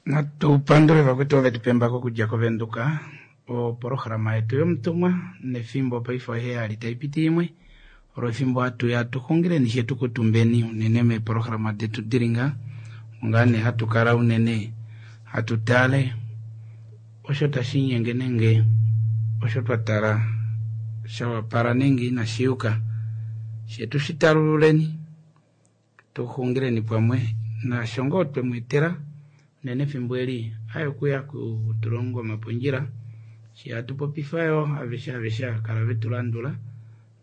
Natu pandule vakwetu ove tu pembako okudja kOvenduka, opolohalama yetu yomutumwa nefimbo paife oheyali tai piti imwe olo efimbo hatu ya tu xungileni she tu kutumbeni unene meepolohalama detu dili nga ongaa nee hatu kala unene hatu tale osho tashi inyenge nenge osho twa tala sha wapala nenge inashi yuka she tu shi talululeni Tu xungileni pamwe naasho ngoo twe mu etela, unene efimbo eli aye okuya kutulonga omapondjila, shi hatu popifa yoo aveshe aveshe ava kala ve tu landula,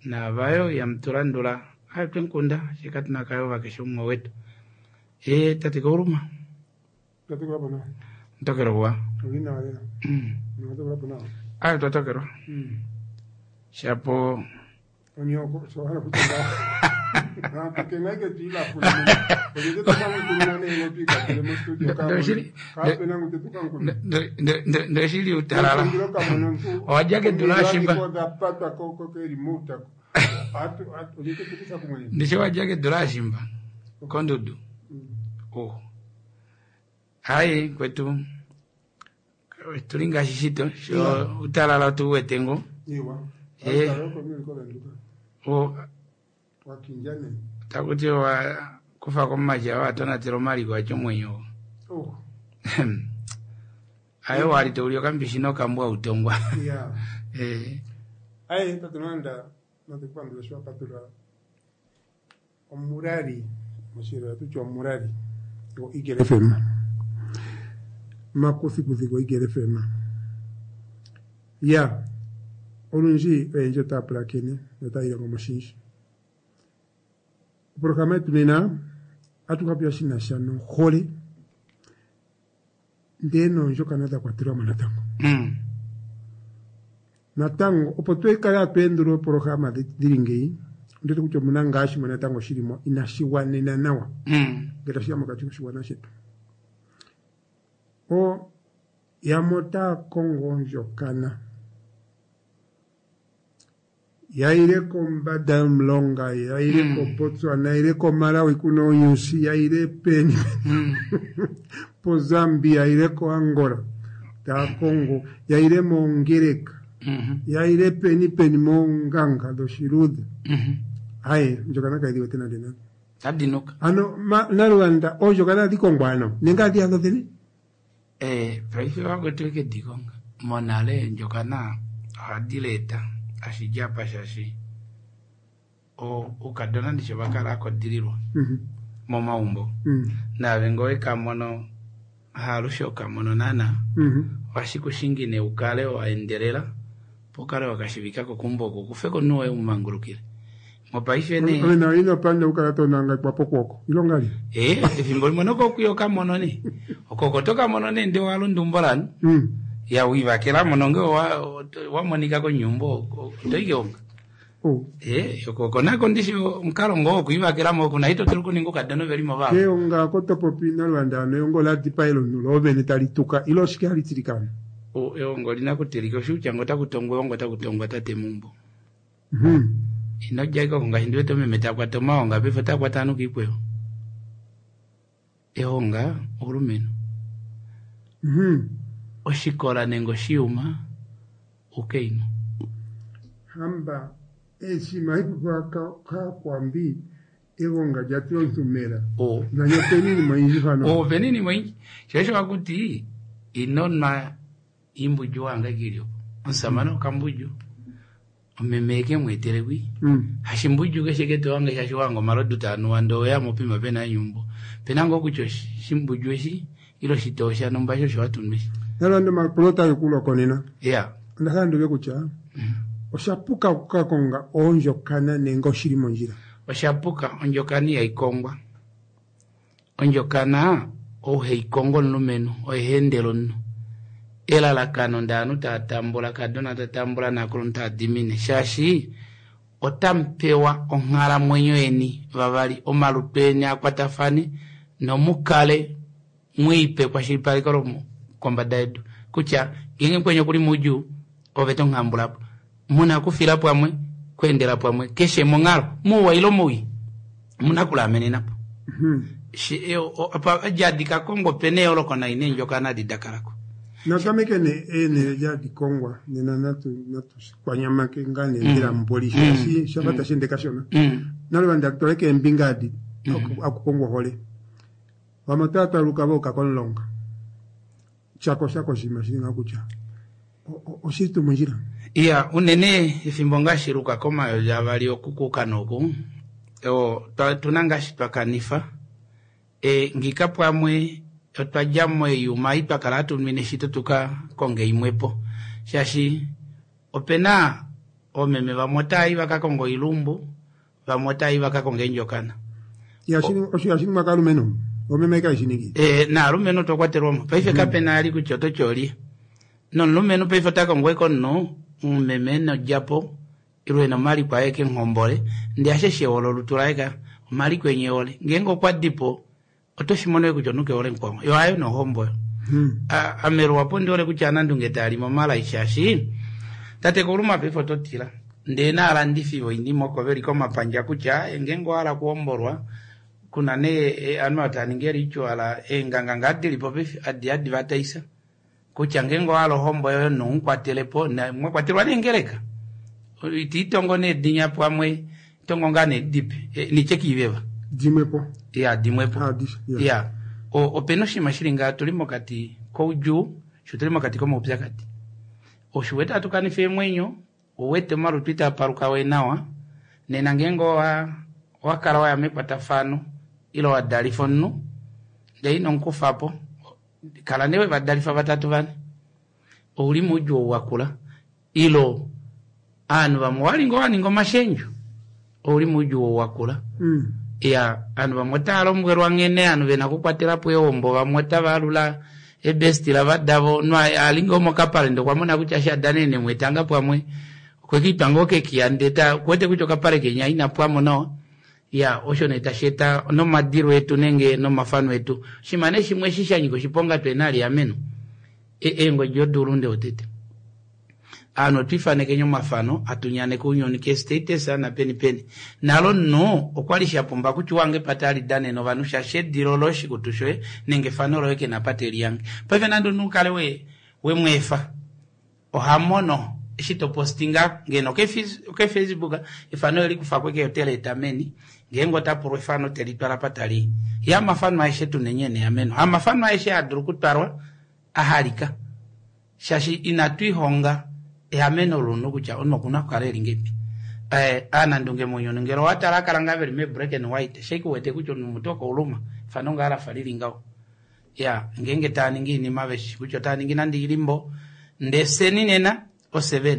naava yoo ihamu tu landula aye otwe mu kunda, she katu na kayova keshe umwe owetu. Ee tate Kauluma. Twatokelwa po nawa. Mtokelwa kuwa. Uli nawa lela. Mwatokelwa po nawa. Aye twatokelwa. Shapo Onyoko sho hala kutya ngaho. Hatu ke naike twiilafule. Olyete tukangukununa nee twikatele mo studio ka. Doshili. Kape na ngu tetukankuna. Ndoshili utalala. Ndilo kamona omuntu. Owa dja kedu laashimba. Odha patwa ko ko ke remote ako. Atu atu olyete tukusa kumwe. Ndishi wa dja kedu laashimba. Kondudu. Oh. Hai kwetu. Tuli ngaashi shito. Sho utalala otu wete ngo. Iwa. Eh. Akalo ko mimi ko venduka. O Wakinja ne. takuti wa kufa komaja wa tonatela omaliko atya omwenyo. Oh. Ayo wali touli okambishi nokambwa utongwa. Yeah. Eh. Aye tatunanda natukupandula sho apatula omurari moshilongo tutya omurari go Eagle FM makuthikuthi go Eagle FM ya olundji oyendji otaya pulakene notaya ilongo mo oshindji. Opolohalama yetu nena atu kapopiya shi na sha nohole ndee noondjokana dha kwatelwa mo natango. Natango opo twekale hatu endulula oopolohalama dhili ngeyi ondiwete kutya omuna ngaa shimwe natango shili mo inashi gwanena nawa ngele tashiya mokati koshigwana shetu. O yamwe otaya kongo ondjokana yayile kombanda yomulonga yayile koBotswana yayile koMalawi kuna oonyushi yayile peni poZambia yayile koAngola taya kongo yayile moongeleka yayile peni peni moonganga dhoshiludhe aye ondjokana kayi wete nande nande. Tadinuka. Ano Nalwanda oondjokana ohadhi kongwa ano nenge ohadhi ya dhodhene? Eh, paife vakwetu eke dikonga. Monale eendjokana ohadi leeta ashidja apa shaashi oukadona ndishi ovakala akodililwa momaumbo. Naave ngee owekamono haalushe okamono naana ohashi kushingi nee ukale waendelela opo ukale wakashivikako keumbo oko ukufeko omunhu woye umumangulukile. Mopaife nee Ove nawe ino panda okukala to nangekwa pokwooko ile ongali? Ee, efimbo limwe nokokuya okamono nee. Okoko oto kamono nee ndee owalunda umbo lanu. Ya wiivakelamo nonge owa monika konyumbo oto i keonga. Oh. Ee, okoko nako ndishi omukalo ngoo wokwiivakelamo oku na ito dulu okuninga oukadona veli mo vava. Keonga oko to popi Nalwanda ano eonga ola dipaela omunhu loo vene tali tuka ile oshike hali tilika ano? Eonga olina okutilika osho kutya ngee otaku tongwa eonga otaku tongwa tate meumbo. Ino dja ashike oko ngaashi ndi wete omeme ta kwata omaonga paife ota kwata ovanhu kiikweyo. Ehonga oulumenhu. Oshikola nenge oshiyuma oukainhu. Hamba eshi maipopiwa kaakwambi egonga lya tila omuntu mela. Oh. Nani opena iinima oyindji mpano. Oh, opena iinima oyindji. Sho osho hakuti ino nwa iimbundju wahanga ike ili opo. Omusamane okambundju omeme eke mu etele kwi. Hashimbundju keshe ke to hange shaashi wahanga omalodu taa nuwa ndee oweya mopima pena nyumbo. Pena ngoo kutya oshimbundju eshi ile oshitoo shanumba eshi osho hatu nu eshi. Nalande omapulo otage ku loko nena. Ya. Onda hala ndi uve kutya osha puka oku ka konga oondjokana nenge oshili mondjila? Osha puka, ondjokana ihayi kongwa. Ondjokana ou heyi kongo omulumenhu oye ha endele omunhu. Elalakano ndee ovanhu tava tambula, kadona ta tambula naakulunhu tava dimine shaashi otamu pewa onghalamwenyo yeni vavali, omalutu eni a kwatafane nomukale mwiipe ekwashilipaleko lokombada yedu kutya ngeenge mukweni okuli moudjuu ove to muhambula po. Muna okufila pamwe, okweendela pamwe keshe monghalo, mouwa ile mowii, omuna okulaamenena po. Apa jadi ka kongo opena eyooloko nai neendjokana adi dakalako. Natameke ne eenhele jadi kongwa nena natu kwanyamake ngaa nee mbela mboli shaashi shafa tashi ende kashona. Nale vanda twale keembinga adi akukongwa ohole. Vamwe otava twaluka voka komulonga. Shako shako oshinima shili ngaho kutya oshili tuu mondjila. Iya, unene efimbo ngaashi luka komayovi avali okukuka noku tuna ngaashi twakanifa ngika pamwe otwa dja moiyuma ei twakala hatu nwine shito tuka konge imwepo shaashi opena oomeme vamwe otaayi vakakonga oilumbu vamwe otaayi vakakonga eendjokana. Osho hashiningwa kaalumenhu omeme kaishiningi. Naalumenhu otwa kwatelwamo paife kapena ali kutya oto tyoli nomulumenhu paife ota kongo omunhu omumeme enodjapo ile ena omaliko aye kenghombole ndee asheshe ehole olutu laye ka omaliko enye ehole ngeenge okwa dipo oto shimono kutya omunhu kehole mukwao yo hayo nohombo oyo. Ame luhapu ondihole kutya anandunge taali momalai shaashi tate Kuluma paife oto tila ndee naalandifi voinima oko veli komapandja kutya ngeenge owahala okuhombolwa kuna nee ovanhu tava ningi ritual eenganga ngaa dilipo paife adi advertise kutya ngeenge owahala ohombo yoye omunhu umukwatelepo mwakwatelwa neengeleka itiitongo needinya pamwe tongo ngaa needipe nitye kiiveva dimwepo ya dimwepo ya opena oshinima shili ngaa tuli mokati koudjuu sho tuli mokati komaupyakadi osho wete hatu kanifa eemwenyo ouwete omalutu itaa paluka we nawa nena ngeenge owa kala waya mekwatafano ile wadalifa omunhu ndee ino mukufapo kala nee wevadalifa vatatu vane ouli moudjuu ou wakula ilo ovanhu vamwe owali ngoo waninga omashendjo ouli moudjuu ou wakula. Ya ovanhu vamwe otava lombwelwa nghene ovanhu vena okukwatelapo eehombo vamwe otava alula ebestila vadavo omunhu ali ngoo mokapale ndee okwa mona kutya eshi adanene etanga pamwe okwekiitwa ngoo kekiya ndee okuwete kutya okapale kenya inapwamo nawa. Ya osho nee tashi eta nomadilo etu nenge nomafano etu oshinima nee shimwe eshi shanyika oshiponga tuhena aliameno eengodi odoulunde wotete ovanhu otwiifanekeni omafano atunyaneke ounyuni ke status napeni peni nalo omunhu okwali shapumba kutya uhange apa talidanene ovanhu shaashi edilo loye oshikutu shoye nenge efano loye kena apa telihange paife nande omunhu ukale wemweefa ohamono eshi topostinga ngeno oke-Facebook efano elikufako eke oteleeta meni ngeenge otapulwa efano telitwala apa tali ya amafano aeshe tunenye neameno hamafano aeshe adulu okutwalwa ahalika shaashi inatwiihonga eameno lomunhu kutya omunhu okuna okukala eli ngeipi. Aanandunge mounyuni ngele owatala akala ngaa veli me black and white shake uwete kutya omunhu mutu okouluma efano ngaa lafa lili ngaho. Ya ngeenge taaningi oinima veshi kutya otaaningi nande ilimbo ndee fyeni nena o7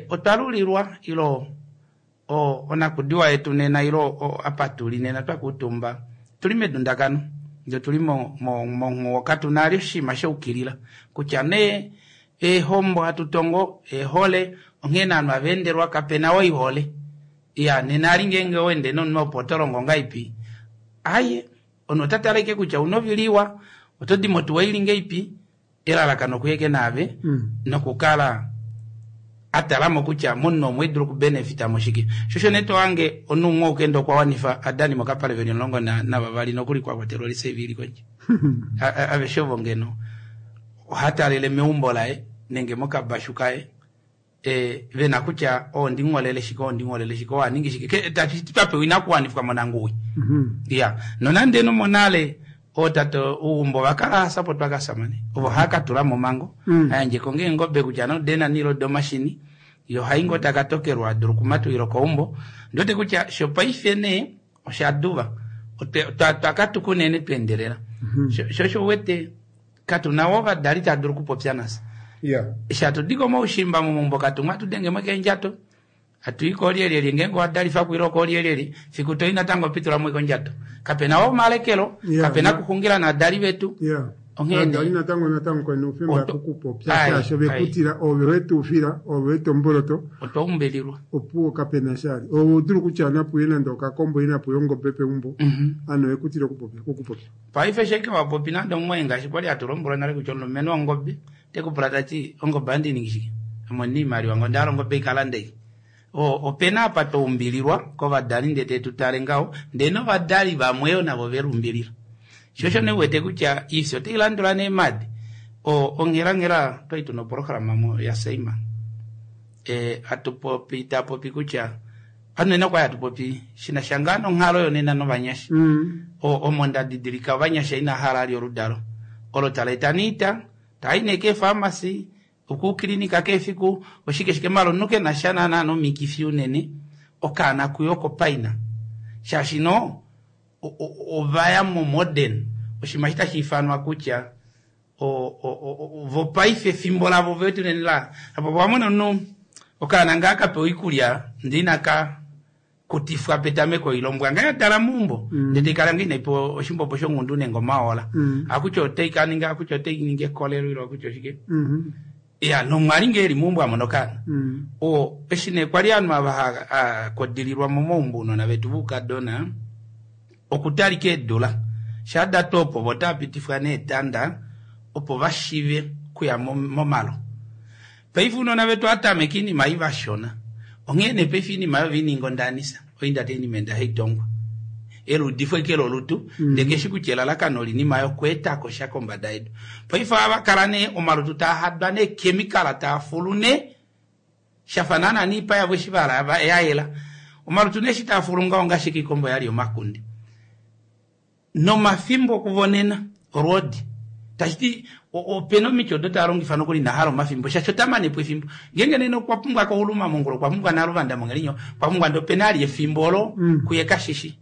otwa lulilwa ilo onakudiwa yetu nena ilo apa tuli nena twakuutumba tuli medundakano ndee tuli monghuwo katuna ali oshinima shaukilila kutya nee eehombo hatu tongo eehole onghee naanhu aveendelwa kapena oihole ya nena ali ngeenge owende nomunhu opo otolongo ngaipi aye omunhu ota tale ashike kutya ouna ovili iwa otodi motuwa ili ngeipi elalakano okuyeke naave nokukala atalamo kutya momunhu omo edulu okubenefita moshike shosho nee tohange omunhu umwe oukenda okwa wanifa adani mokapale veli 12 nokuli kwakwatelwa olisave ili kondje aveshe ovo ngeno ohatalele meumbo laye nenge mokabashu kaye vena kutya ondingholele shike ondingholele shike owaningi shike twapewa inakuwanifwa monanguwi. Ya nonande nomonale ootate uumbo vakala hasapotwa kasamane ovo haakatula momango ayandjeko ngeengobe kutya nodena nilo domashini yo haingo takatokelwa adulu okumatulila koumbo ndiwete kutya shopaife nee oshaduva twakatuka unene tweendelela sho uwete katuna wo ovadali tadulu okupopya nafye eshi hatudi komaushimba momaumbo katumwa hatudengemo keendjato hatui koolyelyelye ngeenge owadalifa kwile okoolyelyelye fiku toi natango pitulamo kondjato kapena wo omalekelo kapena kuxungila naadali vetu onghee natango natango kwena oufemba okupopya shaashi ovekutila ove wetuufila ove wetomboloto otwa umbelilwa opuwo kapena shali ove udulu kutya napuye nande okakombo inapuye ongobe peumbo ano ekutila okupopya paife sheke wapopi nande omumwaye ngaashi kwali hatu lombwelwa nale kutya omulumenhu wongobe tekupula tati ongobe andi ningi shike ame ondina iimaliwa ngo ondahala ongobe ikalande. Opena apa twaumbililwa kovadali ndee tetu tale ngaho, ndee novadali vamwe yo navo velumbilila. Sho osho nee uwete kutya iifya otai landula neemadi. Onghelanghela twali tuna oprograma yaSaima. Hatu popi tapopi kutya anene okwali hatu popi shinasha ngaa nonghalo yonena novanyasha. Omo ndadidilika ovanyasha ina hala ali oludalo olo tala eta niita tai nee keefarmasi okukilinika keefiku oshike shike maala omunhu kenasha naana nomikifi unene okaana kuyo okopaina shaashi no ovaya mo modern oshinima eshi tashi ifanwa kutya vopaife efimbo lavo vetu unene la apo wamona omunhu okaana ngaa kapewa oikulya ndee inaka kutifwa petameko ilombwa ngaa yadala meumbo ndee taikala ngaa inaipewa oshimbombo shongundu nenge omaola akutya otaikaninga akutya otainingi ekolelo ile akutya oshike ya nomwali ngee eli meumbo amona okaana eshi nee kwali ovanhu ava hakodililwa momaumbo ounona vetu voukadona okutalika eedula shaa datu opo vo otava neetanda opo vashive kuya momalo. Paife ounona vetu ohatameka oinima ei vashona onghee nee paife oinima oyo veininga ondanisa oinda tainima enda haitongwa eluudifo eke lolutu ndee keshi kutya elalakano olinima yokweetako sha kombada yedu. Paife ohava kala nee omalutu taa hadwa neekemikala taa fulu nee shafa naana niipa yavo eshi vahala yayela. Omalutu nee eshi taa fulu ngaho ongaashi ikombo yali omakunde. Nomafimbo okuvonena olwoodi tashiti opena omiti odo taa longifa nokuli inahala omafimbo shaashi otamanepo efimbo ngeenge nena okwa pumbwa kouluma mongula okwa pumbwa naluvanda mongelinyo okwa pumbwa ndee opena ali efimbo olo kuye kashishi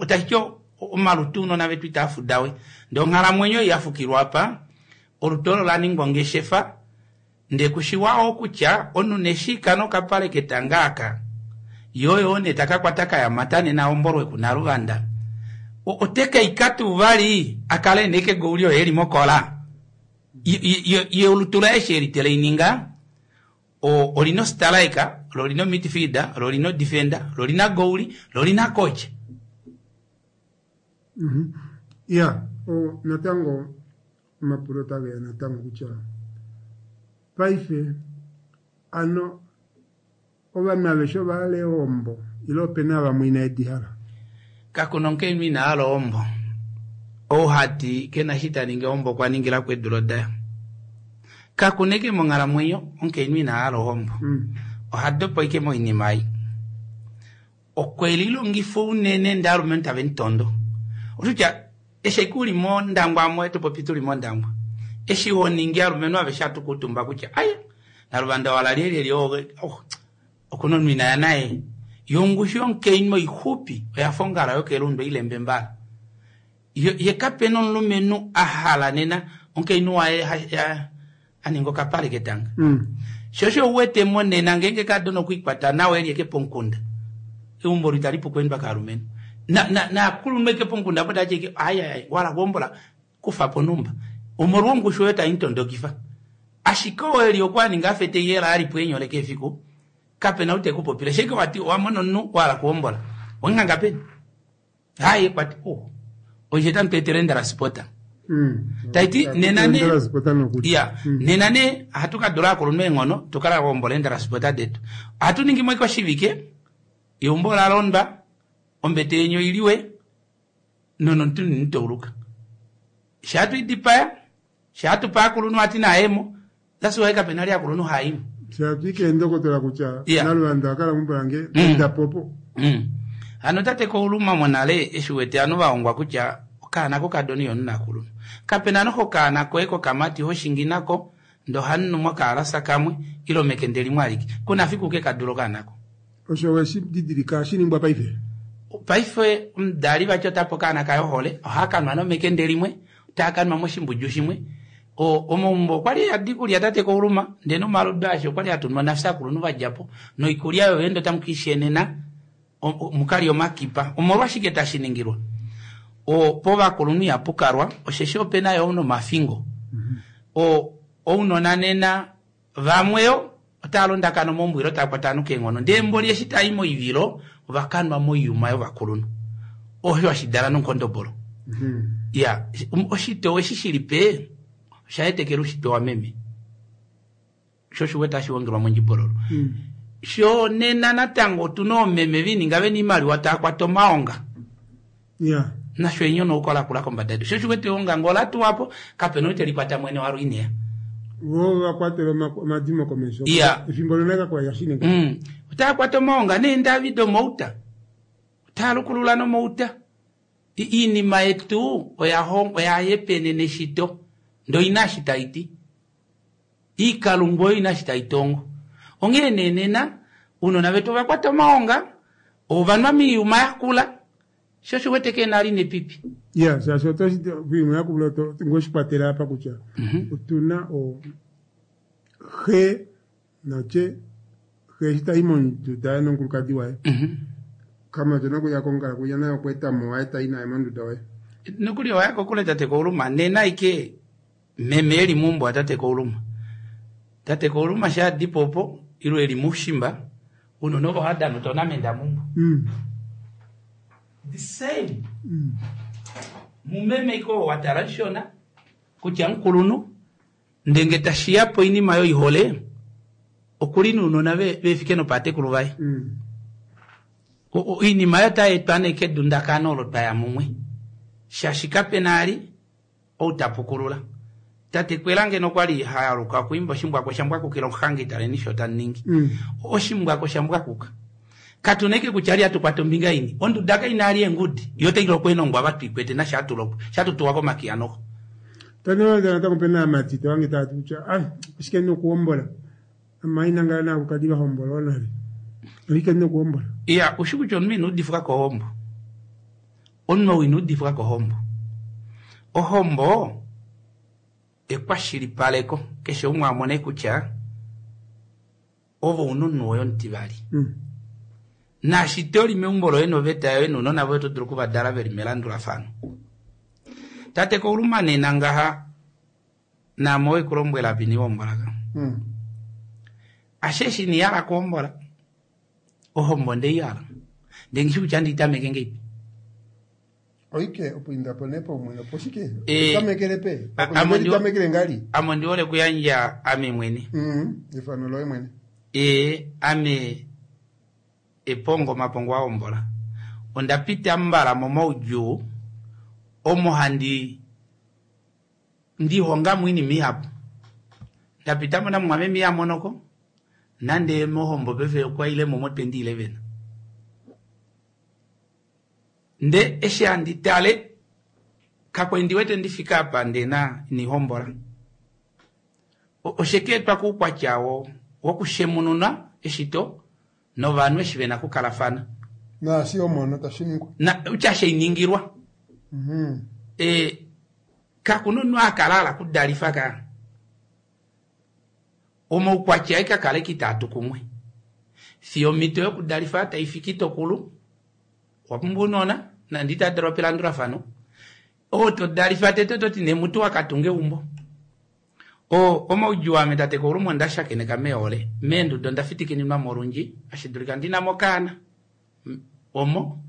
tashiti omalutu ounona vetu itaa fudawe ndee onghalamwenyo ei yafukilwa apa olutu olo laningwa ongeshefa ndee kushiwa kutya omunhu neshika nokapale ketanga aka yoyo nee takakwata kayamata nena ombolwe kunaluvanda otekaika tuu vali akale ena egouli oyo eli mokola ye olutu laye eshi eli teleininga olina ostriker lo olina midfielder lo olina odefender lo olina gouli lo olina coach. Ya natango omapulo otageya natango kutya paife ano ovanhu aveshe ovahala ehombo ile opena vamwe inaedi hala? Kakuna omukainhu ina hala ohombo. Ou hati kena eshi taningi ohombo okwa ningila kweedula odaya. Kakuna eke monghalamwenyo omukainhu ina hala ohombo. Ohadopa ike moinima ei. Okwe lilongifa unene ndee alumenhu tave mutondo. Oshikutya eshi ike uli mondangwa amwe topopi tuli mondangwa. Eshi honingi alumenhu aveshe hatu kuutumba kutya ai naluvanda wala lyelyelye okuna omunhu inaya naye. Yongushu yomukainhu oixupi oyafa ongala yokelundu oilembe mbala. Ye kapena omulumenhu ahala nena omukainhu waye aninga okapale ketanga. Sho osho uwete monena ngeenge kadona okwiikwata nawa eli eke pomukunda eumbo olo itali pu okweendwa kaalumenhu. Naakulunhu eke pomukunda apo tavati eke ai wala kuhombola kufapo numba. Omolwa ongushu oyo taimutondokifa. Ashike oo eli okwaninga afa eteyela alipo eenyole keefiku kapena ou tekupopile. Sheke wati owamona omunhu wahala kuhombola wemuhanga peni? Haye kwati oishe tamu tweetele endraspota. Taiti nena nee ya nena nee ohatu kadula aakulunhu eenghono tukala kuhombola eendraspota detu. Ohatu ningi mo ike oshivike eumbo ola londwa ombete yeni oiliwe nonomuntu initauluka. Shaa twidipaya shaa tupa aakulunhu ati naayemo that's why kapena ali aakulunhu haayimo. Shaatwike eendokotola kutya naluvanda akala meumbo lange endapopo. Hano tate kouluma monale eshi uwete ovanhu vahongwa kutya okaana kokadona ihonu naakulunhu. Kapena noho okaana koye kokamati hoshingi nako ndee ohamunu mokaalasa kamwe ile mekende limwe alike. Kuna fiku kekadula okaana ko. Osho weshi didilika shiningwa paife? Paife omudali vati otape okaana kaye ohole ohakanwa nomekende limwe otaakanwa moshimbudju shimwe. Omaumbo okwali eyadi ikulya tate kouluma ndee nomalodu aasho okwali hatunwa nafye akulunhu vadjapo noikulya oyo ende otamu kiishenena mukalya omakipa. Omolwashike tashi ningilwa? Povakulunhu ihapukalwa osheshi opena yo nomafingo. Ounona nena vamwe yo otava londakana omaumbo ile otava kwata ovanhu keenghono ndee mboli eshi tai moivilo ovakanwa moiyuma yovakulunhu. Osho hashidala nomukondobolo. Ya oshitoo eshi shilipe oshaetekela ushitwe wameme. Sho oshiwete hashi hongelwa mondjibololo. Sho nena natango otuna oomeme viininga vena iimaliwa taya kwata omaonga. Ya. Nasho enyonauko lakula kombada yedu. Sho osho wete eonga ngee ola tuwa po, kapena ou teli kwata mwene walo ineya. Vo va kwatela omadimo komesho. Ya. Efimbo lonale kakwa li hashi ningwa. Otaya kwata omaonga neendavi domouta. Otaya lukulula nomouta. Iinima yetu oya oya yepenene eshito. Ndee oina eshi tai ti. Iikalunga oyo ina eshi tai tongo. Onghee nee nena, ounona vetu ova kwata omaonga, ova nwa moiyuma yakula, sho osho wete keena ali nepipi. Ya, shaashi oto shi oiyuma yakula oto ngoo shi kwatela apa kutya otuna o xe natye xe eshi tai monduda yaye nomukulukadi waye kamatyona okuya kongala kuya naye okwa etamo waye tai naye monduda waye. Nokuli owa ya kokule tate Kauluma, nena aike meme eli meumbo watate Kauluma. Tate Kauluma sha adipo opo ilo eli moushimba, ounona ovo ohava dana otournament meumbo. The same. Mumeme iko wa tala shona kutya mukulunhu ndenge tashiya poinima yoihole okuli nounona vefike nopatekulu vaye. Oinima oyo otai etwa nee kedundakano olo twaya mumwe shaashi kapena ali ou ta pukulula. Tate Kwela ngeno okwali hayaluka okuimba oshimbwako shambwakukila omuhangi taleni sho taningi. Oshimbwako shambwakuka. Katuna eke kutya ali hatu kwata ombinga ini. Onduda kaina ali eengudi. Yo otai lokwa eenongwa ava tuikwete nasha hatulokwa. Shatutuwa komakiya noho. Tani natango pena aamati tohange tava ti kutya ai oshike ndina okuhombola. Amaina ngaa naakukadi vahombolwa nale. Oshike ndina okuhombola. Iya, ushi kutya omunhu ina udifwa kohombo. Omunhu ou ina udifwa kohombo. Ohombo ekwashilipaleko keshe umwe amone kutya ove ouna omunhu woye omutivali. Naashi toli meumbo loye noveta yoye nounona voye oto dulu okuvadala veli melandulafano. Tate Kauluma nena ngaha naame owe kulombwela apa inihombola ka. Ashe eshi inihala kuhombola ohombo ndeihala. Ndee nghishi kutya ndiitameke ngeipi. Oike opo indapo nee paumwene opo shike? Tamekele pe? Tamekele ngali? Ame ondi hole okuyandja ame mwene. Efano loye mwene. Ame epongo mapongo ahombola. Onda pita mbala momaudjuu omo handi ndihongamo oinima ihapu. Ndapitamo namumwameme ihamonoko nande mohombo paife okwa ile mo mo 2011. Nde eshi handi tale kakwa ndi wete ndifika apa ndena inihombola. Osheke etwa kuukwatya wokushemununa eshito novanhu eshi vena okukalafana. Naashi omono tashi ningwa. Na utya sheiningilwa. Kakuna omunhu akala ala kudalifa ka. Omaukwatya aye kakale kitaatu kumwe. Fiyo omhito yokudalifa taifiki tokulu. Owa pumbwa ounona nande itadalwa pelandulafano. Oo todalifa tete ototi nee mutu wakatunga eumbo. Omaudjuu ame tate Kauluma onda shakeneka meehole. Meenduda onda fitikininwa mo olundji. Ashi dulika ndina mo okaana. Omo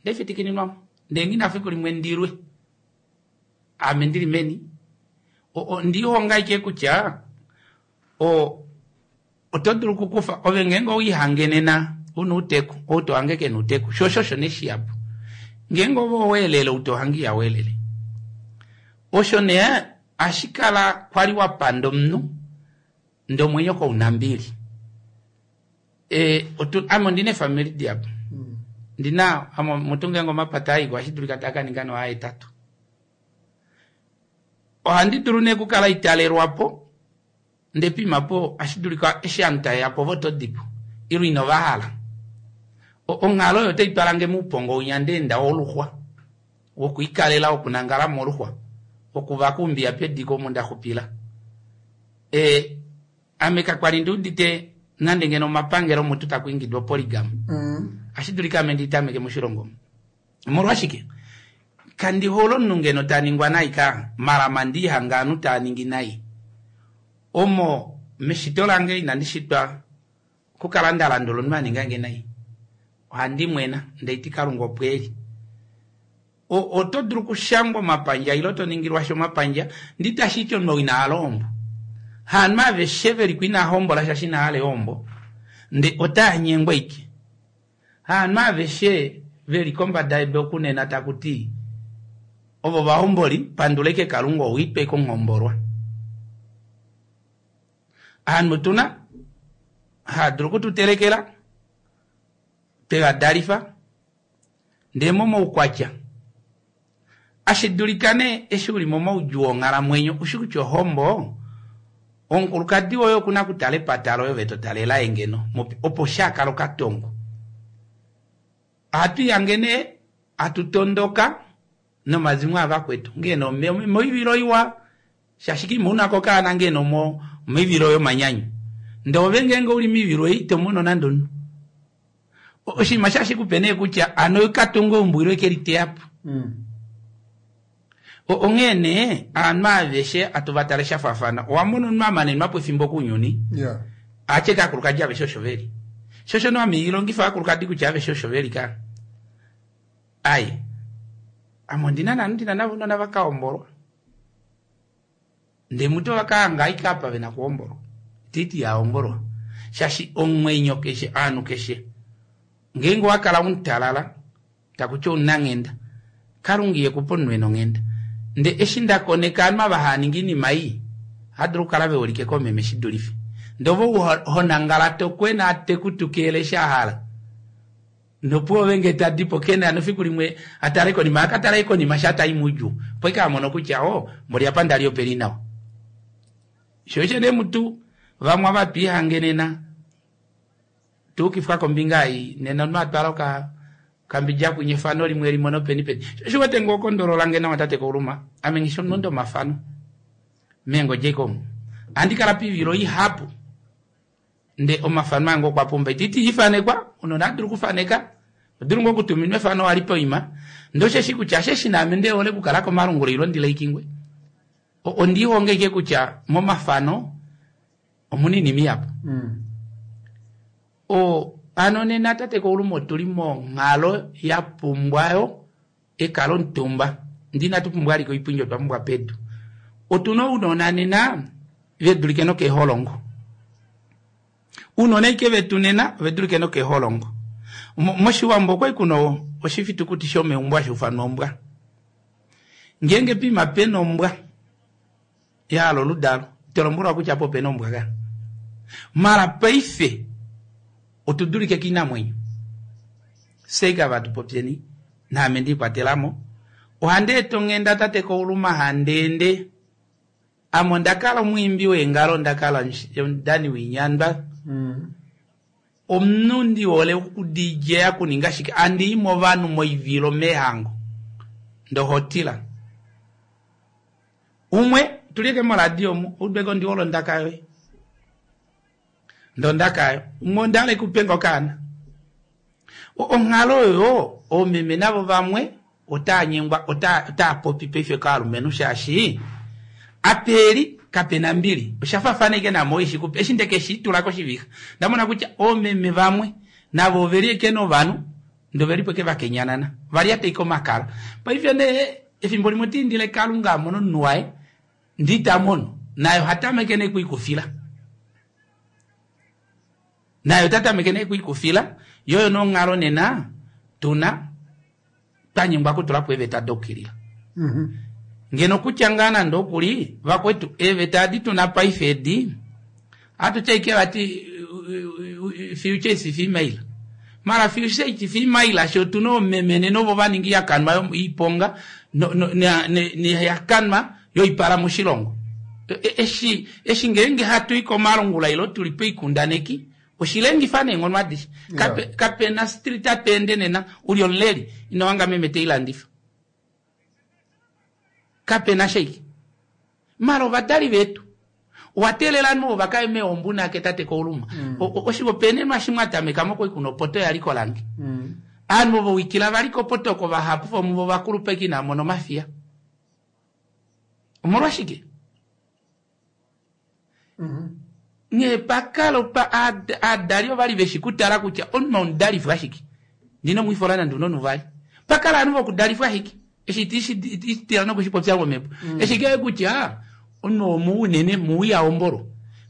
ndefitikininwa mo. Ndee nghina fiku limwe ndilwe. Ame ndili meni. Ondihonga ashike kutya oto dulu okukufa ove ngeenge owiihangenena una outeku ou tohange kena outeku sho osho osho neshihapu ngeenge ove oweelele ou tohange ihaweelele osho nee ashikala kwali wapanda omunhu ndee omwenyo kounambili. Ame ondina eefamili dihapu. Ndina ame mutu ngeenge omapata aiko ohashi dulika taa kaninga noahetatu. Ohandi dulu nee okukala italelwapo ndee pimapo ohashi dulika eshi ovanhu taveya po vo otodipo ile inovahala. Onghalo oyo otai twalange moupongo winya ndeenda woluxwa wokwiikalela wokunangala moluxwa wokuvaka oumbiya pediko omo ndaxupila. Ame kakwali ndiudite nande ngeno omapangelo mutu takwiingidwa polygamy. Ohashi dulika ame nditameke moshilongo omu. Omolwashike? Kandi hole omunhu ngeno taningwa nai ka malama ndihanga ovanhu taaningi nai. Omo meshito lange inandi shitwa okukala nda landula omunhu aningange nai. Ohandi mwena ndeiti Kalunga opo eli. Oto dulu okushangwa omapandja ile oto ningilwa sha omapandja nditashiti omunhu ou ina hala ohombo. Haanhu aveshe veliko inaa hombola shaashi ina hala eehombo. Nde otaa nyengwa ike. Haanhu aveshe veli kombada yedu okunena taku ti ovo vahomboli pandula ike Kalunga ou itwa ike omuhombolwa. Aanhu tuna haa dulu okututelekela tweva dalifa ndee momaukwatya ashi dulika nee eshi uli momaudjuu onghalamwenyo ushi kutya ohombo omukulukadi woye okuna okutala epata loye ove to tale laye ngeno opo shaakala okatongo. Ohatu ihange nee hatu tondoka nomazimo avakwetu ngeno moivilo iwa shaashi kiima una ko kaana ngeno moivilo yomanyanyu ndee ove ngeenge uli moivilo ei ito mono nande omunhu. Oshinima shashi kupe nee kutya ano katunga eumbo ilo eke liteya po. Onghee nee aanhu aveshe atu va tale sha faafana. Owa mona omunhu a manenwa po efimbo kounyuni atye kaakulukadi aveshe osho veli. Sho osho nee ame ilongifa ovakulukadi kutya aveshe osho veli ka. Ai ame ondina naanhu ndina navo ounona vaka hombolwa. Ndee mutu ovaka hanga ashike apa vena okuhombolwa. Ititi ya hombolwa. Shaashi omwenyo keshe ovanhu keshe ngeenge owa kala umutalala takuti omunanghenda Kalunga ihekupe omunhu ena onghenda. Ndee eshi nda koneka ovanhu ava hava ningi oinima ii ohava dulu okukala veholike koomeme shidulife. Ndee ove ou honangala tokwena tekutukeele eshi ahala nopuwo ove ngee tadipo kena nofiku limwe atale konima akatala ashike konima sha tai moudjuu opo ashike amono kutya o mboli apa ndali opeli nawa. Sho osho nee mutu vamwe ava twiihange nena tuukifwa kombinga ei nena omunhu atwala okambidja kwinya efano limwe limono peni peni. Sho wete ngoo okondolola nawa tate Kauluma ame nghishi omulondi omafano meengodje omu. Ohandi kala poivilo ihapu ndee omafano ange okwa pumba. Ititi ifanekwa omunhu oha dulu okufaneka odulu ngoo okutuminwa efano wali poima ndee osheshi kutya osheshi naame ndehole okukala komalungula ilo ndilaikinge. Ondiihonga ashike kutya momafano omuna oinima ihapu. Hano nena tate Kauluma otuli monghalo ya pumbwayo ekalo omutumba ndee inatu pumbwa ashike oipundi otwa pumbwa pedu. Otuna ounona nena vedulike nokeeholongo. Ounona ashike vetu nena ovedulike nokeeholongo. Moshiwambo okwali kuna oshifitukuti shomeumbo hashi ufanwa ombwa. Ngeenge poima pena ombwa yahala oludalo ito lombwelwa kutya apa opena ombwa ka. Mala paife otudulike koinamwenyo. Fyee ava tupopyeni naame ndiikwatelamo. Ohandi eta onghenda tate Kauluma handeende. Ame ondakala omwiimbi weengalo ondakala omudani woinyandwa. Omunhu ndihole oku-DJ okuninga shike andii movanhu moivilo meehango ndohotila. Umwe tulieke moradio omu oudweke ondihole ondaka yoye. Ndondaka ayo. Umwe ondahala ekupenga okaana. Onghalo oyo oomeme navo vamwe otaa nyengwa otaa popi paife kovalumenhu shaashi apeli kapena mbili. Osha faafana ashike naame oishikupe eshi ndeke shitula koshivixa ndamona kutya oomeme vamwe navo oveli eke novanhu ndee ovelipo eke vakenyanana valyata ashike omakala. Paife nee efimbo limwe otiindile Kalunga amone omunhu waye ndee ita mono naye oha tameke nee okwiikufila. Naye ota tameke nee okwiikufila yoo oyo nee onghalo nena tuna twanyengwa okutulapo eeveta dokukilila. Ngeno kutya ngaa nande okuli vakwetu eeveta adi tuna paife edi ohatu ti ashike vati future is female. Mara future is female sho otuna oomeme nena ovo vaninga oihakanwa yoiponga noihakanwa yoipala moshilongo. Eshi ngeenge hatu i komalungula ilo tuli poikundaneki oshilengifa neenghono adishe. Kapena street atu ende nena uli omuleli ino hanga meme teilandifa. Kapena shaike. Mara ovadali vetu owa teelela ovanhu ovo vakaye meombo unake tate Kauluma. Oshihopaenenwa shimwe atameka mokwali kuna opoto yali kolange. Ovanhu ovo wikila vali kopoto oko vahapu vomuvo ovakulupe inava mona omafiya. Omolwashike? Nghee pakala aadali ovali veshi kutala kutya omunhu omudalifwa ashike. Ndina omwifola nande una onuvali. Pakala ovanhu vokudalifwa ashike. Eshi ititila nokushipopya momhepo. Eshi kee kutya omunhu omu unene muwi ahombolwa.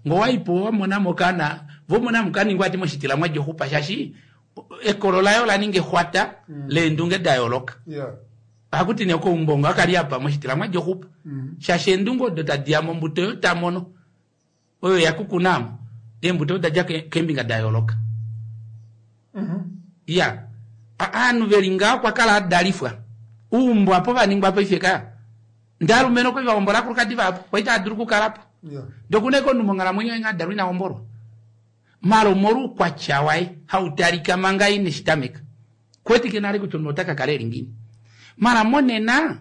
Ngee owaipo wamonamo okaana Vomona mukaningwa ati moshitila mwadja oxupa shaashi ekolo laye ola ninga exwata leendunge da yooloka. Ohakuti nee okoumbongo akali apa moshitila mwadja oxupa shaashi eendunge odo tadi ya mombuto oyo ta mono oyo ya kukunamo eembuto oda dja keembinga da yooloka. Ya aanhu veli ngaho okwa kala adalifwa uumbo apo vaningwa paife ka ndee alumenhu okwali vahombola aakulukadi vahapu kwali tava dulu okukalapo ndee okuna ashike omunhu monghalamwenyo yaye nghee adalwa ina hombolwa mala omolwa oukwatya waye hautalika manga ine shitameka kuwetike nale kutya omunhu ota kakala eli ngiini mala monena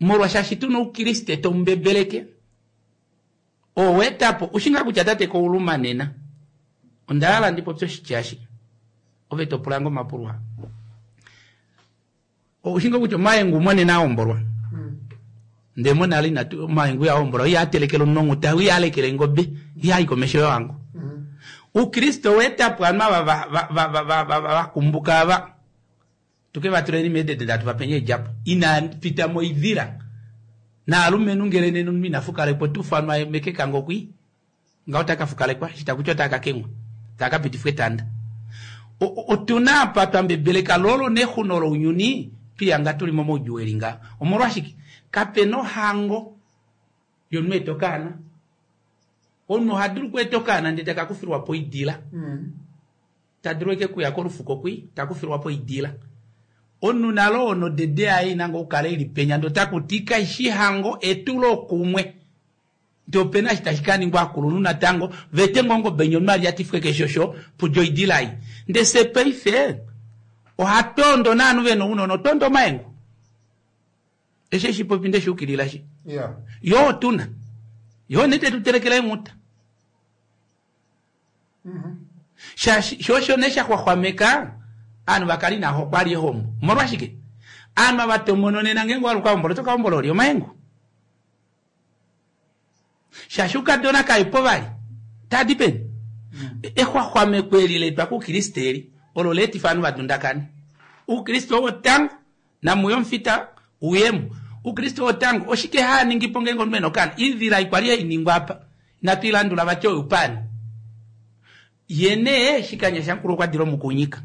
molwa shaashi tuna oukriste taubebeleke oweetapo ushinga kutya tate kouluma nena onda hala ndi popye oshitya eshi ove to pulange omapulo aa Ushinga kutya omaengu monena ahombolwa ndee monale inatu omaengu ihahombolwa ihaa telekele omunhu onghuta ihaa lekele engobe ihaa i komesho yohango. Oukriste oweetapo ovanhu ava vakumbuka ava tuke vatuleni meedede ndee hatu vapeni eedjapo inaa pita moidila naalumenhu ngele nena omunhu ina fukalekwa ota ufanwa mekekango kwii ngaho ota ka fukalekwa eshi taku ti otaa ka kengwa taa ka pitifwa etanda. Otu na apa twa mbebeleka lo olo nexuno lounyuni twihanga tuli momaudjuu eli ngaha. Omolwashike? Kape na ohango yomunhu eta okaana. Omunhu oha dulu okweeta okaana ndele taka kufilwa po oidila. Ta dulu ashike okuya kolufuko kwi ta kufilwa po oidila. Omunhu nale oo nodede yaye ina ngoo okukala ili penya ndee otaku ti kaishi hango etulokumwe. Ndee opena eshi tashi kaningwa aakulunhu natango vete ngoo ongobe inya omunhu ali atifwe keshosho pudja oidila ei. Ndee fye paife ohatoondo naanhu vena ounona otoonda omaengu. Eshi eshi popi nde shuukilila shi. Yoo otuna. Yoo nee tetu telekele eenghuta. Shaashi sho osho nee sha xwaxwameka ovanhu va kale inava hokwa vali ehombo. Omolwashike? Ovanhu ava tomono nena ngeenge owa luka ohombola oto ka hombola olye? Omaengu. Shaashi oukadona kaepo vali tadi peni. Exwaxwameko eli la etwa koukriste eli olo la etifa ovanhu va dundakane. Oukriste owo tango namuye omufita uyemo. Oukriste owo tango oshike haa ningi po ngeenge omunhu e na okaana? Iidhila ei kwali hai ningwa apa inatu i landula vati oyoupani. Ye nee shikanya shamukulu okwa dila omukunyika.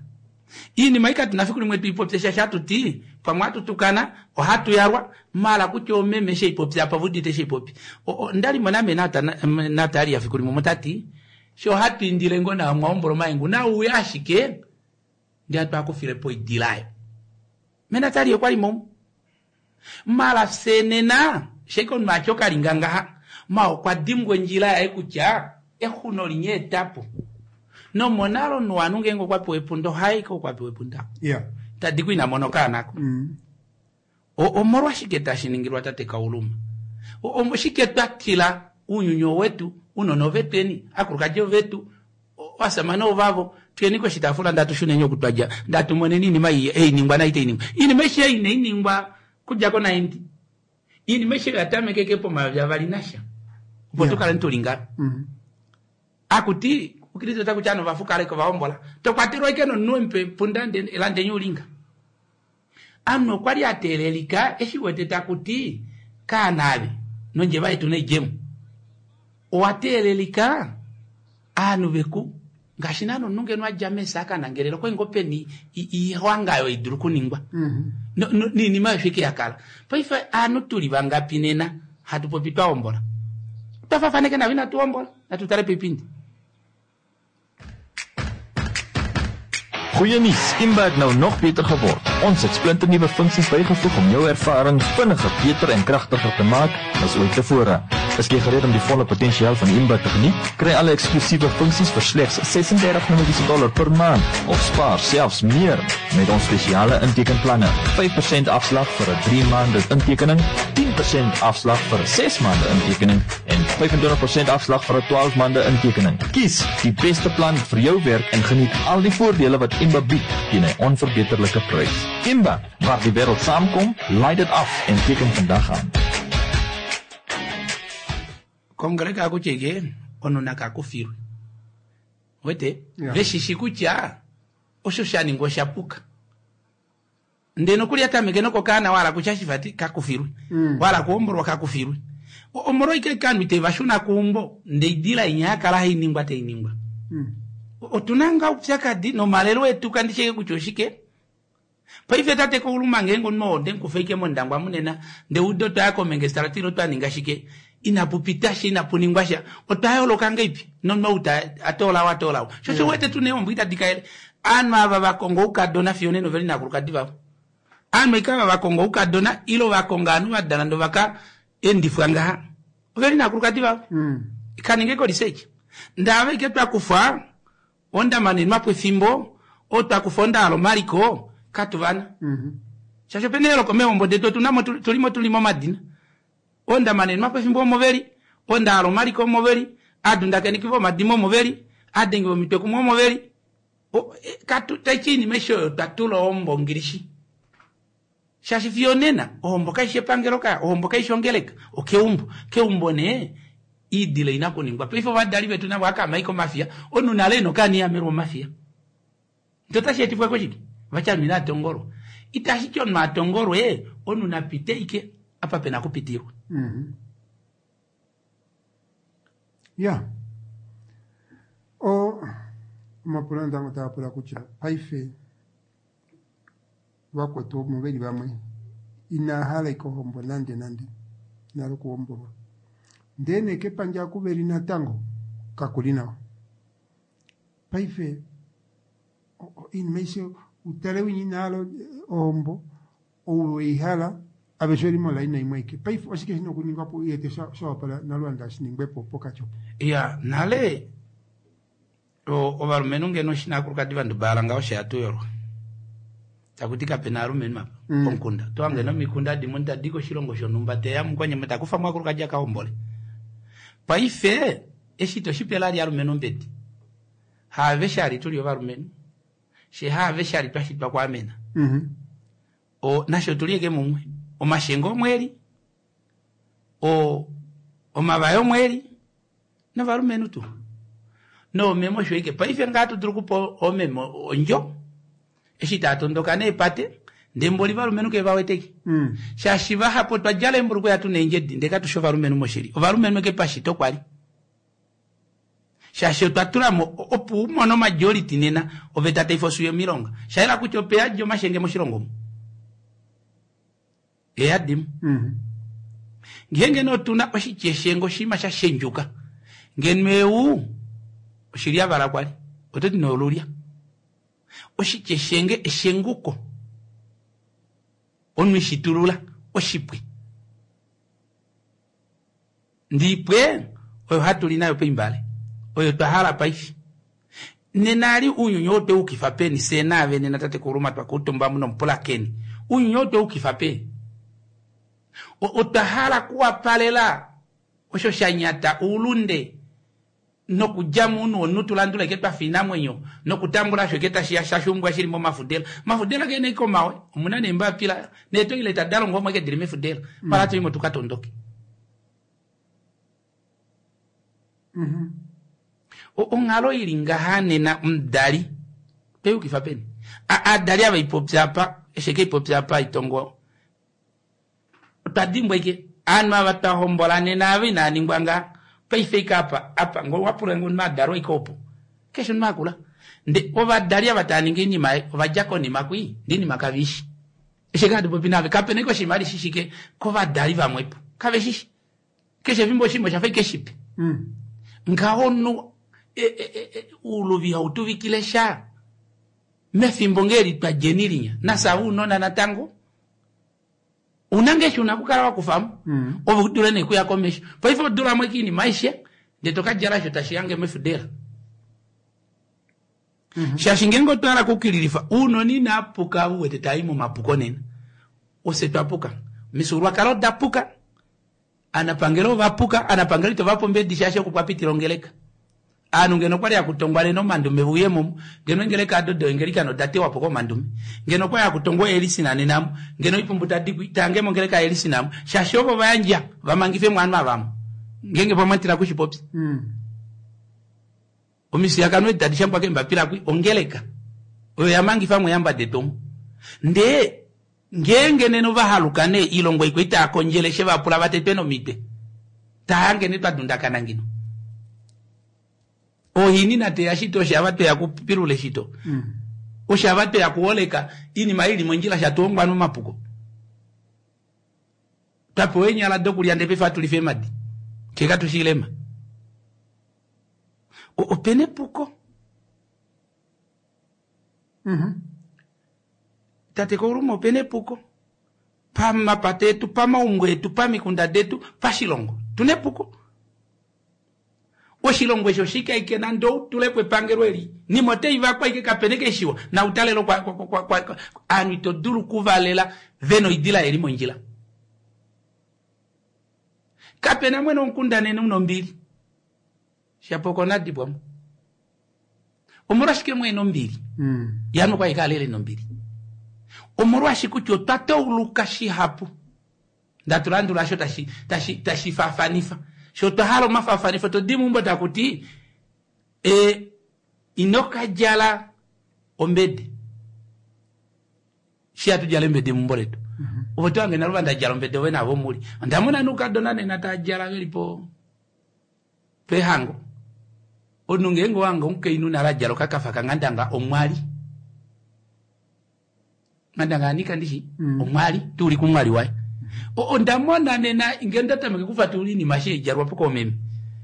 Iinima ei katu na fiku limwe tu i popye shaashi hatu ti pamwe ohatu tukana, ohatu yalwa, maala kutya oomeme eshi ei popya apa ove udite eshi ei popi. Onda li mo name Natalia fiku limwe omo tati sho hatu indile ngoo nawa mwa hombola omaengu nauye ashike ndee hatu akufile po oidila ayo. Me Natalia okwa li mo. Maala fye nena sheke omunhu atya okalinga ngaha ma okwa dimbwa ondjila yaye kutya exuno linya etapo. Nomonale omunhu wovanhu ngeenge okwa pewa epunda ohayi ko okwa pewa epunda. Yeah. Tadi ku ina mona okaana ko. Omolwashike tashi ningilwa tate Kauluma? Oshike twa tila uunyuni owetu, uunona ovetweni, aakulukadi ovetu, ovasamane ovavo, tuyeni koshitaafula ndatu shuneni oku twa dja, ndatu moneni iinima ei ei ningwa nai itai ningwa. Iinima aishe ei inai ningwa kudja ko 90. Iinima aishe oya tamekeke pomayovi avali nasha. Opo tu kaleni tuli ngaho. Akuti Kristo ota kutya ovanhu ovafukaleke ovahombola. To kwatelwa ashike nomunhu wemupa epunda landenyi ulinga. Ame okwa li a teelelika eshi wete taku ti kaana ave nondjeva yetu naidjemo. Owa teelelika ovanhu veku ngaashi naana omunhu ngeno a dja meesa a ka nangelela okwali ngoo peni oihwanga oyo hai dulu okuningwa noinima oyo ashike ya kala. Paife ovanhu tuli vangapi nena hatu popi twa hombola? Otwa faafaneke navo inatu hombola, natu tale poipindi. Goeie nuus, Imba het nou nog beter geword. Ons het splinternuwe funksies bygevoeg om jou ervaring vinniger, beter en kragtiger te maak as ooit tevore. Is jy gereed om die volle potensiaal van Imba te geniet? Kry alle eksklusiewe funksies vir slegs 36 dollar per maand of spaar selfs meer met ons spesiale intekenplanne. 5% afslag vir 'n 3 maande intekening, 10% afslag vir 'n 6 maande intekening en 25% afslag vir 'n 12 maande intekening. Kies die beste plan vir jou werk en geniet al die voordele wat Imba bied teen 'n onverbeterlike prys. Imba, waar die wêreld saamkom, laai dit af en teken vandag aan. Kongeleka akutya ike omunhu nakakufilwe wete Yeah. veshishi kutya osho sha ningwa osha puka ndee nokuli atameke nokokaana wahala kutya shifati kakufilwe wahala kuhombolwa kakufilwe omolwaike kanhu iteva shuna kuumbo ndee idila inya yakala hainingwa tainingwa. Otuna ngaa oupyakadi nomalelo etu kandi sheke kutya oshike. Paife tate Kauluma ngeenge omunhu oo onde mu kufa ashike mOndangwa munena ndee udo twaya komengestrata ile twa ninga shike inapu pita sha inapu ningwa sha otwa yooloka ngeipi nomunhu ou ta atoola ou atoola ou sho osho uwete tuna eehombo itadi kalele ovanhu ava va konga oukadona fiyo onena oveli naakulukadi vavo ovanhu ashike ava va konga oukadona ile va konga ovanhu va dala ndee ovaka endifwa ngaha oveli naakulukadi vavo kaninge ko research ndee ava ashike twa kufa Onda manenwa po efimbo, otwa kufa onda hala omaliko, katu vana. Shaashi opena eyooloko meehombo detu otu na mo tuli mo tuli momadina. Onda manenwa po efimbo omo veli, onda hala omaliko omo veli, aadundakaneki vomadimo omo veli, aadengi vomitwe kumwe omo veli. Katu taiti oinima aishe oyo otwa tula ohombo ongilishi. Shaashi fiyo onena ohombo kaishi epangelo kaya, ohombo kaishi ongeleka, okeumbo. Keumbo nee iidila ina kuningwa. Paife ovadali vetu navo akaama ashike omafiya, omunhu nale ena okaana iha melwa omafiya. Ndee otashi etifwa koshike? Vati ovanhu inava tongolwa. Itashi ti omunhu a tongolwe, omunhu na pite ashike apa pena okupitilwa. Ya. O, omapulo natango taa pula kutya paife vakwetu omo veli vamwe inaa hala ike ohombo nande nande inaa okuhombolwa ndee nee kepandja oku veli natango kakuli nawa paife oinima aishe utale winya ina hala ohombo ou weihala aveshe oveli molaina imwe aike paife oshike shina okuningwapo uwete shawapala naLuanda shiningwepo pokati opo. Iya nale Ovalumenhu ngeno eshi naakulukadi va ndubala ngaho she hatu yolwa. Taku ti kape na aalumenhu apa mm. pomukunda. To hange nomikunda dimwe tadi koshilongo shonhumba te ya mukwanyama ta kufa mwakulukadi a ka hombole. Paife eshi to shi pela ali alumenhu ombedi. Haaveshe ali tuli ovalumenhu. She haaveshe ali twa shitwa kwaamena. Mm -hmm. O nashe otuli eke mumwe. Omashengo omweli. O omavaya omweli. Novalumenhu tuu. Noomeme osho ike. Paife ngaa hatu dulu okupa oomeme ondjo eshi tava tondoka neepate ndee mboli ovalumenhu ke va weteke. Mm. Shaashi vahapu otwa djala eembulukweya tu na eendjedi ndee katu shi ovalumenhu moshili. Ovalumenhu eke pashito kwali. Shaashi otwa tula mo opo u mone omajority nena oveta tai fosuya omilonga. Sha yela kutya ope yadi omashenge moshilongo omu. Eyadimo. Ngeenge nee otu na oshitya eshengo oshinima sha shendjuka, ngeno eu oshilyavala kwali, oto ti nee olulya. Oshitya eshenge eshenguko. Omunhu ishitulula oshipwe. Ndiipwe oyo hatu li nayo poimbale, oyo twa hala paife. Nena ali uunyuni ou otwe ukifa peni, fye naave nena tatekulu Uma twa kuutumba omu nomupulakeni. Uunyuni ou otwe ukifa peni? Otwa hala kuwapalela osho sha nyata oulunde nokudja mounhu womunhu tu landule eke twa fa oinamwenyo nokutambula osho eke tashi ya shashumbwa shili momafudela. Omafudela keena eke omawe, omuna neembapila neetoileta da longwa omo eke dili mefudela. Pala tu imo tu ka tondoke. Onghalo ili ngaha nena omudali toyukifa peni? Aadali ava ipopya apa, eshi eke ipopya apa itongo otwa dimbwa ike aanhu ava twa hombola nena ava inaa ningwa ngaa paife ike apa apa ngo wapula ngo omunhu adalwa ike opo keshe omunhu akula nde ovadali ava tava ningi oinima ei ova dja konima kwii nde oinima kave ishi eshi eke hatu popi nave kapena ike oshinima ali shishike kovadali vamwepo kave shishi keshe efimbo oshinima oshafa ike shipe mm. ngaho omunhu e, e, e, uuluvi ihau tuvikile sha mefimbo ngee li twa djeni linya nafye ounona natango Ouna ngee eshi una okukala wa kufa mo mm. ove u dule nee kuya komesho. Paife odula mo oinima aishe ndee to ka djala osho tashi hange mefudela. Mm -hmm. Shaashi ngeenge otwa hala okukililifa ounona inaa puka u wete taa i momapuko nena. Ofye twa puka. Omifyuululwakalo oda puka. Aanapangelo ova puka, aanapangelo ito va pa ombedi shaashi oku kwa pitila ongeleka. Aanhu ngeno okwali haku tongwa nena omandume ve uye mo, ngeno eengeleka ado doengelikana oda tewa po komandume. Ngeno okwali haku tongwa oelisina nena mo, ngeno oipumbu tadi ku tange mongeleka yaelisina mo, shaashi ovo va yandja va mangife mo ovanhu ava mo. Ngeenge pamwe tila kushi popya. Omifiyakano edi tadi shangwa keembapila kwi, ongeleka oyo ya mangifa mo eehamba detu omu. Ndee Ngeenge nena ova haluka nee ilongo ikwa itaa kondjele she va pula va tetwe nomitwe, ta hange nee twa dundakana ngino. Ohini nateya shito oshava tweya kupilula eshito. Oshava tweya kuoleka iinima ili mondjila shatuongwa nomapuko. Twapewa eenyala dokulya ndee paife hatu lifa eemadi. Fye katu shiilema. Opena epuko. Tate Kauluma opena epuko. Pamapata etu, pamaumbo etu, pamikunda detu, pashilongo. Tuna epuko. Oshilongo eshi oshike aike nande outulepo epangelo eli. Nima otai vakwa aike kapena eke shiwa. Nautalelo kwa, kwa, kwa, kwa, kwa, aanhu ito dulu okuvalela vena oidila eli mondjila. Kapena mwene omukunda nene una ombili. Shapo okonadibwamo. Omolwashike mwene ombili? Yano kwa ikalele nombili. Omolwashike kutya otwa tauluka shihapu. Ndatulandula sho tashi tashi tashi faafanifa. Sho twa hala omafaafanifo to di meumbo takuti ino ka djala ombede. Shi hatu djala embede meumbo letu. Ovo to hange nalo vanda djala ombede ove navo muli. Onda mona noukadona nena taa djala veli po pehango. Omunhu ngeenge owange omukainhu nale a djala okakafa kanghandanga omwali. Nghandanga anika ndishi omwali tuuli kumwali waye. Onda mona nena ngee nda tameke kufatulula oinima eshi haidjalwa po koomeme.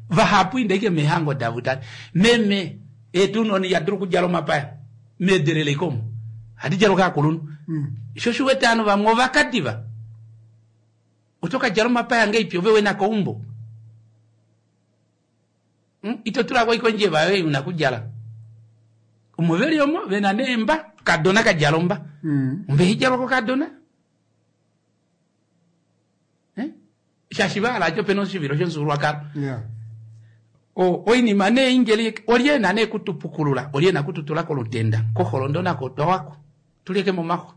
Vahapu inda ashike meehango davo tale. Meme etu noni ya dulu okudjala omapaya meedelele ike omo. Ohadi djalwa kaakulunhu. Sho osho uwete ovanhu vamwe ovakadiva. Oto ka djala omapaya ngeipi ove wena keumbo? Ito tulako ashike ondjeva yoye una okudjala. Omo veli omo vena neemba, kadona ka djala omba. Omba ihidjalwa kokadona. Shaashi vahala ati opena oshivilo shomufyuululwakalo. Oinima nee ingeli olye ena nee kutupukulula, olye ena kututula kolutenda, koholondo nako otwa wako. Tulyeke momaxwa.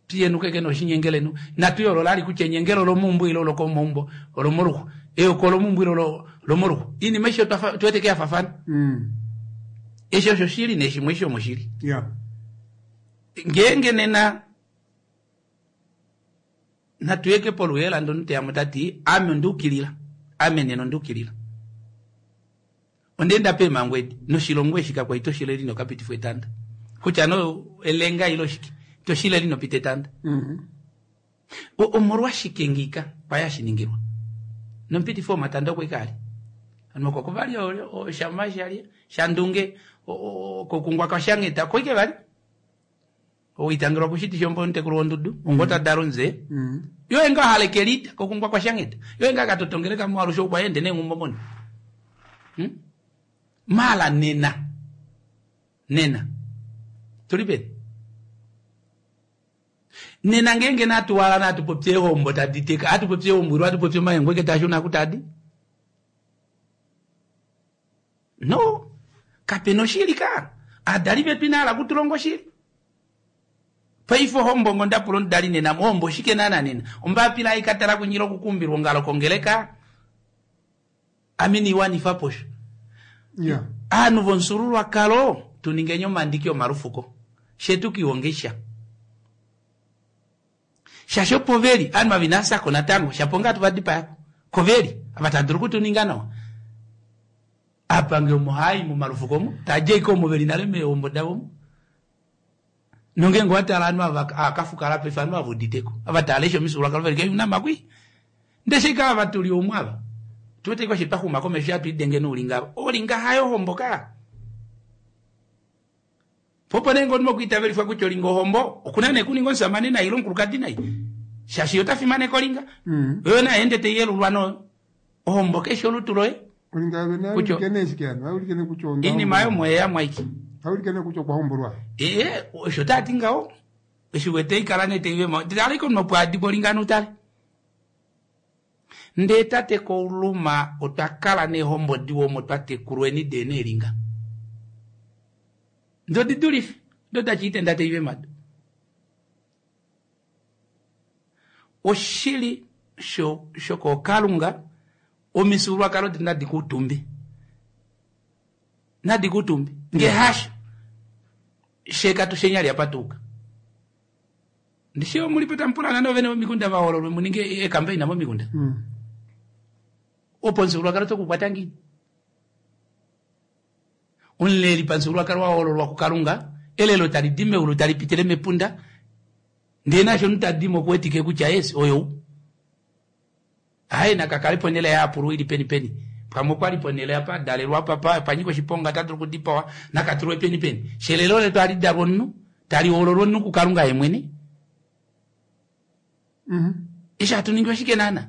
Piyenuke ke noshinyengelenu. Natu yoolola ali kutya enyengelo olomeumbo ile olokomaumbo, olomoluxwa. Eyoko olomeumbo ile olomoluxwa. Iinima aishe otwa wete ke ya faafana. Eshi osho shili nee shimwe eshi omoshili. Ngeenge nena natu yeke poluheela ndonu teyamo tati ame onduukilila. Ame nena onduukilila. Ondeenda peemhango edi noshilongo eshi kakwa ito shileli nokapitifwa etanda. Kutya no elenga ile oshike ito shileli nopita etanda. Omolwashike ngika kwaya hashi ningilwa? Nomupitifi womatanda okwe kaali. Hano oko vali oshama shali shandunge kokungwa kwashangheta koike vali. Owitangelwa kushiti shombo omutekulu wondudu ongo tadala omuze. Yo enga hala kelita kokungwa kwashangheta. Yo enga katotongeleka mo alushe okwa ende neenghumbo moni. Mala nena. Nena. Tuli peni? Nena ngeenge natu wala natu popye ehombo tadi teka, atu popye ehombo ilo atu popye omahengo eke tashuna kutadi? No, kapena oshili ka. Aadali vetu ina hala kutulonga oshili. Paife ohombo ngo ndapula omudali nena, ohombo oshike naana nena? Ombapila ai katala kunyila okukumbilwa ongalo kongeleka? Ame niwanifa posho. Aanhu vomufyuululwakalo tuningeni omandiki omalufuko. Shetu kiwongeisha. Shaashi opo veli, aanhu ava inava natango, shapo ngaa tuvadipayako. Koveli, ava tava dulu okutuninga nawa. Apange omo hai momalufuko omo, tadja ashike omo veli nale meehombo davo omo. Nongeenge owa tala ovanhu ava akafukala paife ovanhu ava uditeko. Ava tava lesha omifyuululwakalo veli ke unamakwi. Ndele shika ava tuli omu ava. Tuwete ko twa xuma komesho hatu idenge noulinga ava. Olinga hayo hombo ka. Popo nee ngoo mokuitavelifwa kutya olinga ohombo, okuna nee kuninga omusamane nai ile omukulukadi nai. Shaashi ota fimaneka olinga. Oyo naye ende tai yelulwa no ohombo keshe olutu loye. Olinga yove Kutya- naulike nee shike hano? Aulike nee kutya onda Iinima oyo mweya mwaiki. Aulike nee kutya okwa hombolwa. Osho tati ngaho. Eshi wete ikala nee tai vema. Tale iko nopwaadi polinga nutale. Ndee tate Kauluma otwa kala neehombo diwa omo twa tekulweni dee neelinga. Ndo didulife. Ndo dachiitenda tai vemado. Oshili shokookalunga omifyuululwakalo detu nadi kuutumbe. Nadi kuutumbe. Nge hasho. Sheka tushenyali apa tuuka. Ndishi omulipo tamupulana novene vomikunda vahoololwe muninge eekambaina momikunda. Opo omufyuululwakalo tokukwata ngiini? Omuleli pamufyuululwakalo wa hoololwa kuKalunga, elelo tali di meulu tali pitile mepunda, ndee naashi omunhu ta dimo okuwetike kutya yes oyou. Aye naka kale ponhele yaapulwa ili peni peni. Pamwe okwali ponhele apa a dalelwa apa pa pa nyika oshiponga ota dulu okudipawa, naka tulwe peni peni. Shelelo letu ohali dalwa omunhu, tali hoololwa omunhu kuKalunga ye mwene. Eshi hatu ningi oshike naana?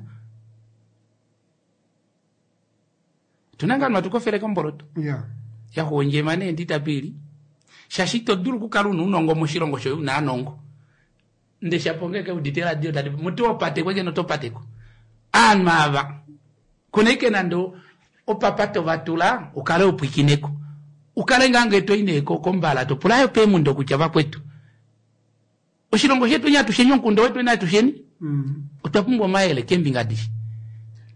Otuna ngaa hatu kofele komboloto. Ya. Yaxuondjema nee nditapili. Shaashi ito dulu okukala una ounongo moshilongo shoye una aanongo. Nde shapo ngeke udite radio tadi muti wopateko eke notopateko. Aanhu ava kuna ike nande opapa tovatula ukale upwikineko. Ukale ngaa ngee toi nee kombala topula yo peemundo kutya vakwetu. Oshilongo shetu atusheni omukunda wetu atusheni. Otwa pumbwa omayele keembinga adishe.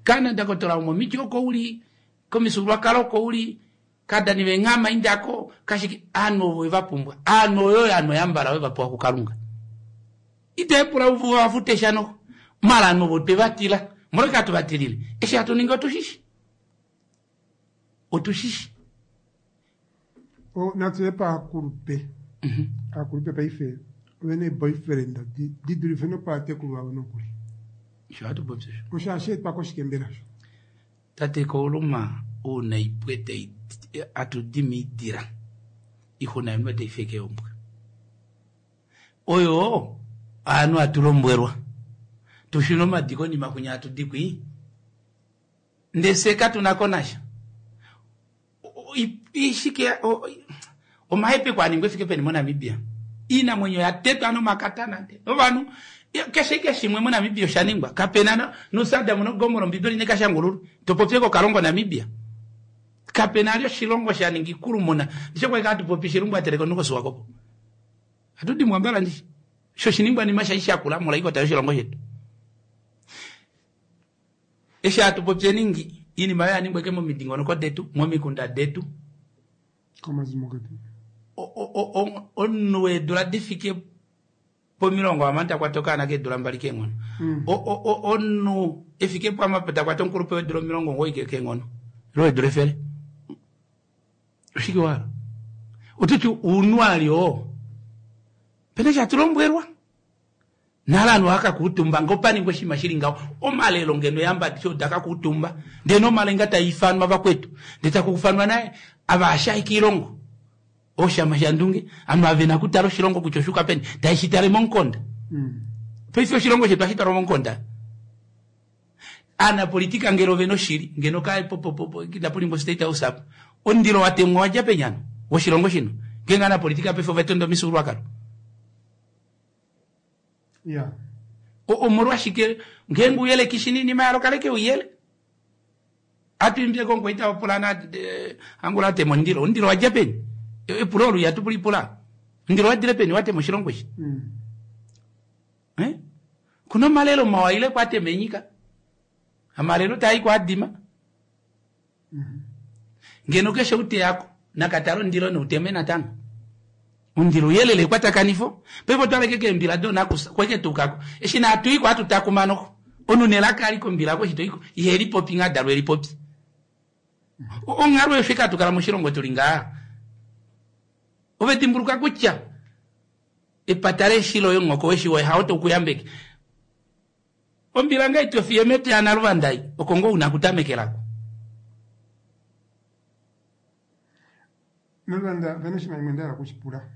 Kana ndakotola omomiti oko uli, komifyuululwakalo oko uli, kadani venghama indako, kashike aanhu ovo eva pumbwa. Aanhu oyo aanhu oyambala oyo vapewa kuKalunga. Ite pula vafute sha noho. Mala aanhu ovo twe vatila. Omolwashike hatu vatilile? Eshi hatu ningi otushishi. Otushishi. Natu ye paakulupe. Aakulupe paife ovena eeboyfriend di dulife nopaatekulu vavo nokuli. Osho hatu popi osho. Osho hashi etwa koshike mbela osho? Tate Kauluma ouna ipwe tai atu di miidila ixuna yonhumba tai feke ombwa. Oyo aanhu hatu lombwelwa tushune omadi konima kwinya hatu di kwii ndee fye katuna ko nasha. Ishike omahepeko aningwa efike peni moNamibia. Iinamwenyo ya tetwa nomakatana nde ovanhu keshe ike shimwe moNamibia osha ningwa. Kapena noSadam noGomorra Ombibeli nekashangululwa. Topopye kokalongo Namibia. Kapena ali oshilongo sha ninga ikulumuna. Ndishi kwali hatu popi shilumbu ateleka omunhu koSwakopo. Hatu dimbwa mbala ndishi. Sho oshiningwanima shai shakula mola ikota yoshilongo shetu. Eshi hatu popyeni ngi, iinima oyo ya ningwa ike momidingonoko detu, momikunda detu. Komazimo getu. Omunhu weedula difike pomilongo hamano ta kwata okaana keedula 2 keenghono. Omunhu efike pwamapo ta kwata omukulupe weedula 90 keenghono. Ile weedula 100. Oshike wala? Ototi ounhu ali oo. Pena eshi hatu lombwelwa. Nale ovanhu ohava kuutumba ngee opa ningwa oshinima shili ngaho, omalelo ngeno eehamba adishe oda ka kuutumba, ndee nomalenga taa ifanwa vakwetu, ndee taku ufanwa naye ava ashai koilongo oshama shandunge, ovanhu ava vena okutala oshilongo kutya oshuuka peni, tae shi tale momukonda. Paife oshilongo shetu ohashi talwa momukonda. Aanapolitika ngele ovena oshili, ngeno ka po po po inapu ningwa state house apa. Omundilo wa temwa owa dja peni hano woshilongo shino? Ngeenge aanapolitika paife ova tonda omifyuululwakalo. Ya. Omolwashike ngeenge uyele kishi niinima yalo kaleke uyele. Atu imbile komukwaita wopulana angula atema omundilo. Omundilo wadja peni? Epulo olo ihatu lipula. Omundilo wadile peni watema oshilongo eshi? Kuna omalelo mawa ile kwatema enyika. Amalelo taa i kwaadima. Ngeno keshe uteyako nakatala omundilo nouteme natango. Omundilo uyelele ekwatakanifo. Paife otwaleke keembila doonakusa kweke tuukako. Eshi naatuiko hatu takuma noho. Omunhu nelaka ali kombila oko eshi toiko iheli popi ngaa dalwe elipopi. Onghalo osho ike kala moshilongo tuli ngaa. Ove dimbuluka kutya epata leshi loye omuhoko weshi woye hao toukuyambeke. Ombila ngaa itofiye mepya naluvandai oko ngoo una okutamekelako. Naluvanda opena oshinima shimwe ndahala okushipula.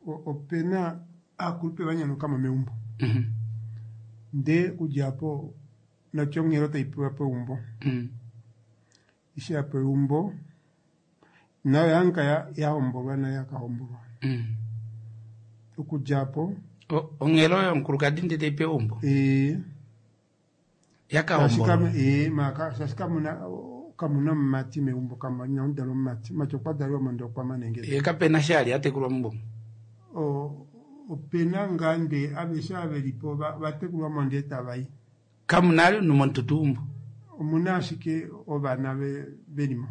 Opena aakulupe vanyanuka mo meumbo. Ndee okudja apo natya onghelo taipewa peumbo. Eshi yapewa eumbo nayo yanka yahombolwa nayo yakahombolwa. Okudja apo Onghelo yomukulukadi ndee taipewa eumbo? Yakahombolwa? Shaashi kamuna omumati meumbo, inamudalwa omumati. Omumati okwa dalelwa mo ndee okwa mana eengeda. Ye kapena eshi ali atekulwa meumbo? Opena ngaa ndee aveshe ava velipo vatekulwa mo ndee tavai. Kamuna ali omunhu momututu weumbo? Omuna ashike ovana velimo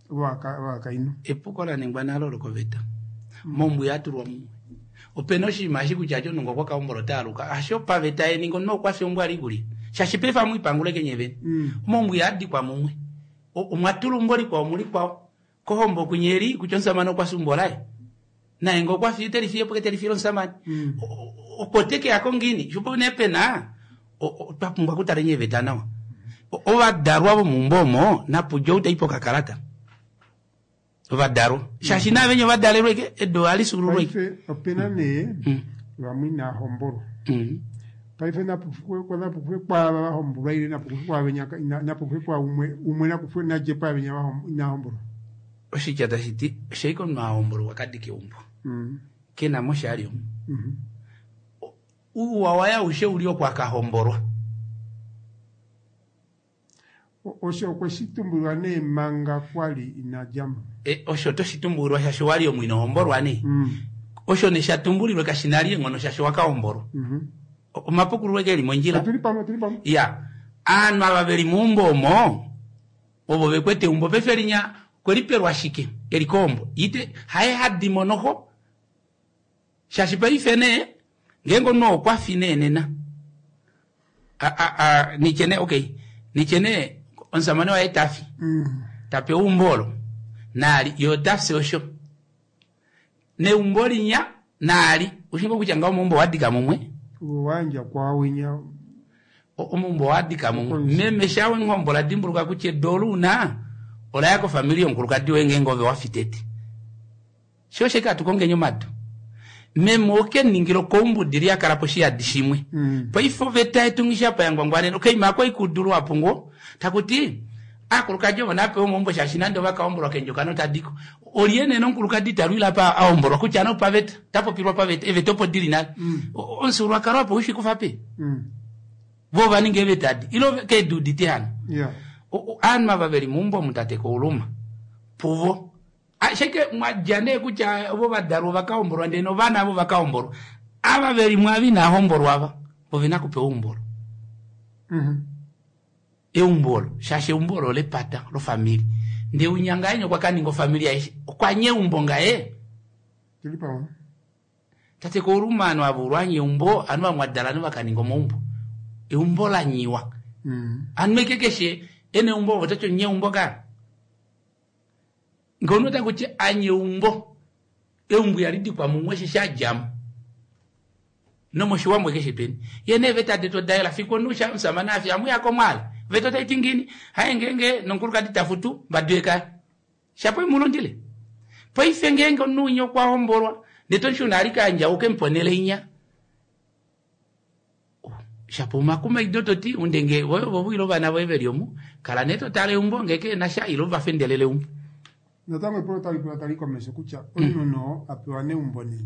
ovakainhu. Epuko laningwa nale olo koveta. Moumbo ihatulwa mumwe. Opena oshinima eshi kutya ati omunhu ngee okwa kahombola ota aluka. Hasho paveta yeninga omunhu okwa fya eumbo ali kuliya. Shaashi paife amwiipangula eke nye vene. Omaumbo ihadikwa mumwe. Omwa tula eumbo likwao mulikwao. Kohombo kunyeli kutya omusamane okwa fya eumbo laye. Naye ngee okwa fi ite li fiye po ke te li fiile omusamane. Opo te ke ya ko ngiini? Sho nee pe na otwa pumbwa okutala eeveta nawa. Ovadalwa vomeumbo omo napudje ou tai pokakalata. Ovadalwa. Shaashi naavenya ovadalelwe ke edu ohali fyuululwa ike. Paife opena nee vamwe inaa hombolwa. Paife napukufwe kwaava va hombolwa ile napukufwe kwaavenya napukufwe kwa umwe umwe nakufwe nadje kwaavenya inaa hombolwa. Oshitya tashi ti oshaika omunhu a hombolwa ka dika eumbo. Ke na mo sha ali omu. Ouwa waye aushe uli oko a ka hombolwa. Osho okwe shi tumbulilwa nee manga kwa li ina dja mo. Osho oto shi tumbulilwa shaashi owa li omu ino hombolwa nee. Osho nee sha tumbulilwe kashi na li eenghono shaashi owa ka hombolwa. Omapukululo eke eli mondjila. Otuli pamwe, otuli pamwe. Ya. Aanhu ava ve li meumbo omo, ovo ve kwete eumbo paife linya okwe li pelwa shike? E li kohombo. Ite, haye ha di mo noho. Shaashi paife nee, ngeenge omunhu okwa fi nee nena, nitye nee, okay, nitye nee omusamane waye ta fi, ta pewa eumbo olo, naali ye ota fi osho. Neumbo linya, naali, ushi ngoo kutya ngaho omaumbo owa dika mumwe? Ove wa yandja kwaawinya. Omaumbo owa dika mumwe. Meme sha we nghombola dimbuluka kutya edu olo una, ola ya kofamili yomukulukadi woye ngeenge ove wa fi tete. Sho osho ashike hatu kongeni omadu. Meme oke ningila okoumbudi li a kala poshiyadi shimwe. Paife oveta yetu nghishapa ya ngwangwanena okaima ako ikudu luhapu ngoo taku ti aakulukadi ovo nava pewe omaumbo shaashi nande ova ka hombolwa keendjokana otadi ko. Olye nee nomukulukadi ita lwile apa a hombolwa kutya nee opaveta, ota popilwa paveta, eeveta opo dili nale. Omufyuululwakalo apa oushi kufa peni? Vo ova ninga eeveta adi ile keedi udite hano? Ovanhu ava veli meumbo omu tate Kauluma puvo Ashike mwa dja nee kutya ovo va dalwa ova ka hombolwa ndele novana avo va ka hombolwa. Ava ve li mwaava inaa hombolwa ava, ove na kupewa eumbo olo. Eumbo olo, shaashi eumbo olo olepata, lofamili. Ndee winya ngahenya okwa ka ninga ofamili yaye, okwa nya eumbo ngaye. Tate Kouluma ovanhu ava ulwanya eumbo, ovanhu va mwadala ovanhu va ka ninga omaumbo. Eumbo la nyiwa. Ovanhu eke keshe e na eumbo ovo toti onyeumbo ka. Ngee omunhu ota kuti anye eumbo, eumbo ihali dikwa mumwe osheshi a dja mo. Nomoshiwambo keshe peni. Ye neeveta detu oda yela fiku omunhu sha omusamane a fya amu ya komwaale. Oveta otai ti ngiini? Haye ngeenge nomukulukadi ta futu, mbadu yekaya. Shapo imu lundile. Paife ngeenge omunhu winya okwa hombolwa, ndee to shuna ali kaandja uke mu ponele inya. Shapo omakumaido to ti undenge voye ovo ile ovana voye veli omu, kala nee to tale eumbo ngee ke na sha ile uva fendelele eumbo. Natango epulo otali pula tali komesho kutya omunhu noo a pewa neumbo nee.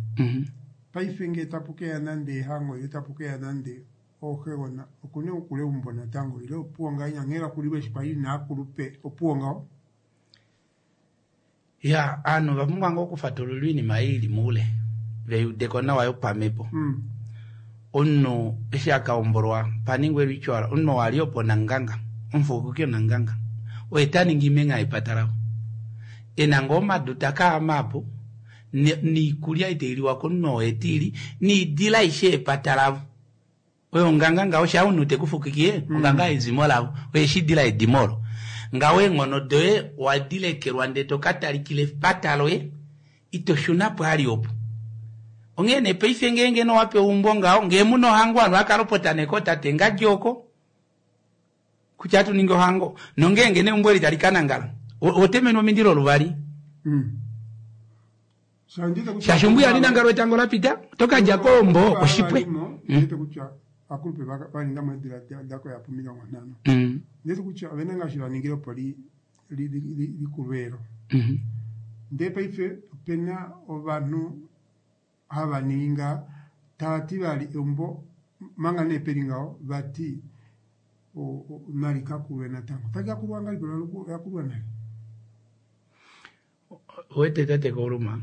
Paife ngee tapu keya nande ehango ile tapu keya nande ooxegona oku na okukula eumbo natango ile opuwo ngahenya nghee la kulilwe eshi kwali inaa kulupe opuwo ngaho? Ya, ovanhu ova pumbwa ngoo okufatululwa oinima ei ili moule, ve i udeko nawa yopamhepo. Omunhu eshi a ka hombolwa pa ningwa ritual, omunhu oo a li opo onanganga, omufukuki onanganga, oye ta ningi imengha yepata lavo. E na ngoo omadu ta ka ama apo, noikulya ei tai liwa komunhu oo oye te i li, noidila aishe yepata lavo. Oyo onganga ngaho sha omunhu te ku fukikie, onganga yezimo lavo, oye shi dila edimo olo. Ngaho eenghono doye owa di lekelwa ndee to ka talikila epata loye, ito shuna po ali opo. Onghee nee paife ngeenge nee owa pewa eumbo ngaho, ngee mu na ohango ovanhu ohava ka lopota nee kootate ngadi oko, kutya ohatu ningi ohango. Nongeenge nee eumbo eli tali ka nangala, oho temenwa omindilo luvali. Shaashi ombuya ali nangalwa etango la pita, oto ka dja koombo oshipwe. Ndete kutya akulupe va ninga mo eedula da koya pomilongo nhano. Ndete kutya ovena ngaashi va ningile opo li likulwe elo. Ndee paife opena ovanhu hava ningi nga tava ti vali eumbo manga nee peli ngaho vati nali ka kulwe natango. Tali ka kulwa ngahelipi ola kulwa nale? Owete tate Kauluma,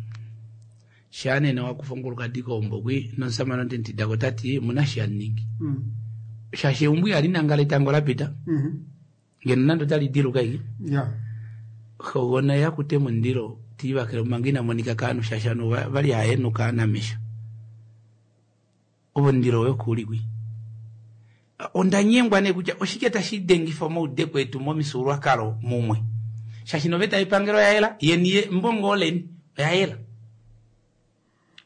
shaa nena wa kufa omukulukadi keumbo kwi nomusamane ote mu tidako ota ti omuna eshi hamu ningi. Shaashi eumbo ihali nangala etango la pita, ngeno nande otali diluka ashike. Xogona ye akute omundilo te livakele manga ina monika kovanhu shaashi ovanhu ovali hava henuka namesho. Omundilo woye oku li kwi. Onda nyengwa nee kutya oshike tashi dengifa omaudeko etu momifyuululwakalo mumwe. Shaashi noveta yepangelo oya yela, yeni mbongo oleni oya yela.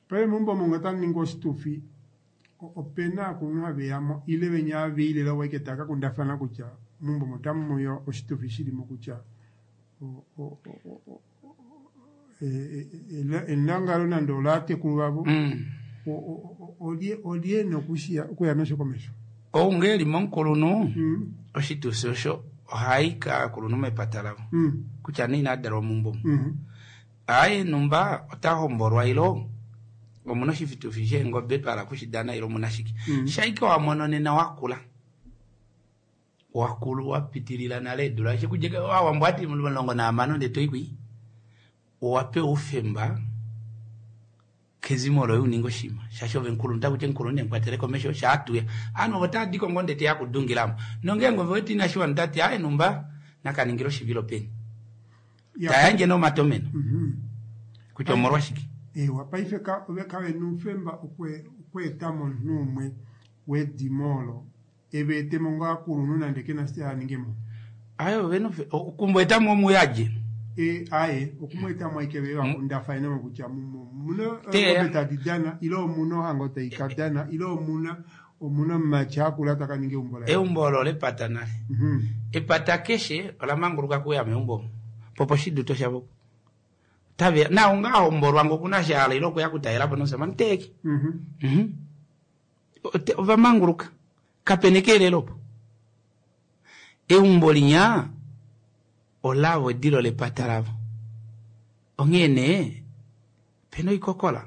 Paife meumbo omo ngee otamu ningwa oshitufi, opena aakulunhu haveyamo ile venya haveile ovo ashike tava kakundafana kutya meumbo omo otamu uya oshitufi shilimo kutya elangalo nande olatekulu vavo olye ena okuya nasho komesho. Ou ngee eli momukulunhu oshitufi osho ohai kaakulunhu mepata lavo kutya nee ina dalwa meumbo omu. Aaye numba ota hombolwa ilo omuna oshitufi sheengobe twa hala okushidana ilo omuna shike. Shaike wa mono nena wakula. Wakulu wapitilila nale eedula eshi kudja Owambo ati 16 ndee toikwi owa pewa oufemba kezimo loye uninge oshinima shaashi ove mukulunhu takuti omukulunhu nemukwatele komesho shaatuya ovanhu ovo tava diko ngoo ndee teya kudungilamo nongeenge ove wete inashi wana otati aaye numba nakaningile oshivilo peni tayandje nee omatomeno kutya omolwashike. Eewa paife ove kavena oufemba okweetamo omunhu umwe wedimo olo eva etemo ngoo akulunhu nande kena eshi aningemo. Aaye ovena okumweetamo omuyadje. Aaye okumweetamo ashike vee vakundafanemo kutya omuna eengobe tadi dana ile omuna ohango taikadana ile omuna omumati akula taka ninga eumbo laye. Eumbo olo olepata nale. Epata keshe ola manguluka okuuya meumbo omo. Popo oshiduto shavo. Otaveya nao ngaa ahombolwa ngee okuna eshi ahala ile okuya okutalelapo nomushamane oteeke. Ova manguluka. Kapena ekeelelo opo. Eumbo linya olavo edilo lepata lavo. Onghee nee opena oikokola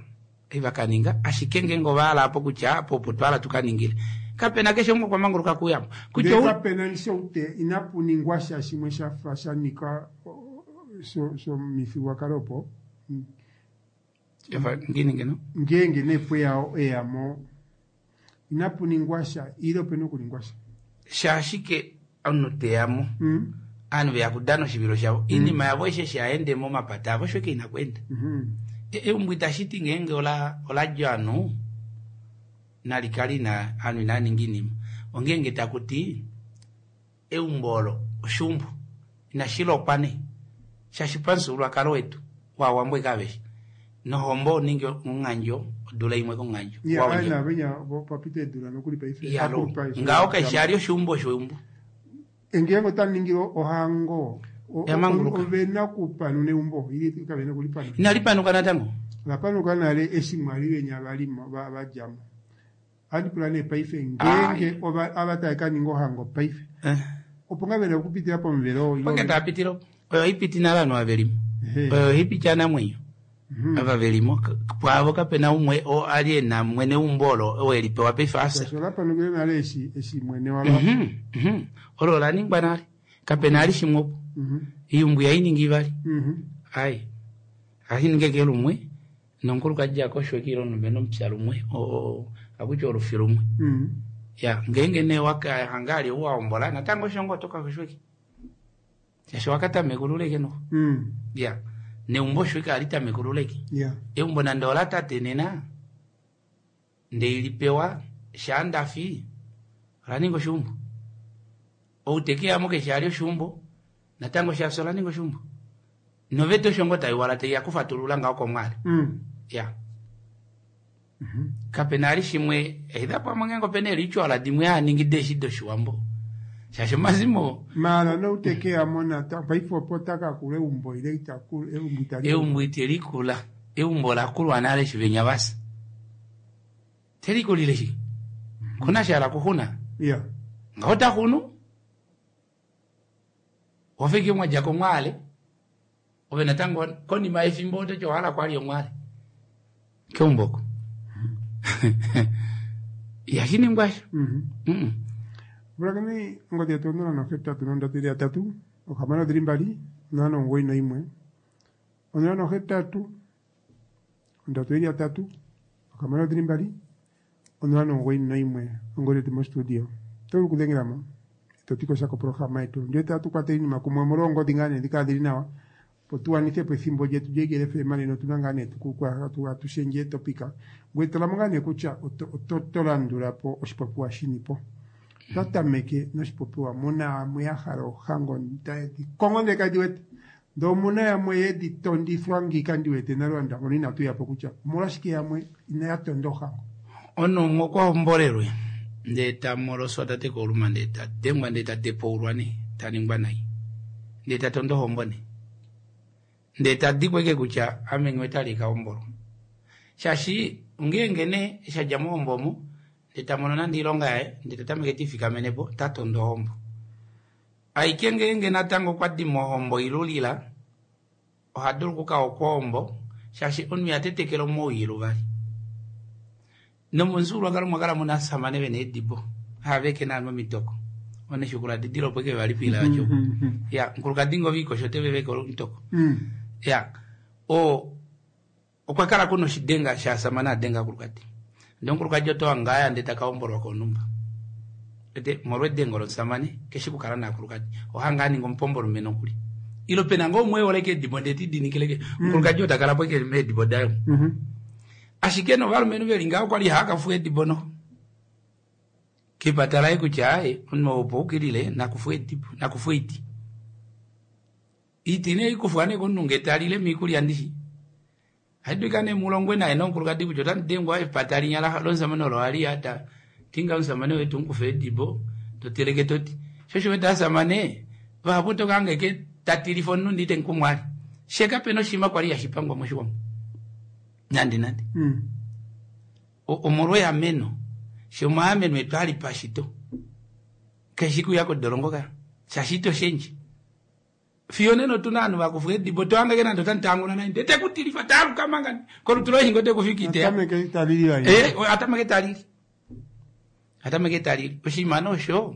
ei vakaninga ashike ngeenge ovahala apo kutya apo opo twahala tukaningile kapena keshe umwe okwa manguluka okuuyamo. Ndee kapena nishoute inapu ningwa sha shimwe shafa shanika shomifyuululwakalo opo. Ngiini ngeno? Ngeenge nee pweya eyamo inapu ningwa sha ile opena okuningwa sha. Shaashike omunhu teyamo ovanhu veya kudana oshivilo shavo oinima yavo aishe eshi haende momapata avo osho ashike ina kweenda. Eumbo itashiti ngeenge oladja ovanhu nalikale ina ovanhu inava ninga oinima ongeenge takuti eumbo olo oshuumbo inashilokwa nee shaashi pamufyuululwakalo wetu waawambo ashike aveshe nohombo oningi omunghandjo odula imwe komunghandjo ngaho kaishi ali oshuumbo osho eumbo. Ngeenge otaningilwa ohango ovena okupanuna eumbo ile kavena okulipanuna? Inalipanuka natango. Olapanuka nale eshi mwali venya valimo vadjamo. Ohandi pula nee paife ngeenge ava tava kaninga ohango paife opo ngaa vena okupitila pomuvelo opo nge tava opo oyo haipiti nale ovanhu ava velimo oyo haipiti anamwenyo ava velimo pwaavo kapena umwe oo ali ena mwene weumbo olo oo elipewa paife afya. Olapanukile nale eshi mwene walo olo olaningwa nale kapena ali shimwe opo eumbo ihainingi ivali ai ohashi ke lumwe nomukulukadi akoshweke ile omulumenhu omupya lumwe akutya olufi lumwe. Ya ngeenge nee wakahanga ali ou wahombola natango osho ngoo oto kakoshweke shaashi wakatamekululeke noho. Ya neumbo osho ashike ohali tamekululeke. Eumbo nande ola tate nena ndeilipewa shaa ndafi ola ninga oshuumbo. Ou tekeyamo keshe ali oshuumbo natango shafya ola ninga oshuumbo. Noveta osho ngoo taiwala taiya kufatulula ngaho komwali. Ya kapena ali shimwe either pamwe ngeenge opena ee-ritual dimwe haaningi deeshi doshiwambo shaashi omazimo maala noutekeyamo natango paife opo takakula eumbo ile itakula eumbo itali eumbo itelikula eumbo olakulwa nale eshi venya vasa telikulile shike kuna shahala kuxuna ngaho taxunu wafike mwadja komwaale ove natango konima yefimbo ototi owahala kwali omwaale keumbo oko ihashi ningwa osho. Pulakeni ongodhi yetu 083 6 2 091 083 3 6 2 091 ongodhi yetu mostudio. Oto vulu okudhengelamo eto ti ko sha koprograma yetu ndee tatu kwatele iinima kumwe omolwa oongodhi ngaa nee dhikala dhili nawa opo tuwanithepo ethimbo lyetu lyoIgele FM nena otuna ngaa nee atushendje etopika ngoye tolamo ngaa nee kutya oto landulapo oshipopiwa shinipo. Twatameke noshipopiwa muna amwe yahala ohango tayedi kongo ndee kadi wete. Ndee omuna yamwe yedi tondifwa ngiika ndi wete nale wandangona inatu yapo kutya omolwashike yamwe inaya tonda ohango. Omunhu umwe okwa hombolelwe ndee ta moloswa ta teka oluma ndee ta dengwa ndee ta tepaulwa nee ta ningwa nai ndee ta tondo ohombo nee ndee ta dikwa eke kutya ame nghiwete ali kahombolwa shaashi ngeenge nee eshi adja mohombo omo ndee ta mono nande oilonga yaye ndee ta tameke tiifikamene po ta tondo ohombo. Aike ngeenge natango okwa di mohombo ilulila oha dulu okuka okwoombo shaashi omunhu iha tetekele omowii luvali. Nomomufyuululwakalo omwa kala muna ovasamane vena eedibo hava veke naanhu omitoko oneshukula didila opo eke vali pila vacho ya mukulukadi ngoo viikosho ote veveke omutoko ya oo okwa kala kuna oshidenga shasamane adenga omukulukadi ndee omukulukadi oto hanga aya ndee taka hombolwa konhumba ete molwedengo lomusamane keshi kukala naakulukadi ohanga aninga omupombolume nokuli ilo pena ngoo umwe eholeke eedibo ndee tidinikileke omukulukadi oo takala po eke meedibo daye ashike novalumenhu veli ngaho kwali haakafuwa eedibo noho kepata laye kutya aaye omunhu opo ukilile nakufuwa edibo nakufuwa oiti oiti nee ikufwa nee komunhu ngee talile miikulya ndishi haidulika nee mulongwe naye nomukulukadi kutya otandi dengwa epata linya lomusamane olo hali ya tinga omusamane wetu mukufa edibo toteleke toti sho osho wete asamane vahapu otoka eke tatilifa omunhu ndee itemukumwali she kapena oshinima kwali hashipangwa moshiwambo nande nande omolwa eameno she omaameno etu ali pashito keshi kuya kodolongo ka shaashi ito shendje fiyo nena otuna ovanhu vakufwa eedibo tohangeke nande otandi naye ndee tekutilifa taaluka manga kolutu loye shingo tekufika iteya atameke talili atameke talili oshinima nee osho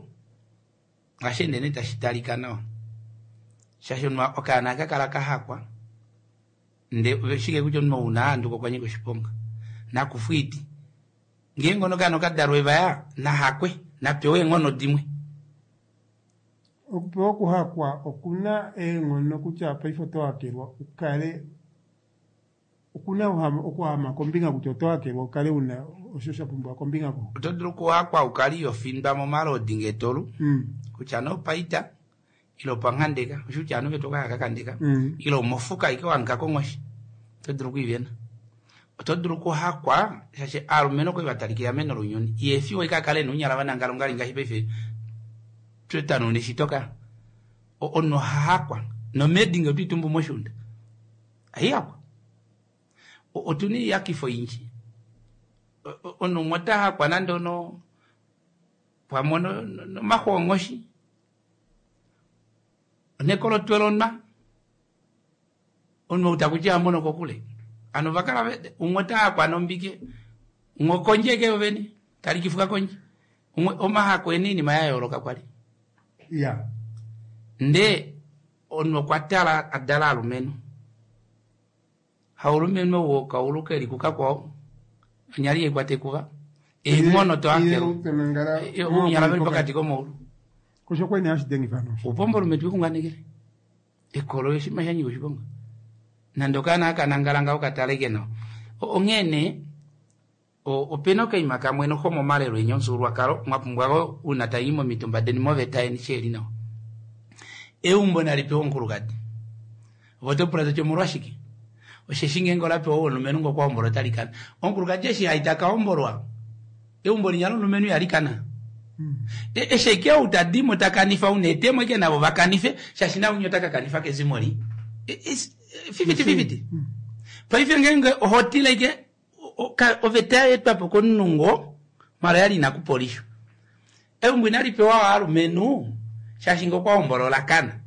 ngashi ende tashi talika nawa shaashi okaana aka kala kahakwa ndee shike kutya omunhu ouna ahanduka okwa nyika oshiponga nakufwa oiti ngeenge okaana okadalwa evaya nahakwe napewe eenghono dimwe. Okupewa okuhakwa okuna eenghono kutya paife oto hakelwa ukale okuna okuhama kombinga kutya oto hakelwa ukale una osho sha pumbiwa kombinga ko. Oto dulu okuhakwa ukale ihofindwa momalodi ngeetolu kutya nee opaita ile opanghandeka osho kutya ovanhu vetu okaya kakandeka ile omofuka ike wahanika konghoshi oto dulu okwiivena. Oto dulu okuhakwa shaashi aalumenhu okwali vatalika eameno lounyuni ihefiwa ike akale ena ounyala vanangala ongali ngaashi paife twetanuna eshito ka omunhu ohahakwa nomedi ngee otwiitumbu moshuunda aihakwa otuna oiyakifo oyindji omunhu umwe ota hakwa nande ono pamwe nomaxu onghoshi onekolotwe lonwa omunhu ou takuti amono kokule hano ovakala umwe ota hakwa nombike umwe okondje eke yovene talikifuka kondje umwe omahako ena oinima ya yooloka kwali ya ndee omunhu okwa tala adala alumenhu haulumenhu ou okaulu keli kukakwao onyali yaikwata ekuva eenghono tohakelwa ounyala veli pokati komaulu kosho kwene hashi dengifa no upombolume twikunganekele ekolo oshinima sha nyika oshiponga nande okaana akanangala ngaho kataleke nawa onghee nee opena okaima kamwe noho momalelo eni omufyuululwakalo mwa pumbwa una tayi momitumba deni moveta yeni sheli nawa eumbo nali pewa omukulukadi ove oto pula toti omolwashike osheshi ngeenge ola pewa omulumenhu ngoo kwahombola otali kana omukulukadi eshi hai taka hombolwa eumbo linya lomulumenhu ihali kana eshi eke ou tadimo takanifa una etemo eke navo vakanife shaashi naunya ota kakanifa kezimo li 50-50 paife ngeenge oho tila ike oveta yaetwapo komunhu ngo mala yali ina kupolishwa eumbo inali pewa aalumenhu shaashi ngoo kwahombola olakana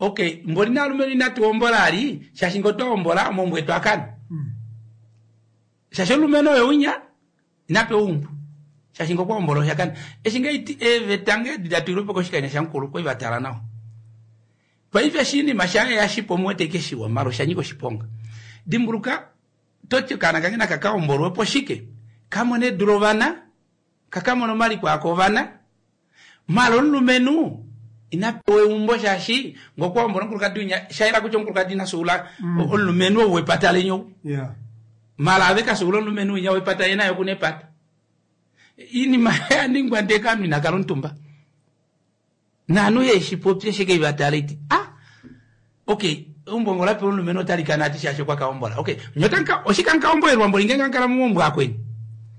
okay mboli naalumenhu inatu hombola ali shaashi ngoo twahombola omaumbo etu akana shaashi omulumenhu oye unya inapewa eumbo shaashi ngoo kwahombola oshakana eshi ngeiti eeveta ngee datulilwepo koshikanya shamukulu kwai vatala nawa paife oshinima shaye yashipo omuwete ike shiwa mala oshanyika oshiponga dimbuluka toti okaana kange naka kahombolwepo shike kamone edu lovana kakamona omaliko ako ovana mala omulumenhu inapewa eumbo shaashi ngokwahombola omukulukadi unya shayela kutya omukulukadi ina suula omulumenhu ou wepata leni ou mala ave kasuula omulumenhu winya wepata ye naye okuna epata iinima yaningwa ndee kaanhu inakala omutumba naanhu yeshi popye shike ivatala iti ah. Okay, eumbo ngo lapewa omulumenhu otali kana ati shaashi okwa ka hombola. Okay, nye otamu oshike amu ka hombolelwa mboli ngeenge amu kala momaumbo akweni?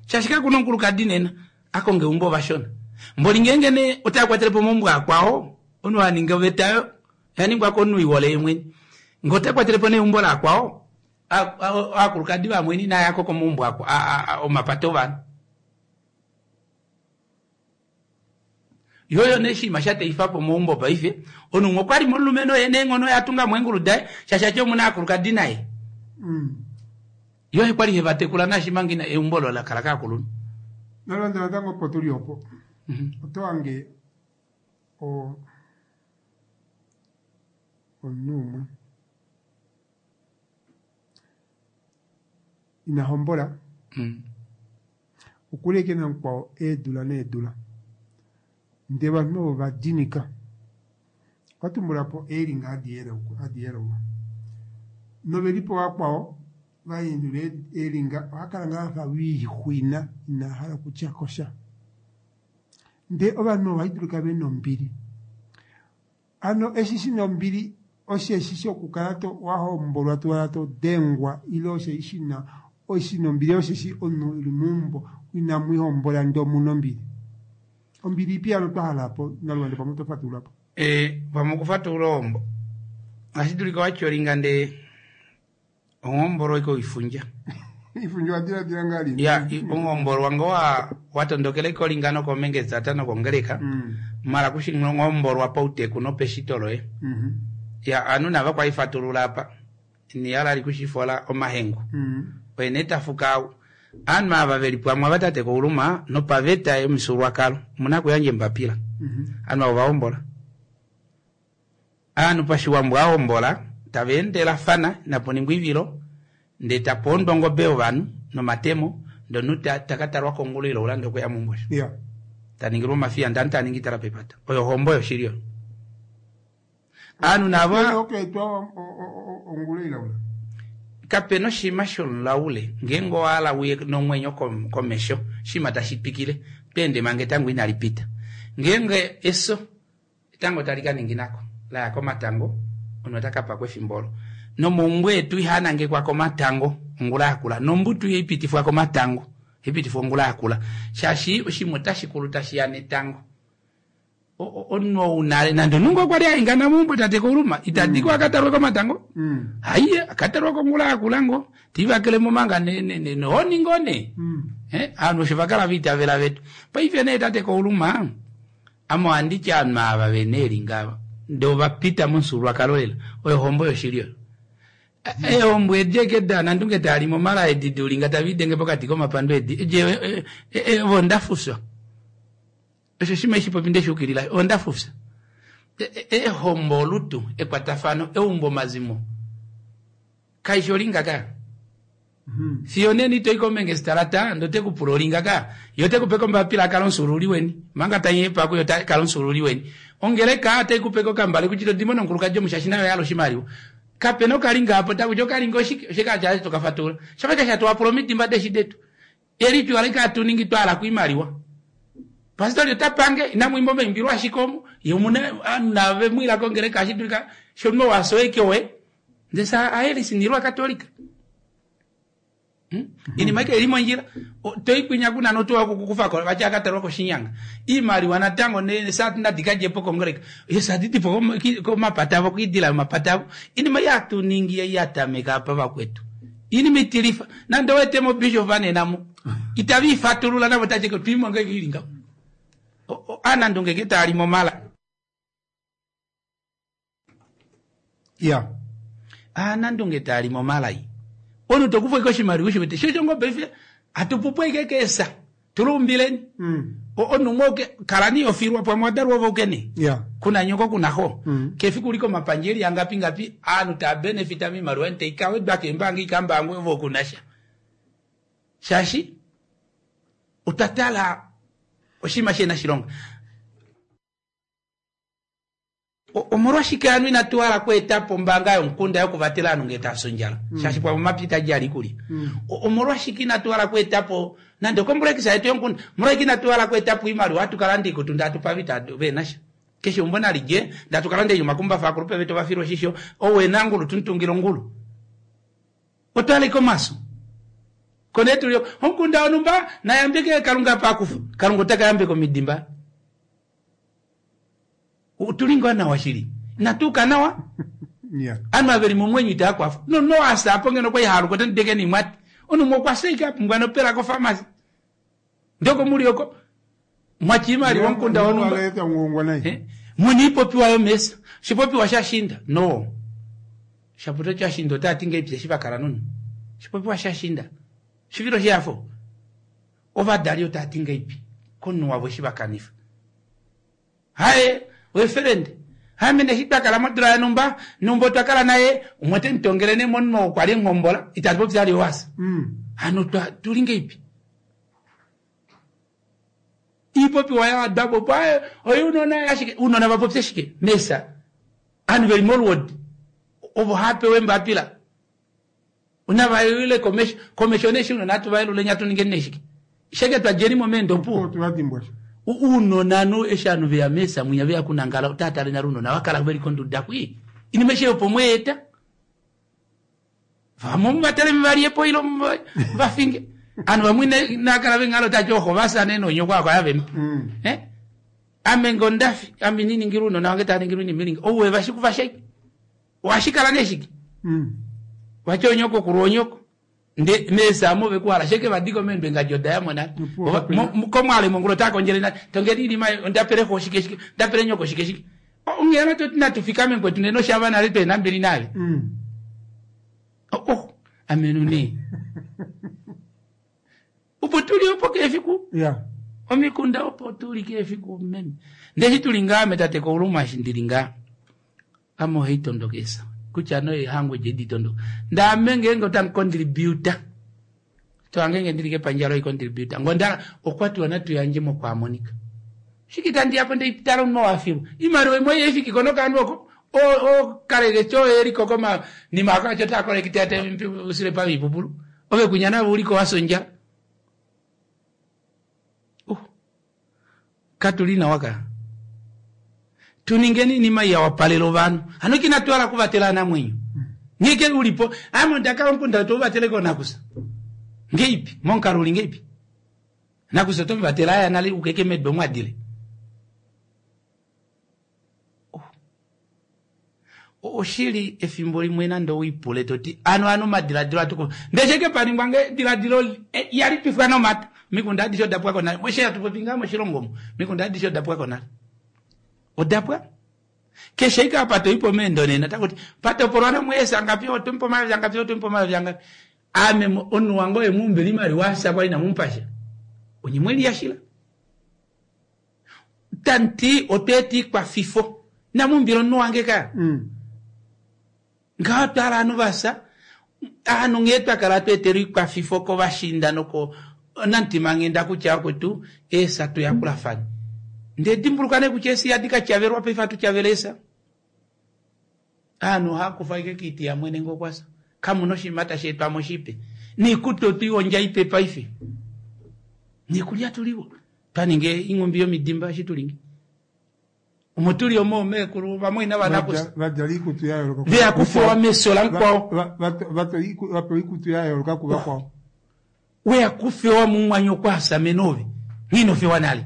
Shaashi kakuna omukulukadi nena a konga eumbo ovashona. Mboli ngeenge nee otava kwatele po omaumbo akwao, omunhu a ninga oveta oyo oya ningwa komunhu ihole ye mwene. Ngee ota kwatele po nee eumbo lakwao, aakulukadi vamweni inaya ko komaumbo omapata ovanhu. Yo nee oshinima sha teifa po omaumbo paife, omunhu umwe okwa li momulumenhu oye neenghono oye a tunga mo eengulu daye, shaashi ati omu na aakulukadi naye. Yo oye kwa li he va tekula naashi manga ina eumbo olo la kala kaakulunhu. Nalanda natango opo tu li opo, oto hange omunhu umwe ina hombola, Okuli ashike namukwao eedula needula. Ndee ovanhu ovo va dinika. Okwa tumbula po eelinga hadi yelulwa. Novelipo vakwao va yelula eelinga oha kala ngaa afa wiixwina ina hala okutya ko sha. Ndee ovanhu ovo ohadulika ve na ombili. Hano eshi shi na ombili osheshi shokukala to wa hombolwa to wala to dengwa ile osheshi shi na shi na ombili osheshi omunhu e li meumbo inamu ihombola ndee omu na ombili. Ombili ipi hano twa hala po Naluvande pamwe oto fatulula po? Ee, pamwe okufatulula ohombo ohashi dulika wa tyolinga ndee Onghombolwa iko oifundja. Ifundja owa diladila ngaa lini? Ya, onghombolwa ngo wa watondokela iko linga nokomengezata nokongeleka. Mara kushi onghombolwa pauteku nopeshito loye. Ya, ovanhu nava kwa ifatulula apa. Ini hala li kushifola omahengu. Oye nee tafuka au. Ovanhu ava veli pwamwe ava tate Kauluma nopaveta yomufyuululwakalo omuna okuyandja embapila. Ovanhu ava ovahombola. Aanhu pashiwambo a hombola tava endelafana inapu ningwa oivilo ndee tapa ondwa ongobe yovanhu nomatemo ndee omunhu ta ka talwa kongulu ile oulande okuya meumbo osho. Ta ningilwa omafiya ndee ovanhu tava ningi itala pepata. Oyo ohombo yoshili oyo. Aanhu navo kapena oshinima shomulaule ngeenge owa hala uye nomwenyo komesho oshinima tashi twikile oto ende manga etango inali pita. Ngeenge efyo Etango tali ka ningina ko, la ya komatango, omunhu ota ka pakwa efimbo olo. Nomaumbo etu ihaa nangekwa komatango, ongula yakula. Nombutu ihai pitifwa komatango, ohai pitifwa ongula yakula. Shaashi oshinima otashi kulu tashi ya netango. Omunhu ou nale, nande omunhu ngoo okwa li a ingana meumbo tate Kauluma, ita di ko a ka talwe komatango. Haiye, a ka talwa kongula yakula ngoo. Te livakele mo manga nohoni ngoo nee. Ovanhu osho va kala va itavela vetu. Paife nee tate Kauluma, Ame ohandi ti ovanhu ava ve na eelinga ava ndee ova pita momufyuululwakalo lela, oyo ohombo yoshili oyo. Eehombo edi eke daanandunge taa limi omala edi duulinga tave idenge pokati komapando edi, edi ovo ondafufya. Osho oshinima eshi popi ndeshi ukilila, ondafufya. Eehombo olutu, ekwatafano, eumbo omazimo. Kaishi olinga ka. Fiyo nena ito i komengestalata ndee ote ku pula olinga ka. Ye ote ku pe kombapila a kale omufyuululi weni. Omanga ta nyepa kuye ota kala omufyuululi weni. Ongeleka otai ku pe kokambale kutya ito di mo nomukulukadi omu shaashi naye oya hala oshimaliwa. Kape na okalinga apa otaku ti okalinga oshike? Oshike hatu to ka fatulula? Shafa ashike hatu wapula omidimba deeshi detu. Eli tuu alike hatu ningi twa hala koimaliwa. Pastori ota pange, inamu imba omaimbilo ashike omu, ye omuna ovanhu nave mu ila kongeleka ohashi dulika shomunhu ou a fya oye oye. Ndele sa aelisinilwa Katolika. Inima ike ili mondjila. To i kwinya kuna notuwa okukufa ko vati akatalwa koshinyanga. Iimaliwa natango ne sa nadi ka dje po kongeleka. Ye sa didi po komapata avo koidila yomapata avo. Inima ei hatu ningi ei ya tameka apa vakwetu. Inima itilifa. Nande owe etemo bishop nena mu. Itava ifatulula navo tati twimo ngenge ili ngaho. Aanandunge nge taa li momala. Ya. Aanandunge taa li momalai. Omunhu to kufa ike oshimaliwa ushi wete. Shosho ngoo paife hatu pupu ike keesa. Tuluumbileni. Omunhu umwe oke kala ni ofilwa pamwe wa dalwa ove ukene. Ya. Kuna nyoko kuna xo. Kefiku uli komapandja eli angapi ngapi aanhu taa benefita miimaliwa tai ka wedwa keembaanga ika mbaangwe ove oku na sha. Shaashi otwa tala oshinima shihena oshilonga. Omolwashike hano inatu hala okweeta po ombaanga yomukunda yokuvatela ovanhu ngee tava fi ondjala? Shaashi pamwe omapya itaji hala iikulya. Omolwashike inatu hala okweeta po nande okomplekisa yetu yomukunda? Omolwashike inatu hala okweeta po oimaliwa hatu ka landa oikutu ndee hatu pe ava itava vehena sha? Keshe umbo nalidje ndatukala ndei omakumbafa akulupe vetu vafilwa oshisho owena ngulu tuntungila ongulu. Otwaleka omaso. Kone tuli omukunda wonumba nayambeke Kalunga pakufa. Kalunga otaka yambeka omidimba. Otuli ngoo nawa shili. Natuuka nawa. Yeah. Anu aveli momwenyo itaa kwafa. No no asa apo ngeno kwa ihaluka otandideke nimwati. Onumo okwa seika apumbwa nopela kofamasi. Ndoko muli oko mwachimali womukunda wonumba. Waleta ngongwa naye. Eh? Muni ipopiwa yomesa. Shipopiwa shashinda. No. Shaputo chashinda otati ngeipi shivakala nunu. Shipopiwa shashinda. Shivilo shafo. Ovadali otati ngeipi. Konu wavo shivakanifa. Haye, weferende. Haye mene shitwakala modula ya numba, numba otwakala naye, umwete ntongele ne monmo kwali ngombola, itatu ali wasa. Hano tuli ngeipi. Ipopiwa ya dabo pa oyo unona yashike unona vapopye shike mesa anu veli molwod ovo hape wemba apila unavayule komeshone shi unona tuvailule nyatu ninge neshike sheke twajeni momendo pu Tuwadimbwa. Unona no eshanu veya mesa mwinya veya kunangala utatale na runona wakala veli konduda kwi inimeshe opo mweta vamo muvatele mvaliepo ilo vafinge anu vamwe nakala vengalo tachoho vasane nonyo kwako yavempa eh ame ngondafi ame nini ngiruno na wange tani ngiru ni milingi owe vashiku vashaki washikala neshiki wachonyoko kuruonyoko nde mesa mo bekuala sheke vadiko mendwe ngajoda ya mona komwale mongolo tako njele na tongeri ili mai ndapere ho shike shike ndapere nyoko shike shike ongera to tina tufika mengwe tuneno shava na leto nambili nale oh amenune upo tuli opo kefiku Yeah. omikunda opo tuli kefiku meme ndeshi tulinga ame tate kouluma shi ndilinga amo heitondokesa kutya no ehangwe jeditondoka ndame ngenge otancontributa toangenge ndilike panjalo icontributa ngondala okwatiwa natuyanje mokwamonika shikita ndiyapo ndeitala uno wafilwa imaliwa imwe yefiki kono kandu oko o kaleke cho eriko koma nimaka cho takolekite ate usile pa vipupulu ove kunyana uliko wasonja katulina waka tuningeni nima ya wapalelo vanu ano kinatwala kuvatela na mwenyo ngeke ulipo amo ndakala mkunda to vateleko nakusa ngeipi monkaruli ngeipi nakusa to vatela aya nali ukeke medbo mwadile oshili efimbo limwe nando uipule toti ano ano madiladilo atuko ndecheke paningwa nge diladilo yali pifwa no mata mikunda adisho dapwa kona mweshe atupopinga moshilongo mikunda adisho dapwa kona odapwa keshe ika pato ipo mendo nena takuti pato porwana mwesa ngapi otumpo mali ngapi otumpo mali ngapi ame onu wango emumbe limali wasa kwa ina mumpasha onyimweli yashila tanti oteti kwa fifo na mumbiro nu wange ka ngatala anu vasa anu ngetwa kala tweteri kwa fifo ko vashinda noko nantima ngenda kucha kwetu esa tuyakulafani nde dimbulukane kuchesi yadika chaverwa pefa tuchavelesa anu hakufa ike kiti ya mwene ngokwasa kamuno shimata shetwa moshipe nikuto tuionja ipepa ife nikulya tuliwo twaninge ing'ombe yomidimba shitulinge umutuli omo mekulu vamwe na vanakusa Vadjala ikutu ya yooloka. veyakufowa mesola nkwao Vapewa ikutu ya yooloka kuva kwao. weyakufewa mumwanyo kwasa menove ng'inofewa nale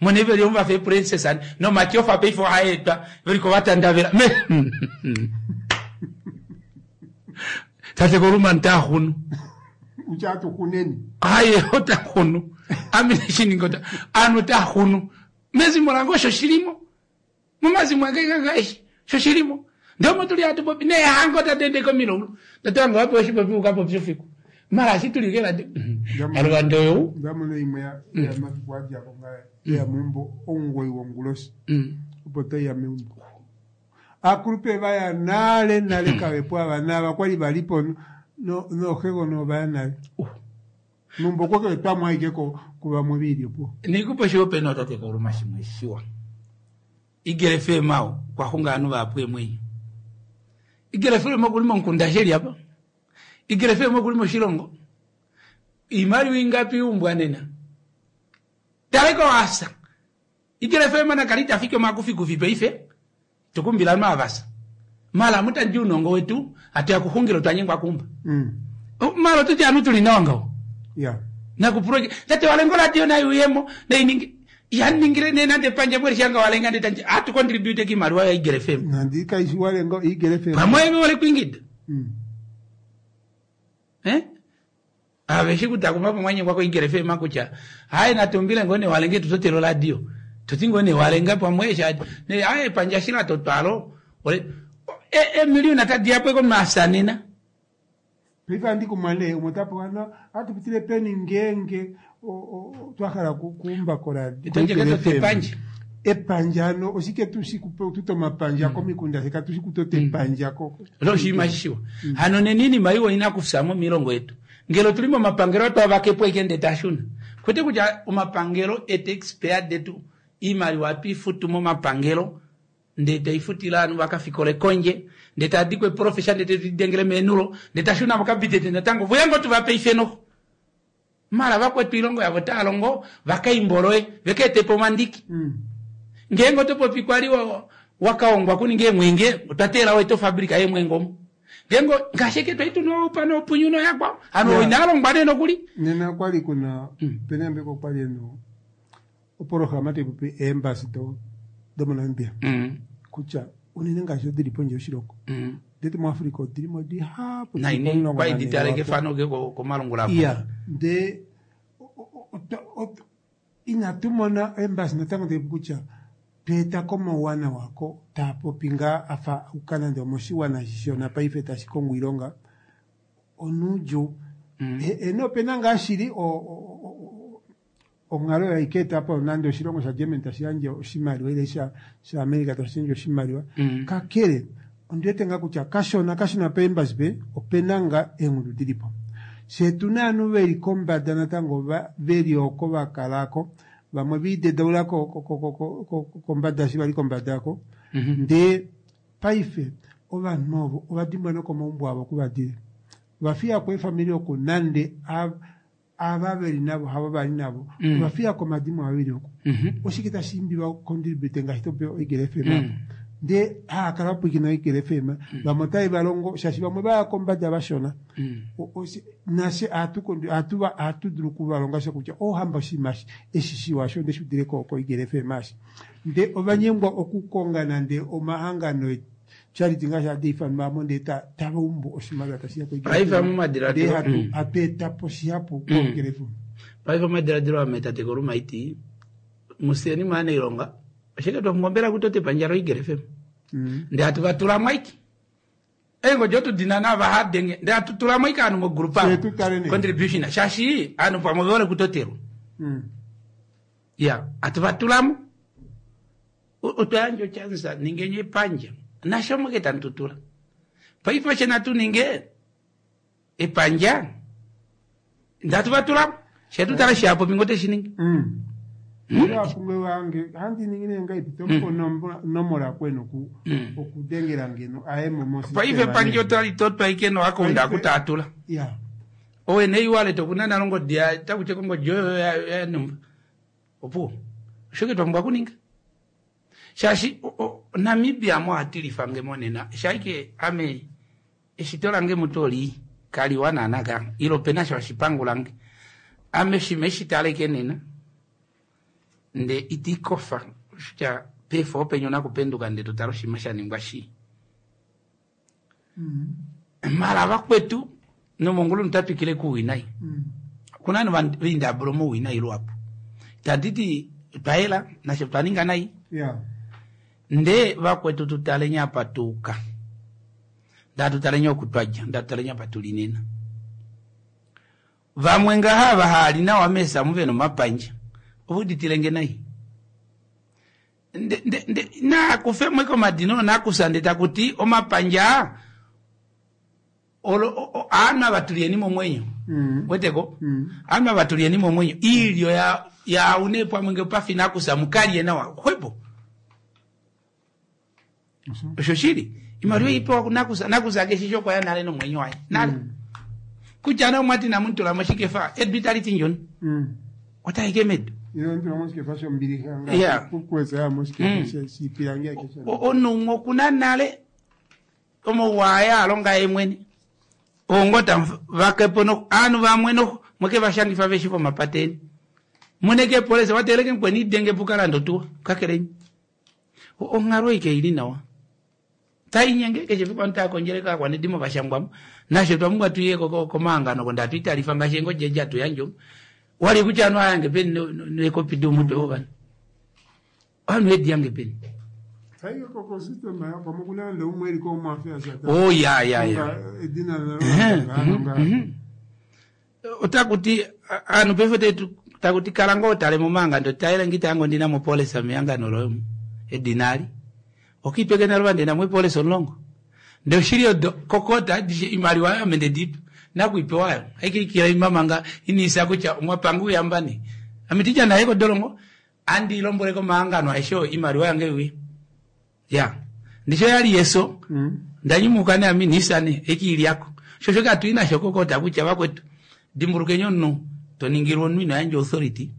mwene veli omu vafe princess ani no matyofa peifo aetwa veliko vatandavela me tate koluma ntahunu Uchatu kuneni. aye otahunu amene shiningo anu tahunu mezimo lango sho shilimo mumazimo angekakaishi sho shilimo ndomo tuli atu popi ne hango tatende komilo tatanga wapo shipopi ukapo pyofiku mara shitulikela aluvandoyo Ndamono imwe ya ya mafiku ajako nga ya mumbo ongoi wongulosi. Opo ya meumbo. Akulupe vaya nale nale kawepo ava nava kwali valipo no no hego no vaya nale. Mumbo kwake twamwaike ko kuva muviri po. Nikupo shiwope no tate koluma shimwe shiwa igere femao kwahunga anu vapwe mwenyo igere fema kulimo nkunda sheli apa igere fema kulimo shilongo imali wingapi umbwa nena taleko asa Eagle FM nakali tafike omakufikufi paife tukumbila maavasa mala mutandi unongo wetu atuya kuhungila twanyengwa kumba mala tuti anu tuli nawa ngaho ya nakuproje tate walengo radio nayo uyemo nainingi yaningire nenande panja mweri shanga walenga ndetanje atu contribute kimaliwa ya Eagle FM nandi kaishi walengo Eagle FM pamwe wale kuingida aveshi kutakuma pamwanye kwako Eagle FM kutya hayi natumbile ngone walenge tutotelo radio tuti ngone walenga pamwe sha ne hayi panja shila totwalo ole e milioni atadiapo ko masanena paife andi kumale umwe tapo ano atupitile peni ngenge twakhala kuumba kola Tonje katote epanja. Epanja ano oshike tushikututa omapanja komikunda seka tushikutote epanja ko loshima shishiwa hano nenini maiwo ina kufusamo milongo yetu ngelo tuli momapangelo twavakepo ikende tashuna kwete kutya omapangelo etaxpayer detu imaliwa atuifutu momapangelo nde taifutila anu vakafikole konje nde tadikwe profesa nde tetidengele menulo nde tashuna mokabitete natango vuyango tuvape ifenoho mala vakwetu ilongo yavo taalongo vakaimboloe vekeetepo omandiki ngenge otopopi kwali wakaongwa kuninga emwenge otwatela weto fabrika yemwenge omo ngengo ngasheke twaituno pano opunyuno yakwao ano Yeah. inalongwa neno kuli Nena kwali kuna penembe kwali eno oporohama taipopi eembasi do domoNamibia kutya unene ngaashi odili pondje yoshilongo ndeti muAfrica odilimo dihapu naini kwaiditale kefano ke komalungula apo. Iya nde inatu mona embasi natango taipopi kutya tweeta komauwanawa ko taapopi ngaa afa uka nande omoshiwana shishona paife tashi kongo iilonga onuudju eno opena ngaa shili onghalo oyo ikeeta po nande oshilongo shaGermany tashi yandje oshimaliwa ile shaAmerica tashi yandje oshimaliwa kakele ondiwete ngaa kutya kashona kashona peembasi pe opena ngaa eengudu dilipo fye tuna ovanhu veli kombada natango veli oko vakalako vamwe viidedaula kombada eshi vali kombada ako ndee paife ovanhu ovo ovadimbwa nokomaumbo avo kuvadile ovafiyako eefamili oku nande ava veli navo havo vali navo ovafiyako omadimo avo veli oku oshike tashi imbi vacontribute ngaashi topewa Eagle FM apo ndee haakala vapwiikina Eagle FM vamwe otave valongo shaashi vamwe vaya kombada vashona nashe ohatu dulu okuvalonga sha kutya ohamba oshinima eshi shiwa sho ndeshi udile ko Eagle FM ashi ndee ovanyengwa okukonga nande omahangano charity ngaashi hadi ifanwa mo ndee tavaumbu oshimaliwa tashiya ko Eagle Paife FM. momadiladilo Ndee hatu eta po shihapu ko Eagle FM. Paife omadiladilo ame tate kolumaiti museni mwaana ilonga oshike twakungombela kutote epandja lo Eagle FM ndee hatu vatulamo aike eengodi otudina nava hadenge ndee hatutulamo aike ovanhu mogrupa Fye tutale nee. Contribution shaashi ovanhu pamwe vehole kutotelwa ya hatu vatulamo otwayandja ochansa ningenye epandja nasho moke tanututula paife oshe natuninge epandja ndatu vatulamo shetutala shapopi ngote shiningi Apunge wange handi ningine ngaipi tomupa onomola kweno okudengela ngeno aye mo Paife epandja otalitotwa ike noakaunda akutatula ya owene iwallet okuna nalo ngodi takuche kongodi oyo yanumba opuwo oshoke twapumbwa kuninga shaashi Namibia mo hatilifange monena shaike ame eshito lange mutoli kaliwa naana ilo pena sho oshipangu lange ame shima eshitaleke nena nde itikofa kutya pefo openye ona kupenduka nde totala oshima shaningwa shi mala vakwetu nomongulu notapikile kuwinayi kuna vanhu vaindabula mowinayi luhapu taditi twayela nasho twaninga nayi ya nde vakwetu tutalenya apa tuuka ndatutalenye okutwadja ndatutalenye apa tulinena vamwe ngaha vahaali nawa mesa muve nomapandja ovuditilenge nayi nde nde nde nakufemwe komadina ono nakusa nde takuti omapandja olo anu ava tulieni momwenyo weteko anu ava tulieni momwenyo iilyo ya yaune pamwe nge pafi nakusa mukalye nawa xwepo osho shili imaliwa ipewa nakusa nakusa keshisho kwaya nale nomwenyo waye nale kutya ne omwati namutula moshikefa edu itali ti ndjoni otaike medu. Ile ndilo moshikefa shombilixa Yeah. ngaashi ya moshikefa shiipilangi ake sha- Omunhu umwe okuna nale omauwa aya alonga ye mwene ongo vakepo no aanhu vamwe no mweke vashangifa veshi vomapateni muneke polisi wateleke mukweni idenge pukalando tuwa kakelenyi onghalo ike ili nawa tainyenge keshe fiku anhu taakondjele kaakwanedimo vashangwamo nashe twamumbwa tuye komahangano ko ndatu italifa ngaashi engodje edi atuyandja omu wali kutya anhu ayange peni nekopi domutwe wovanhu ovanhu edi yange peni Saike koko system ya pamwe kuna nde umwe eri ko mafia shata. oh ya ya ya Edina la nga. Otakuti anhu paife tetu takuti kala ngoo tale momahangano taele ngita yango ndina mopolisa mehangano loye edina ali okipeke nalo ndina mopolisa omulongo ndee oshili odo kokota adishe imaliwa ame ndedipa nakuipewayo aikikila imamanga iniisa kutya omwapanga uyambani ame tija naye kodolongo andi lombwele komahangano aeshe oyo imaliwa yange iuye ya ndisho yali yeso ndanyumuka ne ami niisane ekiilyako shosho katu nasho kokota kutya vakwetu dimbulukeni omunhu toningilwa omunhu ino yandja authority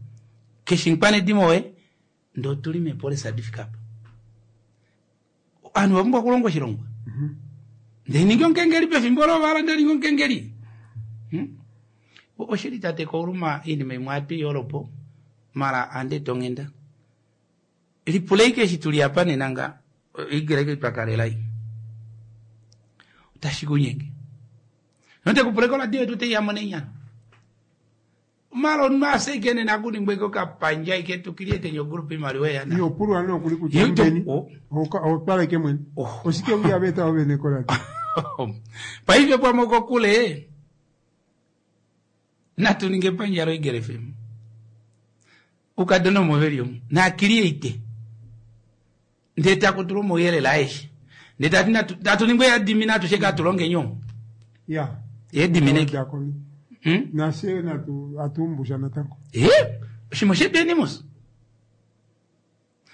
keshe mukwanedimo woye ndee otuli meepolisa adifika apa ovanhu vapumbwa okulonga oshilongwa ndee ningi omukengeli pefimbo lovala ndee ningi omukengeli oshili tate kouluma oinima imwe ohatu mala ande tonghenda lipula ike eshi tuli apa nena nga oigereke twakalela ei otashi kunyenge notekupula koradio yetu teiyamo nenyana mala omunhu aseike nena kuningwa ike okapandja ike tukiliete ogroup imaliwa eyana Iyo pulwa no kuli kutya Yo, mbeni. oh. Otwala ike mwene. Oh. Oshike uya beta ovene kola. paife pamwe kokule natu ninge epandja loigele FM ukadona omoveli omu naakiliate ndee takutula omauyelele aeshe ndee tati tatu ningwe yadimina atushe katulonge nyo Ya. yedimineke Diakoni. Nase natu atumbusha natango. oshimo shedenimus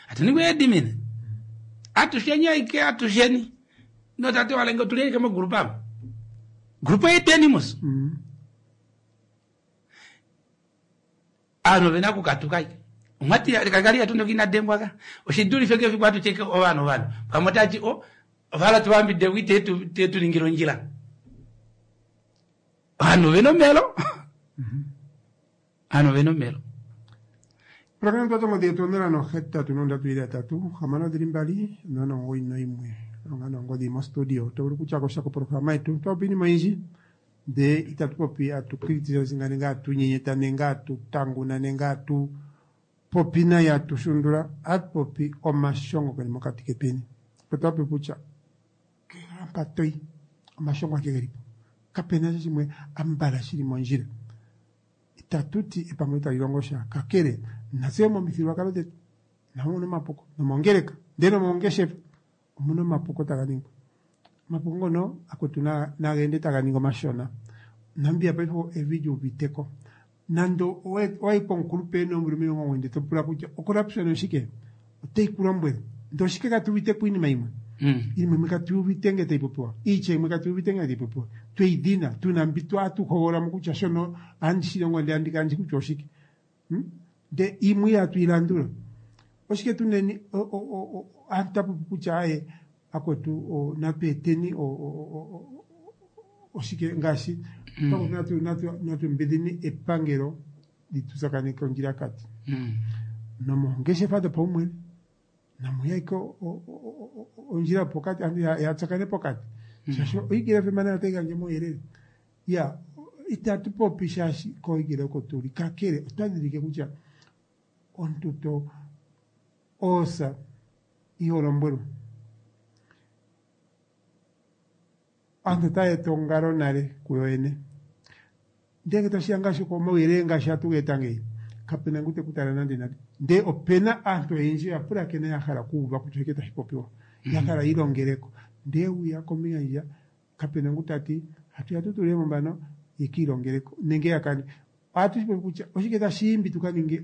atuningwe yedimina atusheni aike atusheni notate walenge tulieke mogrupu amo grupu yedenimus ovanhu ovena okukatuka omwati kakali atundoka inadengwaka oshidulife kefiku atucheke ovanhu ovanhu pamwe otati o ovala tuvambide tetuningila ondjila ovanhu ovena omelo ovanhu ovena omelo Programa twa tongodhi yetu 083 6 2 691 longa nongodhi mostudio to vulu kutya kosha koprograma yetu twapopi iinima oyindji ndee itatu popi atu criticize nenge atu nyenyeta nenge atu tanguna nenge atu popi nayi atu shundula atu popi omashongo geli mokati ketweni opo twapopi kutya kehala mpa toyi omashongo ake gelipo kapena sha shimwe ambala shili mondjila itatu ti epangelo itali longo sha kakele natse momithigululwakalo dhetu namo omuna omapuko nomongeleka ndele nomongeshefa omuna omapuko taga ningwa omapuko ngono akwetu nageende taga ningi omashona Namibia paife evi lyuuviteko nando owayi pomukulupe ena oomvula 90 to pula kutya ocorruption oshike oteyi ku lombwele ndee oshike katuuviteko iinima imwe iinima imwe katuuvite nge tayi popiwa iitya imwe katuuvite nge tayi popiwa tweyi dhina tuna mbi atuhogololamo kutya shono ohandi shilongo ndee andi kala ndishi kutya oshike ndee imwe ihatu yilandula oshike tuneni aantu tapopi kutya aye akwetu natu eteni oshike ngaashi natu mbidhini epangelo litutsakaneke ondjilakati nomongeshefa dhopaumwene namuya ike ondjila pokati aantu yatsakane pokati shaashi oigila FM nayo otayi gandja omauyelele ya itatu popi shaashi koigila oko tuli kakele otwa dhidhilike kutya omuntu to oosa iho lombwelwa aantu otaya eta ongalo nale kuyo yene ndee ngele tashiya ngaashi komauyelele ngaashi hatu geeta ngeyi kapena ngu teku tala nande nande ndee opena aantu oyendji oya pulakena ya hala okuuva kutya oshike tashi popiwa ya hala yiilongeleko ndee uya kombinga ndjiya kapena ngu tati hatuya tu tulemo mbano yekiilongeleko nenge yakane ohatu shipopi kutya oshike tashiimbi tuka ninge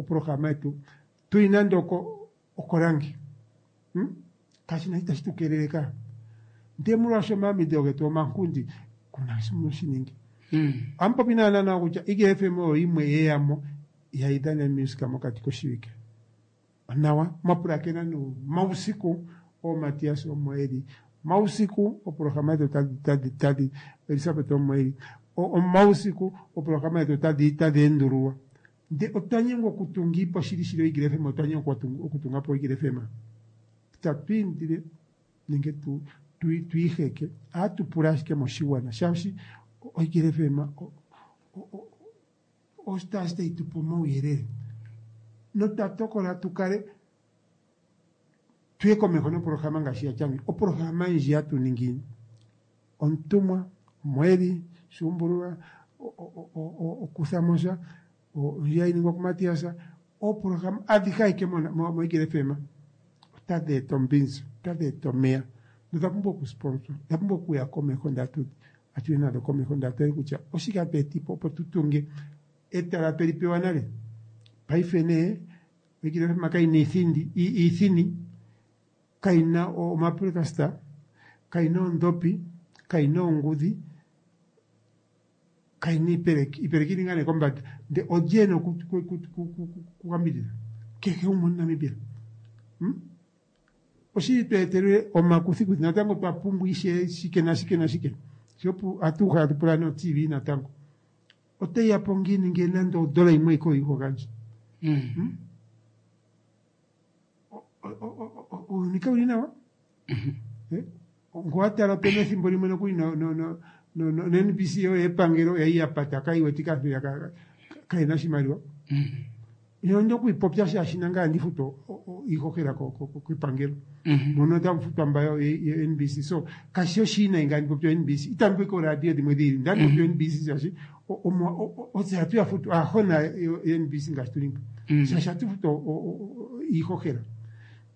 oprograma yetu tuli nande oko okorange kashina itashi tukeelele ka ndee molwaasho omayambidhidho getu omankundi kuna shi shiningi ohamupopi naana nawa kutya Igele FM oyo yimwe yeyamo Ihayi dhana omusika mokati koshiwike. Onawa mwapulakena mausiku ooMatias omo eli mausiku oprograma yetu tadi tadi Elisabeth omo eli omausiku oprograma yetu tadi endululwa. Nde otwa nyengwa okutunga po shili shili oEagle FM, otwa nyengwa okutunga po Eagle FM. Tatu indile nenge tuiheke ohatu pula ashike moshiwana shaashi oEagle FM ositaasi tayi tupe omauyelele notwa tokola tu kale tuye komeho noprograma ngaashi yatya ngeyi. Oprograma ndji hatu ningi omutumwa, omweeli, shuumbululwa, okuthamo sha, ndji hayi ningwa kuMatias, ooprograma adhihe ayike moEagle FM otadhi eta ombinzi, otadhi eta omeya nodha pumbwa okusponsor, odha pumbwa okuya komeho ndele atu yi nadho komeho ndele atu tale kutya oshike hatu etipo opo tu tunge etala tweli pewa nale. Paife nee Eagle FM kayi na iithini, kayi na omapulakasta, kayi na oondhopi, kayi na oongudhi, kayi na iipeleki. Iipeleki ili ngaa nee kombanda. Ndele olye ena okuyambidhidha? Kehe gumwe omuNamibia. Oshili twa etelwe omakuthikuthi natango twa pumbwa ishewe shike nashike nashike. Sho atu uhala tu pula no-TV natango. Otayi ya po ngiini ngele nande odola yimwe iko iho gandja? Uuyuni kawu li nawa. Ngo wa tala opena ethimbo limwe nokuli no-NBC yo yepangelo oya yi ya pata kayi wetike aantu kayena oshimaliwa. Onda okuyipopya shaashi nangaye ohandi futu iihohela kepangelo. Mono otamu futwa mba yo-NBC. So kashi oshiwinayi ngele andi popi o-NBC. Itandi popi kooradio dhimwe dhi ili. Ndandi popi o-NBC shaashi otse hatu ya futu aahona yo-NBC ngaashi tuli mpo. Shaashi ohatu futu iihohela.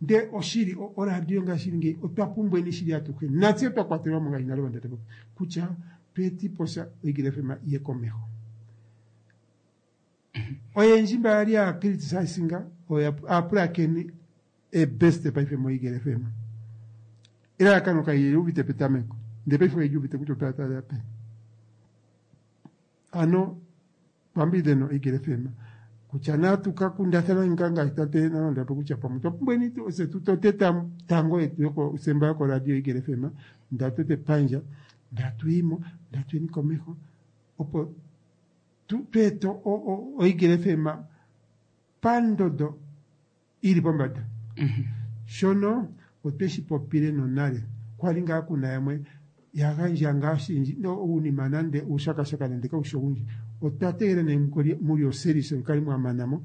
Ndele oshili oradio ngaashi ili ngeyi otwa pumbweni shili atuhe. Natse twa kwatelwa mo ngaashi nale wanda ta popi kutya tu etipo sha oEagle FM iye komeho. Oyendji mba yali ya criticizinga oya aapulakeni ebest paife moEagle FM. Elalakano kayi uvite petameko ndele paife oye li uvite kutya otaya taalela peni. Ano twambidhe noEagle FM kutya natu ka kundathana ngaa ngaashi tate Nalondapo kutya pamwe otwa pumbweni tse tu tote tango yetu yokosemba yokoradio Eagle FM nda tote epandja nda tuyimo nda tuyeni komeho opo tu ete oEagle FM pandondo ili pombanda. Shono otwe shi popile nonale kwali ngaa kuna yamwe ya gandja ngaa oshindji uunima nande uushakashaka nande kaushi owundji. Otwa tegelela nee muli oseries mukale mwa manamo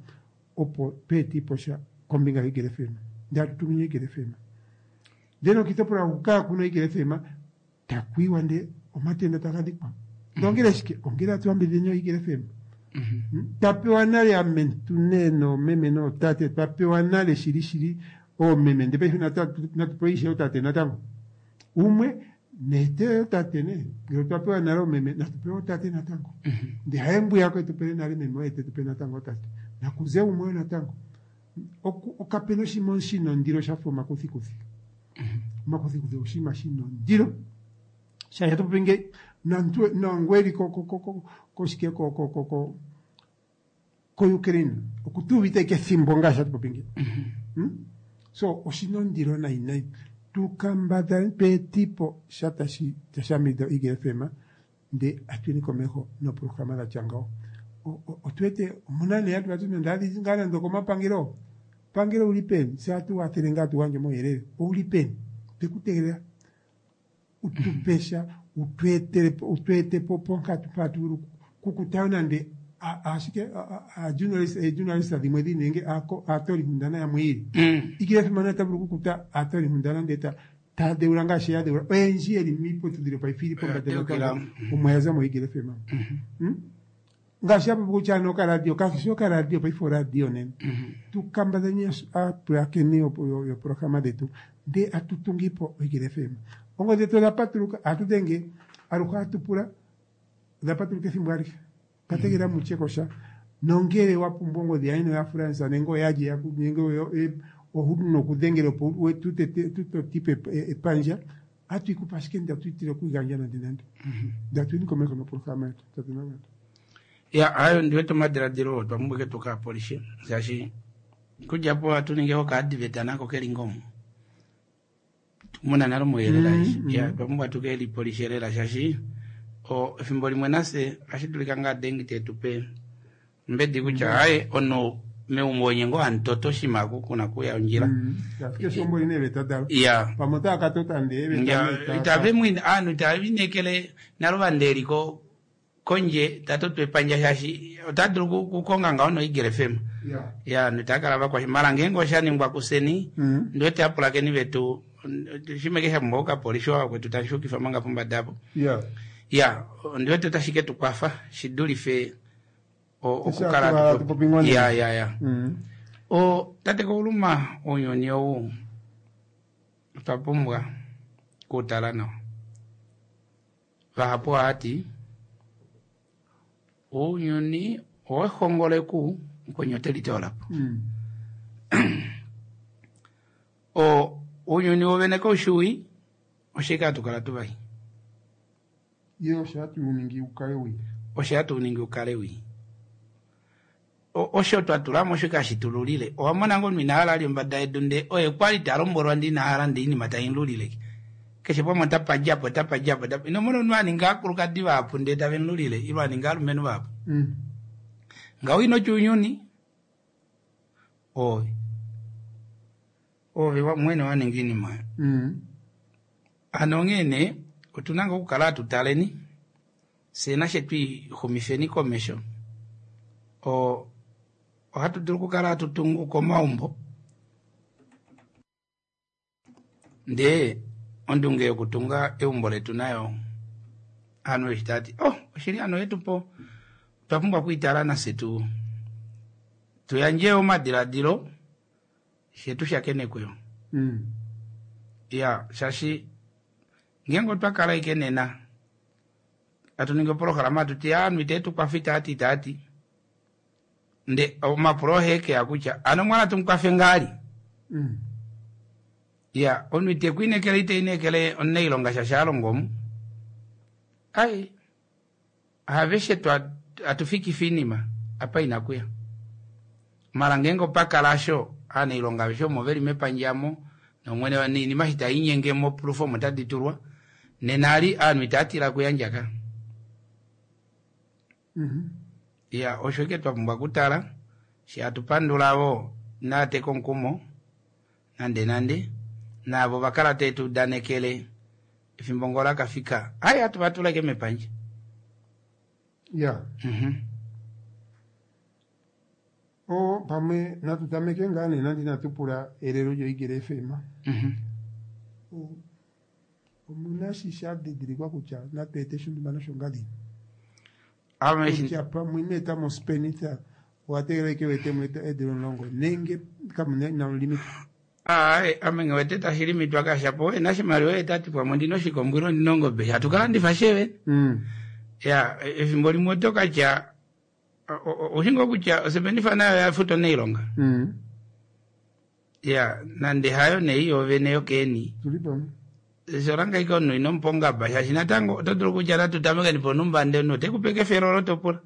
opo tu etipo sha kombinga yoEagle FM. Ndele atu tumine Eagle FM. Ndele nokiitopolwa huka kaakuna Eagle FM taku iwa ndee omatenda taga dhikwa. Ongele shike? Ongele atu yambidhidheni oEagle FM. Twa pewa nale amentu nee noomeme nootate, twa pewa nale shili shili oomeme ndee paife natu pewe ishewe ootate natango. Umwe neete ootate nee, ngele otwa pewa nale oomeme natu pewe ootate natango. Ndee haye mbwiyaka etu pele nale meme oye tetu pe natango ootate. Nakuze umwe wo natango. Kapena oshinima shina ondilo shafa omakuthikuthi. Omakuthikuthi oshinima shina ondilo. Shaashi atu popi ngeyi nomuntu nongu eli koshike ko-Ukraine okutu uvite ashike ethimbo ngaashi hatu popi ngeyi. So oshina ondilo nayi nayi. Tu kambadhaleni tu etipo sha tashi yambidhidha oEagle FM ndee atuyeni komeho nooprograma dhatya ngawo. Otu wete omuna nee aantu vati nande hadhi zi ngaa nande okomapangelo. Pangelo ouli peni? Tse ohatu wathele ngaa tu gandje omauyelele. Ouli peni? Tweku tegelela utu pe sha utu ete po ponkatu mpa hatu vulu kukuta nande ashike aajournalist dhimwe dhili nenge aatoolinkundana yamwe yili. Eagle FM ota vulu okukuta aatoolinkundana ndele taya dheula ngaashi ya dheula oyendji yeli miiputudhilo paife ili pombanda natango omo ya za moEagle FM. Ngaashi ya popi kutya ano okaradio kakeshi okaradio paife oradio nena. Tu kambadhaleni aapulakeni yoprograma dhetu ndee atu tungipo oEagle FM. Oongodhi dhetu odha patuluka ohatu dhenge aluhe ohatu pula odha patuluka ethimbo alihe. Otwa tegelela mutye ko sha nongele wa pumbwa ongodhi yandje noyaFrans nenge oyalye nenge owu na okudhengela opo tu totipe epandja ohatu yi kupe ashike ndatu itile okuyigandja nande nande. Ndatu yini komeho noprograma yetu tate Nalanda. Ya, ayo ndiwete omadiladilo oo twa pumbwa eke tuka polishe shaashi kudja po ohatu ningi okaadiveta nako keli ngomo muna nale omauyelele aeshe. Ya, otwa pumbwa tuke lipolishe lela shaashi efimbo limwe nafye ohashi dulika ngaa dengi tetupe mbedi kutya aye omunhu meumbo onye ngoo hamutoto oshinima aku kuna kuya ondjila. Keshe eumbo lina eeveta dalo. Ya. Pamwe otava ka tota ndee eeveta Ya, nee tava- itave mu ovanhu itave lineekele nale ovandeeliko kondje ta toto epandja shaashi ota dulu okukonga ngaho noEagle FM. Ya. Ya, ovanhu itava kala vakwashe. Mara ngeenge osha ningwa kuseni, ndiwete apulakeni vetu shimwe keshe pumbwa okapolishi wakwetu tashi yukifa manga pombada apo. Ya. Ya, ndiwete otashi ke tu kwafa shi dulife okukala Eshi hatu popi ngoo nee. Ya, ya, ya. Tate Kauluma, ounyuni ou otwa pumbwa okutala nawa. Vahapu ohati ounyuni owehongoleku mukweni ote litoolapo. Ounyuni wovene koushi oshike hatu kala tuvai? Ye osho hatu uningi ukale wii. Osho hatu uningi ukale wii. Osho twa tulamo osho kashi tululile. Owa mona ngoo omunhu ina hala ali ombada yedu ndee oye kwali ta lombwelwa ndee ina hala ndee oinima tai mululile. Keshe pamwe otapa djapo, otapa djapo, otapa. Ino mona omunhu a ninga aakulukadi vahapu ndee tave mululile, ile a ninga aalumenhu vahapu. Ngaho ino tya ounyuni, ove. Ove mwene wa ninga oinima oyo. Hano onghee nee, otuna ngoo okukala hatu taleni, fyee nashe twixumifeni komesho. Ohatu dulu okukala hatu tungu komaumbo. Ndee ondunge yokutunga eumbo letu nayo ovanhu eshi tava ti, oh, oshili hano yetu po, otwa pumbwa okwiitala nafye tu yandje omadiladilo fye tu shakenekwe yo. Ya, shaashi ngeenge otwa kala ashike nena hatu ningi oprograma hatu ti ovanhu itave tu kwafa itaati itaati, nde omapulo ohee keya kutya ano mwana tumukwafe ngaali? Ya, omunhu ite ku inekele, ite inekele omunailonga shaashi a longa omu. Ai, haveshe hatu fikifa oinima apa ina kuya. Mara ngeenge opa kala asho, aanailonga aveshe omo veli mepandja mo, nomwene noinima eshi tai linyenge mopulufa omo tadi tulwa, nena ali ovanhu itava tila kuyandja ka. Ya, osho ike twa pumbwa okutala, shi hatu pandula vo naateka omukumo, nande nande, naavo va kala tave tu udanekele efimbo ngoo la kafika, ai hatu va tula ike mepandja. Ya. O, pamwe natu tameke ngaa nee nande inatu pula elelo lyoEagle FM. Omuna shi sha didilikwa kutya natu ete shontumba noshongadini. Ame eshi Kutya pamwe ino eta mospenitha owa tegelela ike wete mo eedula 10 nenge kamuna inamu limita. Ai, ame nge wete tashi limitwa kashapo ena oshimaliwa ye tati pamwe ondina oshikombo ile ondina ongobe hatu ka landifa sheve. Ya, efimbo limwe oto ka tya oushi ngoo kutya osepenifa nayo oya futa onailonga. Ya, nande hayo nee yoovene yokeeni. Tuli pamwe. Sola ike omunhu ino mupa ongaba shaashi natango oto dulu kutya natu tamekeni ponumba ndee omunhu ote kupe kefelo olo to pula.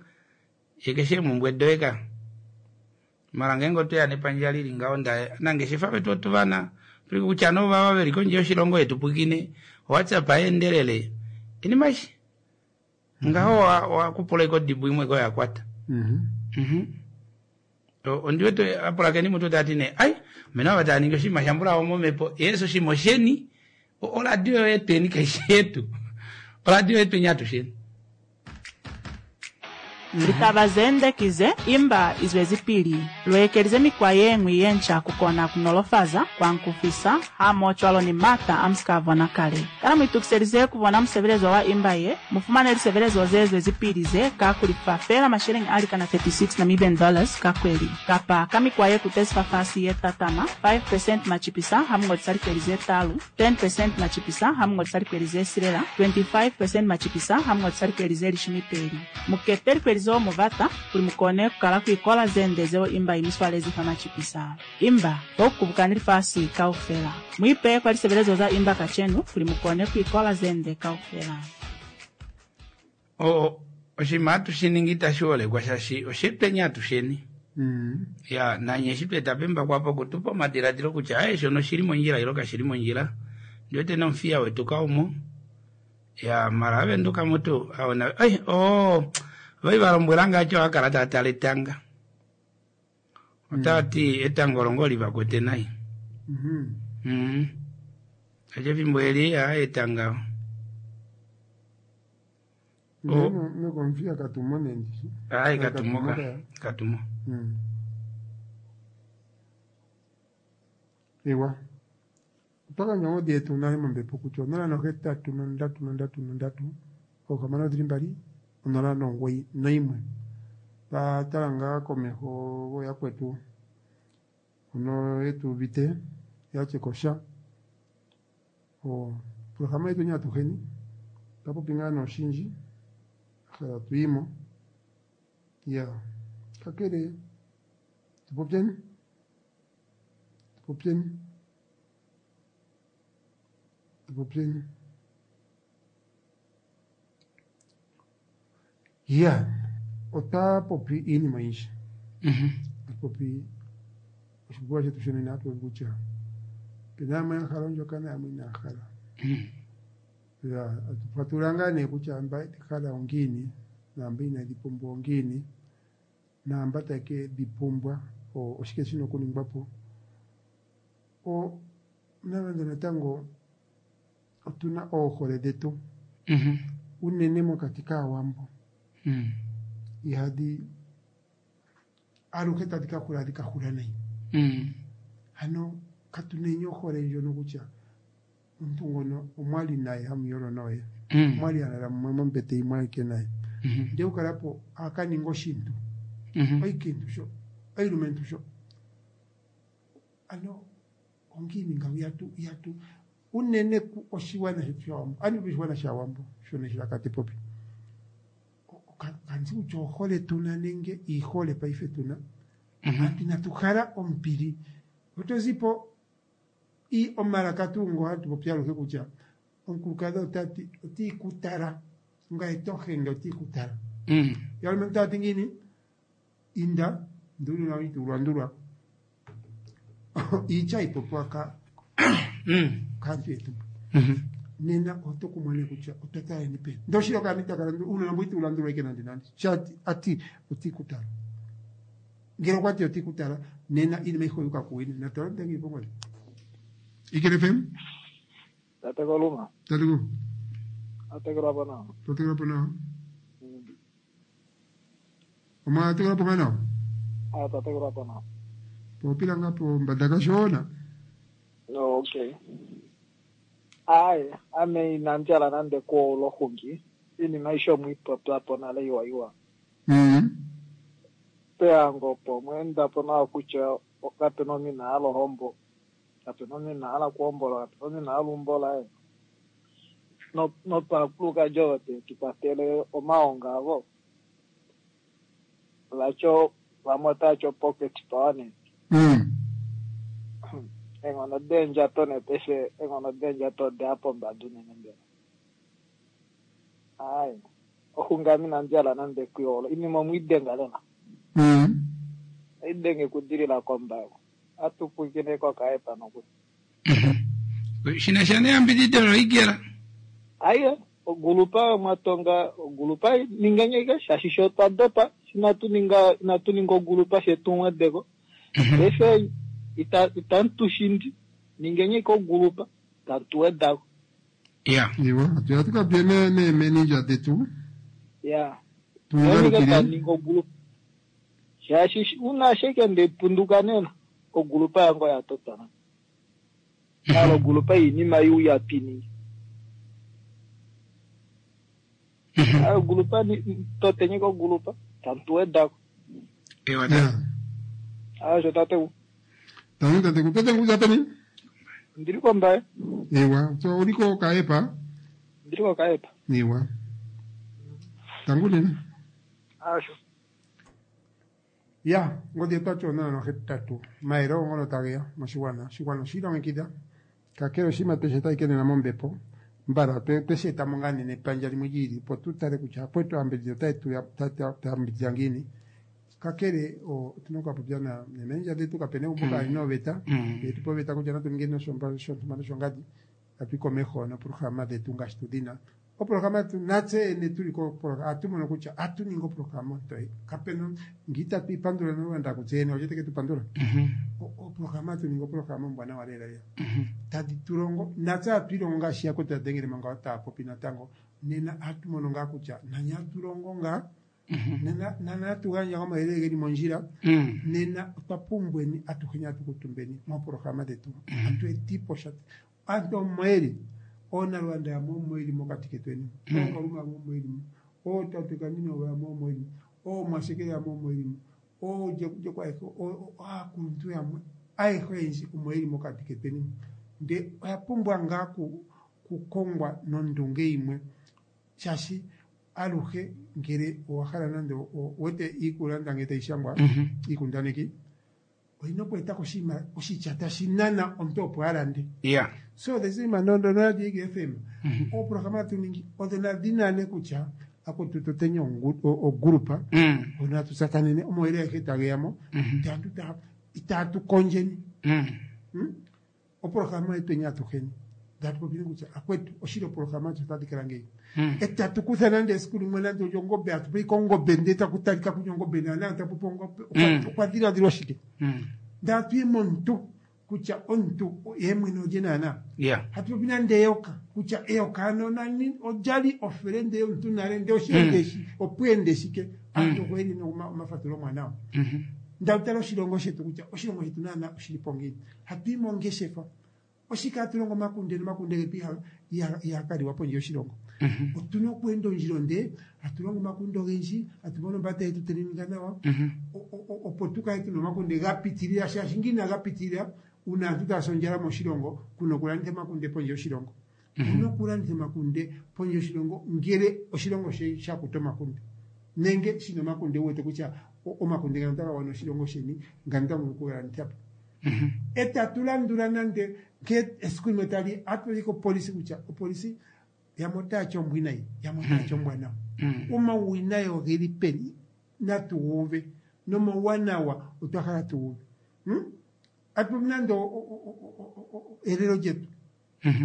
Ye keshe eemhumbwe doye ka. Mara ngeenge otweya nepandja lili ngaho nda nangeshefa vetu otuvana kutya no vava veli kondje yoshilongo yetu pwikine WhatsApp aendelele inima eshi ngaho wakupula ike odibo imwe ko yakwata. Ondiwete apulakeni mutu tati nee ai mena ava tava ningi oshinima shambulawo momhepo yesu oshinima osheni oradio yetweni kaishi yetu oradio yetweni atusheni. Litaba zende kize imba izwezipili luekelize mikwa yeñwi yenca kukona kunolofaza kuankufisa hamoho ni mata a musika bona kale. Kana muitukiselize kubona musebelezo wa imba ye, mufumane lisebelezo ze zwezipili ze ka kulifa feela masheleñi a likana 36 Namibian dollars ka kweli. Kapa ka mikwa ye kutezi fafasi ye tatama 5% machipisa hamungodisa likweli ze talu, 10% machipisa hamungodisa likweli ze silela, 25% machipisa hamungodisa likweli ze 12. Mukete likweli zeo mubata kuli mukone kukala kuikola zende zeo imba imiswalezi fa machipisa. Imba bokubukani lifasi kaufela. Muipe kwa lisebelezo za imba kachenu kuli mukone kuikola zende kaufela. Oshinima hatu shi ningi itashi holekwa shaashi oshetweni atusheni. Ya nanye eshi tweta pembakwapo okutupa omadiladilo kutya aye shono oshili mondjila ilo kashili mondjila. Ndi wete nomufiya wetu kaumo. Ya mara avenduka mutu aona ai oo vai va lombwela ngaashi oha kala taa tala etanga. Otava ti etango longo li va kwete nai. Aje efimbo eli a etanga. Nokomfiya katumo nendishi. Ai katumo ka katumo. Ewa. Otwa gandja ongodhi yetu nale mombepo kutya 083 3 3 6 2 0 9 1. Twa tala ngaa komeho gooyakwetu hono yetu uvite yatye kosha. Opolohalama yetu atuheni otwa popi ngaa noshindji hala tuyimo. Ya kakele tupopyeni tupopyeni tupopyeni. Ya otwa popi iinima oyindji. Atu popi oshipopiwa shetu shonena atu popi kutya opena yamwe ya hala ondjokana yamwe inaya hala. Ya atu fatulula ngaa nee kutya mba yedhi hala ongiini naamba inadhi pumbwa ongiini naamba taye ke dhi pumbwa oshike shina okuningwa po. Nonande natango otuna oohole dhetu unene mokati kaawambo ihadhi aluhe tadhi ka hula adhi ka hula nayi. Hano katuneni ohole ndjono kutya omuntu ngono omwali naye hamuyolo naye omwali alala mumwe mombete yimwe ayike naye ndee okukalapo akaninga oshintu oikintu sho oilumentu sho ano ongiini ngawo ihatu ihatu unene oshiwana shetu shawambo ani oshiwana shawambo shono eshilaka te popi kandi kutya ohole tuna nenge iihole paife tuna aantu inatu hala ombili oto zipo omalaka tuu ngo hatu popi aluhe kutya omukulukadhi otati otiikutala ngaye tohenge otiikutala. Yalumentu tati ngiini inda ndulula itulwandulwa iitya ipopiwa kaantu yetu. Nena oto kumona kutya otwa taleni peni. Ndoshili okaana itaka landula uunona mbo itawu landulwa ike nande nande. Shati ati otiikutala. Ngele okwa ti otiikutala nena iinima ayihe oyuuka kuwina. Natala ndenge ipongodhi. Ikele FM? Tate Koluma, Tate ku. atekelwa po nawa. Twatekelwa po nawa. Omwa tekelwa po ngaa nawa? Ah, twatekelwa po nawa. Popila ngaa pombanda kashona. No, okay. Ayi, ame inandi hala nande kuola oxungi. Iinima aishe omwiipopya po nale iwa iwa. Pehango opo omweenda po nawa kutya kapena omunhu ina hala ohombo. Kapena omunhu ina hala okuhombola, kapena omunhu ina hala eumbo laye. Nopakulukadi ovo te tu kwatele omahongo avo. Vacho vamwe otavati pocket power nee. Eenghono deendjato nee paife eenghono deendjato odeya pombada unene mbela. Ayi, oxungi ame inandi hala nande okuihola. Iinima omwiidenga lela. Oidenge okudilila kombago. Atu pwiikine kokaepa nokuli. Shinasha neyambidido loigela. Aiye, ogulupa mwatonga ogulupa ningeni ashike shaashi sho twa dopa inatu ninga inatu ninga ogulupa shetu mwedeko. Paife itamu tu shindi ningeni ashike ogulupa tatu wedako. Ya. Iwa, atuya tukapye neemenindja detu. Ya. Ningeni Tungalukile. taninga ogulupa. Shaashi una ashike ndepunduka nena ogulupa yange oya totwa. Nalo ogulupa iinima iuya piningi. Ogulupa totenye kogulupa tamu wedako. Ewa Ya. Aasho tate Tangu tate ku. Tate ku zapeni? ndili kombaye. Ewa, so uliko kaepa? Ndili kokaepa. Ewa. Tangu nena. Aasho. Ya, ngodhi yetu ati 083. Maele ngono tageya moshigwana. Oshigwana oshi ilongekidha. Kakele oshinima peshe tayi kenena mombepo. Mbala tweshi etamo ngaa nee nepandja limwe lyiili opo tu tale kutya akwetu aambidhidhi otaye tu yambidhidha ngiini. Kakele otuna okukapopya neemendja dhetu, kapena egumbo kaalina oveta. Yetu pa oveta kutya natu ningeni shontumba noshongadi, tatu yi komeho noopolohalama dhetu ngaashi tudhina. Opolohalama yetu natse yene tuli kopolohalama ohatu mono kutya ohatu ningi opolohalama ontoye. Kapena ngele itatu ipandula nolwanda kutse yene olye teke tu pandula. Opolohalama hatu ningi opolohalama ombwanawa lela lela. Tadhi tu longo natse hatu ilongo ngaashi yakwetu ya dhengele manga taya popi natango. Nena ohatu mono ngaa kutya nani hatu longo ngaa. Nena nani hatu gandja omauyelele geli mondjila. Nena otwa pumbweni atuheni hatu kuutumbeni moopolohalama dhetu. Hatu etipo sha. Aantu omo yeli. Oonalwanda yamwe omo yeli mokati ketweni. Ookalume yamwe omo yeli mo. Ootate kanini yamwe omo yeli mo. Oomwashekele yamwe omo yeli mo. Oojekujeko ayehe, aakuluntu yamwe ayehe oyendji omo yeli mokati ketweni. Nde oya pumbwa ngaa kukongwa nondunge yimwe. Shaashi aluhe ngele owa hala nande owete iikulanda ngele tayi shangwa iikundaneki oyina oku etako oshinima oshitya tashi nana omuntu opo a lande. So the same nonoradio Eagle FM ooprograma hatu ningi odho nadhi nane kutya akutu toteni ogrupa hono hatu tsakanene omauyelele agehe tage ya mo ndele aantu itaatu kondjeni. Oprograma yetweni atuheni tatu popile kutya akwetu oshili oprograma yetu otadhi kala ngeyi. Etatu kutha nande esiku limwe nande olyo ongombe hatu popi kongombe ndele taku talika kutya ongombe naana tapu popi ongombe okwa dhiladhilwa shike. Ndele hatu yi momuntu kutya omuntu ye mwene olye naana. Hatu popi nande eyoka kutya eyoka ano nani olyali ofelende yomuntu nale ndele osheende opweende shike. Aantu oko yeli omafatululo omawanawa. Ndele tala oshilongo shetu kutya oshilongo shetu naana oshili po ngiini. Hatu yi mongeshefa. Oshike hatu longo omakunde nomakunde getu ihaga liwa pondje yoshilongo. Otuna okweenda ondjila onde, hatu longo omakunde ogendji, hatu mono ombata yetu tayi ninga nawa, opo tu kale tuna omakunde ga pitilila, shaashi ngele inaga pitilila, uuna aantu taya si ondjala moshilongo, kuna okulanditha omakunde pondje yoshilongo. Kuna okulanditha omakunde pondje yoshilongo ngele oshilongo sha kuta omakunde. Nenge shina omakunde wu wete kutya omakunde ngano otaga gwana oshilongo sheni, ngano otamu vulu okuga landitha po. Etatu landula nande nkee esiku limwe tali hatu yi kopolisi kutya opolisi yamwe otaya ti ombwinayi yamwe otaya ti ombwanawa. Omauwinayi ogeli peni natu gu uve nomauwanawa otwa hala tu uve. Atu popi nande elelo lyetu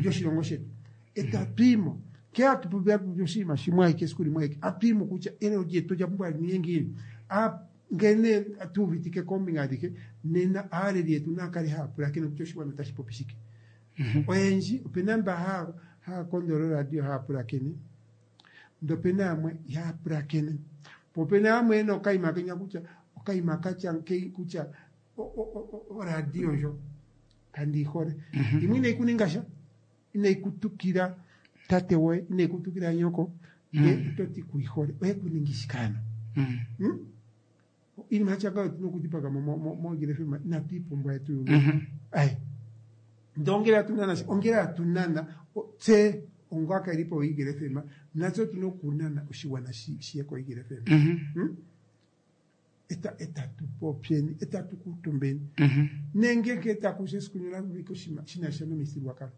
lyoshilongo shetu etatu yi mo nkee hatu popi hatu popi oshinima shimwe ashike esiku limwe ashike hatu yi mo kutya elelo lyetu olya pumbwa li ninge ngiini. Ngele tu uvitike koombinga adhihe nena aaleli yetu naya kale haya pulakene kutya oshigwana otashi popi shike. Oyendji opena mba haya kondolo oradio haya pulakene ndele opena yamwe ihaya pulakene. Po opena yamwe yena okayima kenya kutya okayima katya nkeyi kutya oradio ndjo kandi yi hole. Yimwe inayi ku ninga sha, inayi ku tukila tate woye, inayi ku tukila nyoko, ndele oto ti ku yi hole. Oye ku ningi shike ano? Iinima yatya ngawo otuna okudhipaga mo moEagle FM, inatu yi pumbwa yetu yuuve. Aye. Ndele ongele hatu nana, ongele hatu nana, tse onga aakalelipo yoEagle FM, natse otuna okunana oshigwana shiye koEagle FM. Etatu popyeni, etatu kuutumbeni. Nenge nkene taku si esiku ndyono hatu popi oshinima shi na sha nomithigululwakalo,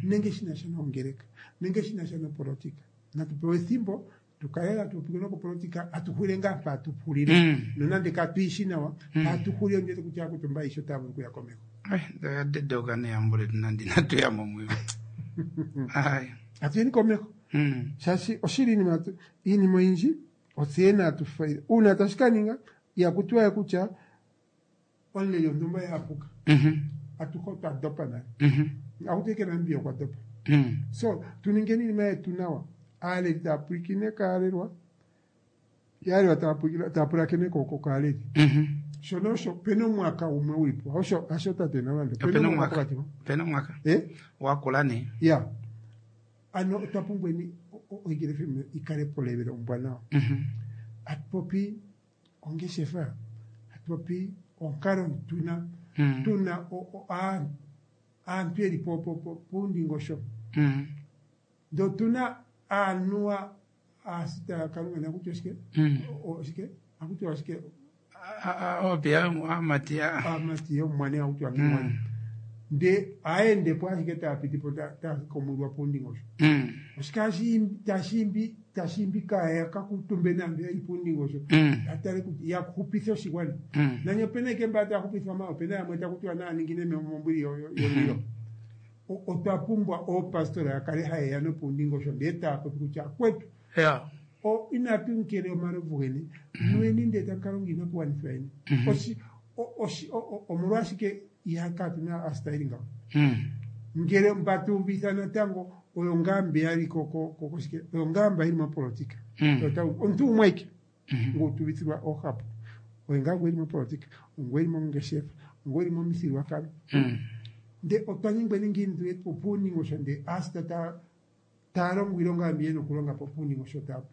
nenge shi na sha noongeleka, nenge shi na sha nopolotika. Natu pewe ethimbo tu kale hatu popi nokopolotika, hatu hulile ngaa mpa hatu hulile. Nonande katu yi shi nawa, mpa hatu hulile ondi wete kutya aakuutumba ayehe otaya vulu okuya komeho. Oya dedoka neyambo letu nande inatu ya mo muyo. Atu yeni komeho. Shaashi oshili iinima oyindji otse yene hatu faile. Uuna tashi ka ninga, ihaku tiwa we kutya omuleli wontumba oye a puka. Atuhe otwa dopa nale. Ohaku tiwa ike Namibia okwa dopa. So, tu ningeni iinima yetu nawa. Aaleli taya pulakene kaalelwa, yo aalelwa taya pulakene kaaleli. Shono osho, opena omwaka gumwe guli po. Osho, hasho tate Nalwanda. Opena omwaka pokati po. Opena omwaka. Wakula nee. Ya. Ano otwa pumbweni oEagle FM yi kale polevela ombwanawa. Hatu popi ongeshefa, hatu popi onkalo tuna tuna aantu yeli puundingosho. Ndele otuna aanuwa aasita yaKalunga nakuti oshike? Oshike? Akuti oshike? Opiya aamati ya. Aamati yomumwane akuti wangimwane. Ndee aendepo ashike taapitipo takomwilwa puundingosho. Oshike hashi tashi imbi kaaya kakuutumbe naantu yeli puundingosho atale kutya yaxupithe oshigwana. Nani opena ike mba taaxupithwa ma opena yamwe takutiwa naaningine mombwili yomulilo. Otwa pumbwa oopastora yakale hayeya nopuundingosho ndee taapopi kutya akwetu inatu nkele omalovu geni nweni ndee tamu kalonga iinakuwanithwa yeni. Omolwashike iha katuna aasita ngawo? Ngele mba tuuvitha natango oyo ngaa mbi yali koshike oyo ngaa mba yili mopolitika. Omuntu umwe ike ngu tuuvithilwa oohapu oye ngaa ngu eli mopolitika, ngu eli mongeshefa, ngu eli momithigululwakalo. Ndee otwa nyengweni ngiini tuye puundingosho ndee aasita taalongo iilonga mbi yena okulonga po puundingosho tapo.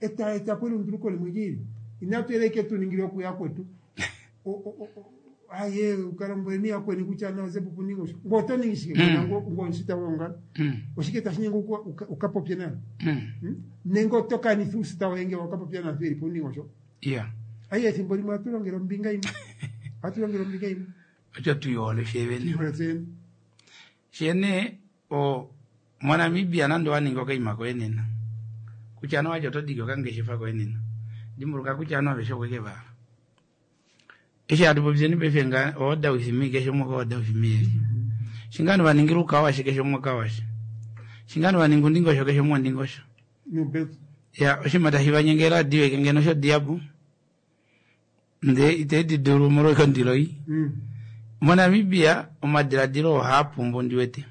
Eta etapo elunduluko limwe lyiili. Inatu yela ike tuningile okuya kwetu. Aye ukalombweleni yakweni kutya nazepo puundingosho. Ngo oto ningi shike ngo omusita gwegongalo? Oshike tashi nyenge ukapopye nayo? Nenge oto kanitha uusita woye ngele wakapopya naantu yeli puundingosho? Aye ethimbo limwe ohatu longele ombinga yimwe. Ohatu longele ombinga yimwe. Otyo tuyihole fyevene. Tuyihole tseyene. Shene moNamibia nande owaningi okaima koye nena kutya ano watya oto diki okangeshefa koye nena dimbuluka kutya ovanhu aveshe okweke vahala. Eshi hatu popyeni paife nga order with me keshe umwe order with me eli. Shinga ovanhu vaningile ukawashe keshe umwe okawashe. Shinga ovanhu vaninga undingosho keshe umwe ondingosho. Ya oshinima tashi vanyenge radio eke ngeno osho diabu. Ndee ite di dulu molwekondilo i. MoNamibia omadiladilo ohaa pumbu ndiwete.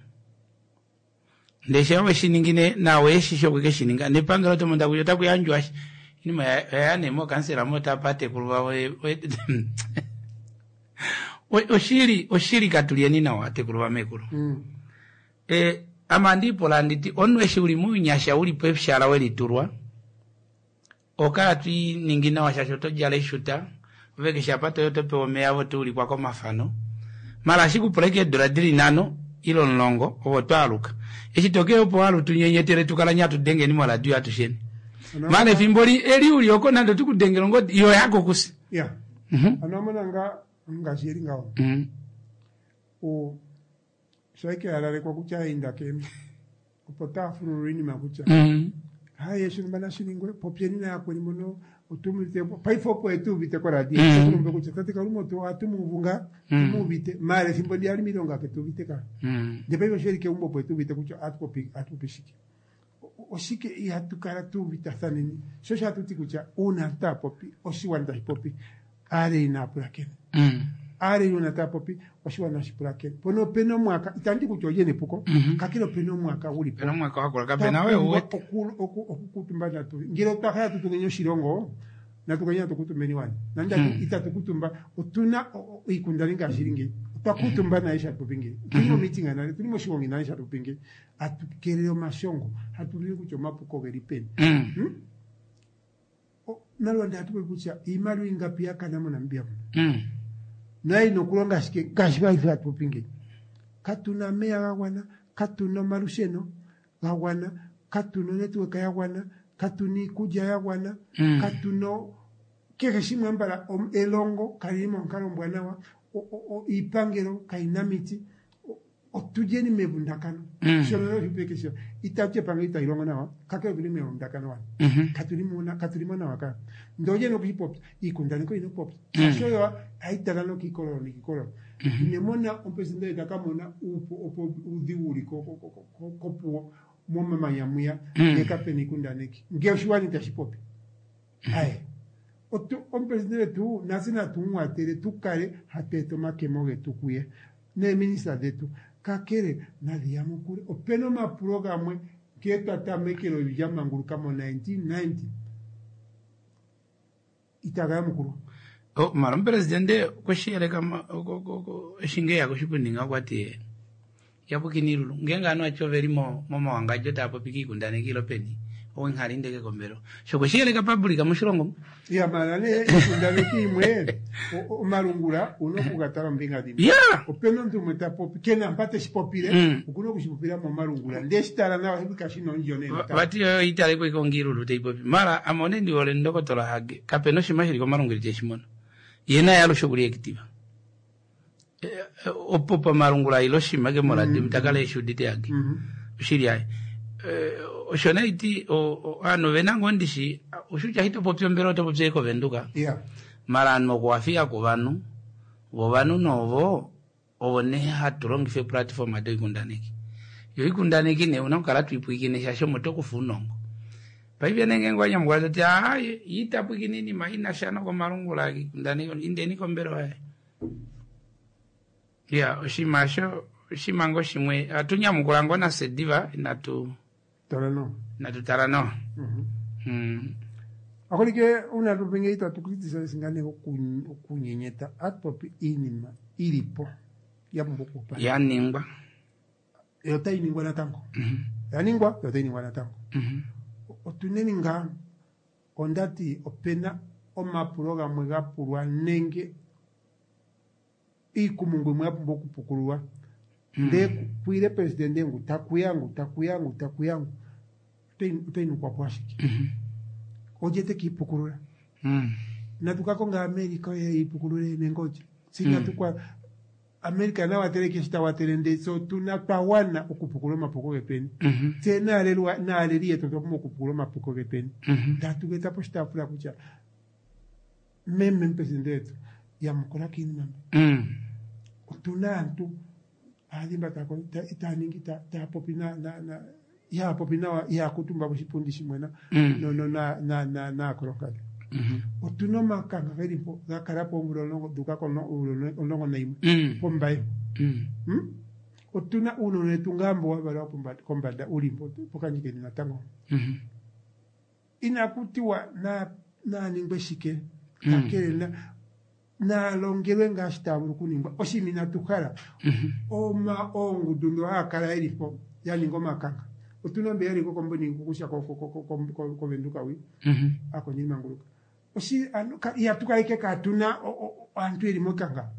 Ndee sha weshi ningi nawe eshi okweke shi ninga nepangelo oto mono kutya otaku yandjwa inima oya nee mookansela mo tapa atekulu vavo oshili oshili katulyeni nawa atekulu vamekulu. Ame andiipola anditi omunhu eshi uli mounyasha uli peshala welitulwa okala twiiningi nawa shaashi oto djala eshuta ove keshe apa toyi oto pewa omeya ove oto ulikwa komafano mala ashikupula ike eedula dili 5 ile 10 ove oto aluka eshi tokeya opo walu tunyenyetele tukala nye atudengeni moradio atusheni mala efimbo eli uli oko nande otukudengele ongodi iyo yako kusi. Ya. Ano amona nga ngaashi eli ngaho. Sho ike yalalekwa kutya inda ke opo taafulula iinima kutya haye shonumba nashiningwe popyeni nayakweni mono otumuvite paife opo etuuvite koradio mm. kutya tate Kalunga otu ohatu muuvu ngaa tumuuvite maala ethimbo ndi ali miilonga ketuuvite ka ndee paife osho eli keumbo opo etuuvite kutya atupopi shike. Oshike ihatu kala tuuvitathaneni sho osho hatu ti kutya uuna aantu taya popi oshiwana tashi popi aaleli naa pulakene. Aaleli uuna taya popi oshiwana nashi pulakene. Pono opena omwaka itandi kutya olye nepuko kakele opena omwaka guli po. Opena omwaka wakula kapena we uwete. Okukutumba natu ngele otwa hala tu tungeni oshilongo natu kanye natu kutumbeni wani. Nande itatu kutumba otuna iikundani ngaashi ili ngeyi. Otwa kutumba naye sha popi ngeyi. Tuli momeeting nale tuli moshigongi nale sha popi ngeyi. Atu kelele omashongo hatu lili kutya omapuko geli peni. Nalwanda hatu popi kutya iimaliwa ingapi yakana moNamibia muno. Naye ina okulonga ashike ngaashi paife hatu popi ngeyi. Katuna omeya ga gwana, katuna omalusheno ga gwana, katuna onetwork ya gwana, katuna iikulya ya gwana, katuna kehe shimwe ambala elongo kalili monkalo ombwanawa, iipangelo kayina miti, otulyeni mevundakano. Shono oshipekesho itatu epangelo itali longo nawa, kakele otuli mevundakano wani. Katulimo nawa ka. Ndee olye nokushipopya, iikundaneki oyina okupopya. Shaashi oyo hayi tala nokiikololo nikiikololo. Inemona omupresidente taka mona uupu opo uudhigu uli kopuwo momamanya mwiya ngee kapena iikundaneki. Ngee oshiwana itashi popi. Aye. Omupresidente wetu natse natu mumwatele tukale hatu eta omakemo getu kuye. Neeminista dhetu kakele nadhi yamukule. Opena omapulo gamwe nkee twa tamekele evi lya manguluka mo 1990 itaga yamukulwa. Mala omupresidente okweshi yeleka eshi nge eya koshipundi nga okwati yapukini ilulu ngeenge ovanhu vati oveli momawangadjo tava popi kiikundaneki ilo peni owenghali ndeke kombelo sho okweshi yeleka public moshilongo. Ya mala nee iikundaneki imwe omalungula una okugatala ombinga dhimwe. Opena omuntu umwe ta popi kena mpa teshi popile okuna okushipopila momalungula ndee shitala nawa kashina ondjo nee. Vati oyo italeko ike ongiilulu teipopi mala ame one ndihole ndokotola Hage kapena oshinima shili komalungula iteshi mono ye naye alushe okuli active. Opo pamalungula ile oshima ke moradio takala eshi udite yake. Oshili aye. Osho naiti ovanhu ovena ngoo ndishi ushutya hitopopi ombelewa otopopi ashike koVenduka. Yeah. Mara ovanhu okuwafika kovanhu vo ovanhu novo ovo nee hatu longifa eeplatforma doikundaneki. Yo oikundaneki nee una okukala twipwiikine shaashi omo tokufa ounongo. Paife nee ngeenge wanyamukula toti aaye ye ita pwiikine oinima inasha nokomalungula oikundaneki indeni kombelewa yaye. Iya oshinima osho oshinima ngoo shimwe ohatu nyamukula ngoo nafye diva inatu Tala nawa. inatu tala nawa. Aholike uuna tu popi ngeyi itatu criticize ngaa nee okunyenyeta ohatu popi iinima ili po ya pumbwa okuopalekwa. Ya ningwa. Yo otayi ningwa natango. Ya ningwa yo otayi ningwa natango. Otuneni ngaa ondati opena omapulo gamwe ga pulwa nenge iikumungu imwe ya pumbwa okupukululwa ndee kwile presidente ngu takuya ngu takuya ngu takuya ngu otayi nukwa po ashike. Olye te kiipukulula? Natu ka konga America oye iipukulule nenge olye? Si inatu kwa America na watele keshi ta watele ndee tse otuna twa wana okupukulula omapuko getweni. Tse naalelwa naaleli yetu otwa pumbwa okupukulula omapuko getweni. Tatu geta poshitaafula kutya meme omupresidente wetu yamukula kiinima mbi. Otuna aantu aadhimba taya ningi taya popi na na ihaya popi nawa ihaya kuutumba koshipundi shimwe na naakolonkadhi. Otuna omakanka geli mpo ga kala po oomvula 10 dhuuka komvula 11 pOmbaye. Otuna uunona wetu ngaa mbo wa valwa kombanda uli mpo pOkandjikeni natango. Inaku tiwa naa ningwe shike kakele naalongelwe ngaashi taya vulu okuningwa. Oshinima inatu hala oma oongundu ndho haya kala yeli po ya ninga omakanka. Otuna mbe yali kokomboni kokusha koVenduka wi aakondjeli manguluka. Ihatu kaleke kaatuna aantu yeli mokanka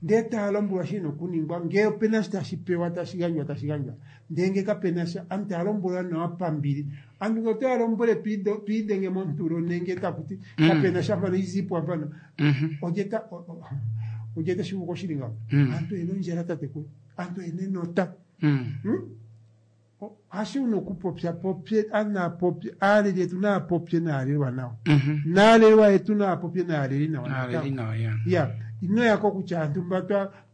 ndee taya lombwelwa shina okuningwa ngee opena shi tashi pewa tashi gandjwa tashi gandjwa ndee ngee kapena sha aantu taya lombwelwa nawa pambili. Aantu ngee otoya lombwele twiidhenge montulo nenge takuti kapena sha mpano izipwa mpano olye tashi vulu oshili ngawo. Aantu oyena ondjala tatekulu, aantu oyena enota. Hashi una okupopya popye anapopye aaleli yetu naa popye naalelwa nawa. Naalelwa yetu naa popye naaleli nawa. Naaleli nawa ya. Ya, inoyako kutya aantu mba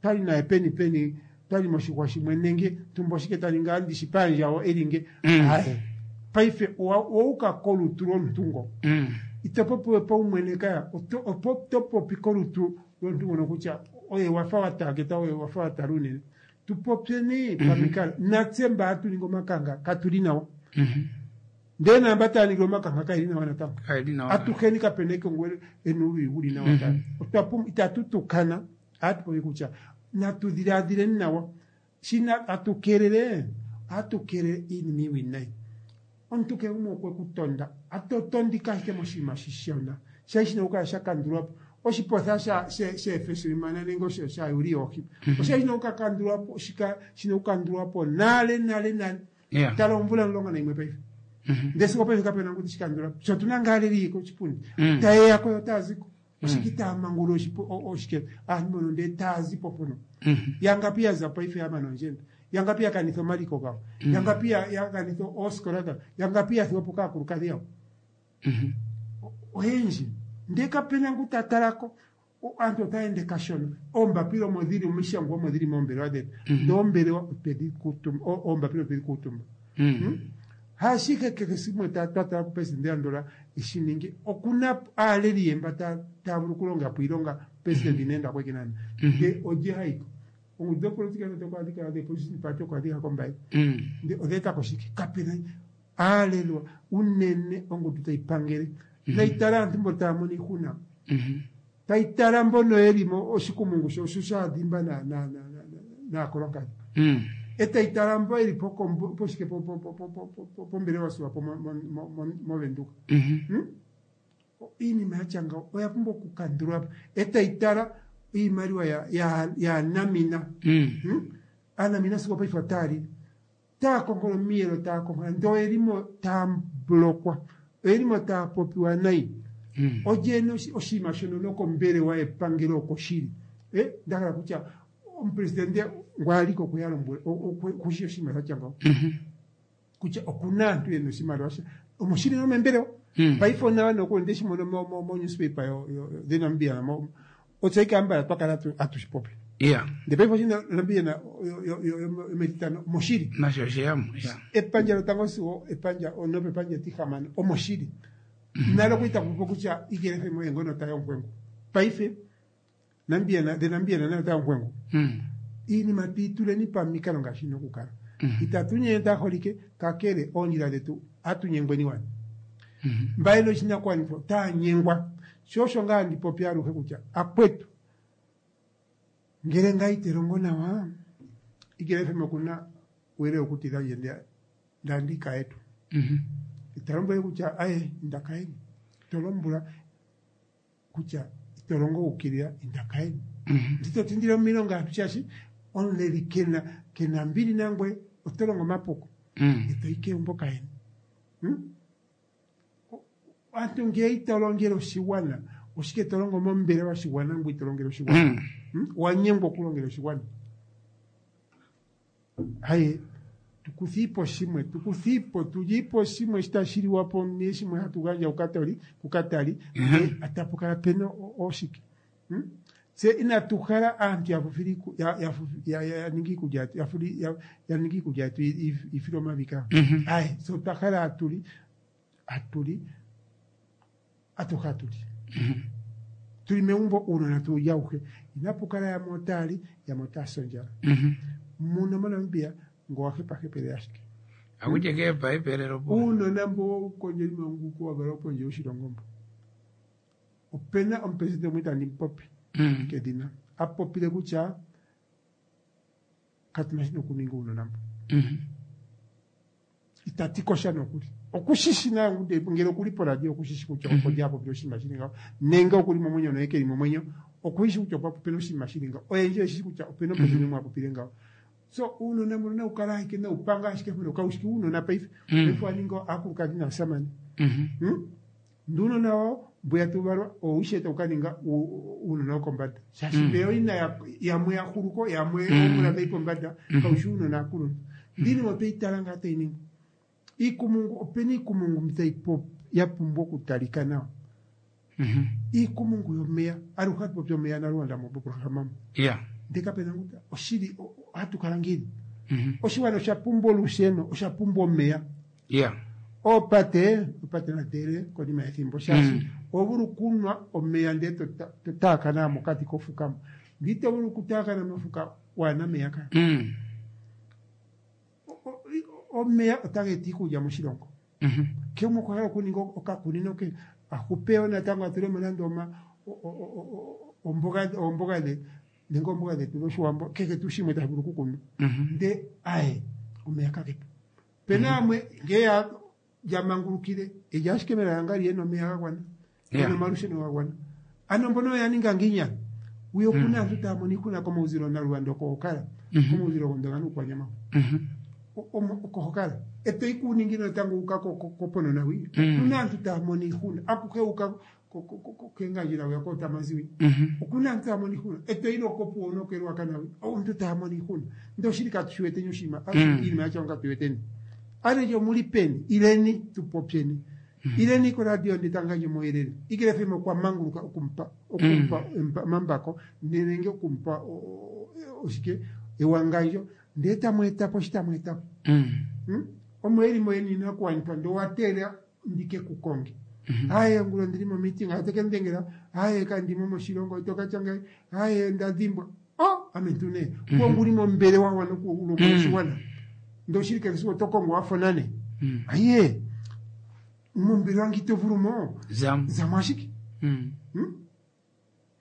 twali naye peni peni twali moshixwa shimwe nenge tumba oshike taninga andishi paandjawo elinge. Aye. Paife owauka kolutu lomuntu ngo. Ito popiwe paumwene kaya oto popi kolutu lomuntu ngono kutya oye wafa watageta oye wafa watala unene. Tupopyeni pamikalo. Natse mba hatu ningi omakanka katuli nawa. Ndee naamba taya ningile omakanka kaeli nawa natango. Kaeli nawa. Atuheni kapena ekongo ena uuluyi wuli nawa. Itatu tukana ohatu popi kutya natu dhiladhileni nawa. Shina atu keelele ohatu keelele iinima iiwinayi. Omuntu kehe gumwe okwe ku tonda. Atotondika ashike moshinima shishona. Shali shina okukala sha kandulwa po. Oshipotha sheefeselimana nenge shayuli yoohi. Oshali shina okukakandulwa po shina okukandulwa po nale nale nale. Tala omvula 11 paife. Ndee sigo paife kapena ngu teshi kandula po. Sho otuna ngaa aaleli koshipundi. Tayeya ko yo taya ziko. Oshike itaya mangulula oshike aantu mbono ndee taya zipo mpono. Yangapi ya za paife ya mana ondjenda. Yangapi ya kanitha omaliko gawo. Yangapi ya kanitha oosikola dhawo. Yangapi ya thigwa po kaakulukadhi yawo. Oyendji. Ndee kapena ngu ta talako. Aantu otaya ende kashona. Oombapila omo dhili omishangwa omo dhili moombelewa dhetu. Ndee oombelewa otwedhi kuutumba, oombapila otwedhi kuutumba. Haashike kehe shimwe twa tala kupresidente andola eshininge. Okuna aaleli ye mba taya vulu okulonga po iilonga presidente ina enda kweke nana. Ndee olye hayiko. Ongundu dhopolitika nande okwa adhika the opposition party okwa adhika kOmbaye. Ndee odha etako shike? Kapena aalelwa unene ongundu tayi pangele. Nayi tala aantu mbo taya mono iihuna. Tayi tala mbono yeli mo oshikumungu sho shaadhimba naakolonkadhi. Etayi tala mbo yeli poshike pombelewa Swapo moVenduka. Iinima yatya ngawo oya pumbwa okukandulwa po. Etayi tala iimaliwa yaanamina. Aanamina sigo paife otaya lili. Taya konkola omiyelo taya konkola ndee oyelimo taya blokwa. Oyelimo taya popiwa nayi. Olye ena oshinima shono nokombelewa yepangelo oko shili. Ndahala kutya omupresidente ngwaaliko okwe ya lombwela okushi oshinima sha tya ngaho kutya okuna aantu yena oshimaliwa sha omoshili nomembelewa paife onawa nokuli ndeshi mono mo newspaper yo The Namibian otse ike ambala twakala atushi popi. Ndele paife oshi Namibian yometitano omoshili. Nasho osheyamo. Epandja lotango sigo epandja nopepandja etihamano omoshili. Nale okwa ita kupopi kutya Ikele FM oye ngono tayi onkwengu. Paife Namibian The Namibian nayo otayi onkwengu. Iinima twiituleni pamikalo ngaashi ina okukala. Itatu nyenyeta aholike kakele oondjila dhetu atunyengweni wani. Mba yena oshinakugwanithwa otaa nyengwa. Sho osho ngaa handi popi aluhe kutya akwetu ngele ngaa ite longo nawa Ikele FM okuna uuyelele wokutidha ndje ndandi kayetu. Ita lombwele kutya aye inda kayeni. Ito lombwela kutya ito longo ukilila inda kayeni. Ndito tindile omilonga aantu shaashi omuleli kena kena mbili nangwe oto longo omapuko. Ito yi keumbo kayeni. Aantu ngele ito longele oshigwana oshike to longo mombelewa yoshigwana ngwe ito longele oshigwana. Owa nyengwa okulongela oshigwana. Haye tukuthiipo shimwe tukuthiipo tulyiipo shimwe shi tashi liwa po ne shimwe hatu gandja kukatoli kukatali atapu kala pena oshike. Tse inatu hala aantu ya ninga iikulya yetu ya ninga iikulya yetu ifile omavi ka. Aye so otwa hala atuli atuli atuhe atuli. Tuli megumbo uunona tuulya auhe. Inapu kala yamwe otaa li yamwe otaa si ondjala. Muno moNamibia ngo wa hepahepele ashike. Akutya ke hepahepelelo po. Uunona mbo wokondjeli manguluko wa valwa pondje yoshilongo mbo. Opena omupresidente umwe itandi mu popi kedhina a popile kutya katuna shi nokuninga uunona mbo. Itati kosha nokuli. Okushishi nayo ngele okuli poradio okushishi kutya opo lya popile oshinima shili ngaho nenge okuli momwenyo noye keli momwenyo okushi kutya okwa popile oshinima shili ngaho. Oyendji oyeshi kutya opena omupresidente umwe a popile ngaho. So uunona mbono nawu kala ashike nawu panga ashike mpono kaushiki uunona paife. Paife wa ninga aakulukadhi naasamane. Nduunona wawo mbwiya tawu valwa owishe tawu ka ninga uunona wokombanda. Shaashi mbeya oyina yamwe ya huluko yamwe oomvula dhayi pombanda kaushi uunona aakuluntu. Ndini otweyi tala ngaa tayi ningwa. Iikumungu opena iikumungu mbi tayi ya pumbwa okutalika nawa. Iikumungu yomeya aluhe hatu popi omeya naLuanda moprograma mo. Ndele kapena ngu oshili ohatu kala ngiini. Oshigwana osha pumbwa olusheno, osha pumbwa omeya. Oopate, oopate nadele konima yethimbo shaashi oho vulu okunwa omeya ndele to taakana mokati kofuka mo. Ndele ito vulu okutaakana mofuka waana omeya ka. Omeya otaga eta iikulya moshilongo. Kehe gumwe okwa hala okuninga okakunino ke a hupe wo natango a tule mo nande oomboga dhe nenge oomboga dhetu dhOshiwambo kehe tuu shimwe tashi vulu okukunwa. Nde aye omeya kage po. Opena yamwe ngele ya mangulukile elya ashike melala ngaa liye nomeya ga gwana ena omalusheno ga gwana. Ano mbono oya ninga ngiini ano? Wiya okuna aantu taya mono iihuna komauzilo naLuanda oko ho kala. Komauzilo gOndonga nUukwanyama oko ho kala. Eto yi kuuninginino natango wuuka kOponona hwi. Okuna aantu taya mono iihuna akuhe wuuka kEngandjera hwiya kOotamanzi hwi. Okuna aantu taya mono iihuna. Eto yi lwokOpuwo nokeRuacana hwi. Omuntu taya mono iihuna. Ndele oshili katu shi weteni oshinima iinima yatya ngawo katu yi weteni. Aleje omuli peni? Ileni tu popyeni. Ileni koradio ndele tamu gandja omauyelele. Ikele FM okwa manguluka okumupa okumupa omambako nenge okumupa oshike ewangandjo ndele tamu eta po shi tamu eta po. Omo eli mo yeni inakuwanithwa ndele owa teelela ndike ku konge. Aye ongula ondili mo meeting ate ke mudengela aye kandimo moshilongo ito katya ngaye aye nda dhimbwa. Oh ame ntu nee nguli mombelewa wana okulombwela oshiwana. Ndele oshili kehe esiku oto kongo wa fonane. Aye mombelewa nge ito vulu mo zamo ashike.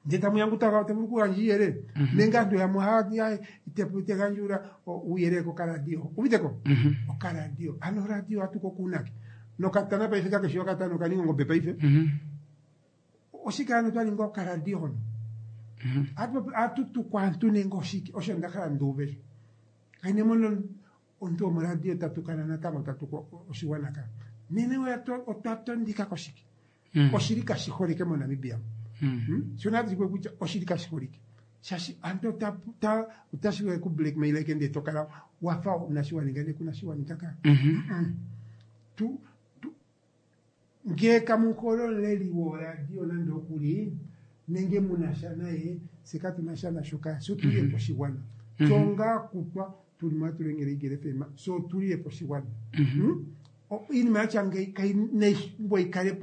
Ndele tamu ya ngu ta vulu okugandja uuyelele. Nenge aantu yamwe ohaya ti aye ite gandjula uuyelele kokaradio. Uviteko? Okaradio. Ano oradio ohatu ko kuunake? Nokatana paife kakeshi okatana okaninga ongombe paife. Oshike ano twa ninga okaradio hono? Ohatu tukwa aantu nenge oshike? Osho nda hala ndi uve sho. Kaine mono omuntu womoradio ta tukana natango ta tukwa oshiwana ka. Nene otwa tondika koshike? Oshili kashi holike moNamibia. Sho natu shikwe kutya oshili kashi holike. Shaashi aantu otashi ku blackmail ke ndee to kala wafa unashi wa ninga ndee kuna shi wa ninga ka. Tu ngee kamu hole omuleli woradio nande okuli nenge muna sha naye fye katuna sha nasho ka fye otulile po oshigwana. Fye onga kutwa tuli mo hatu longele Eagle FM fye otulile po oshigwana. Iinima yatya ngeyi kai nayi kale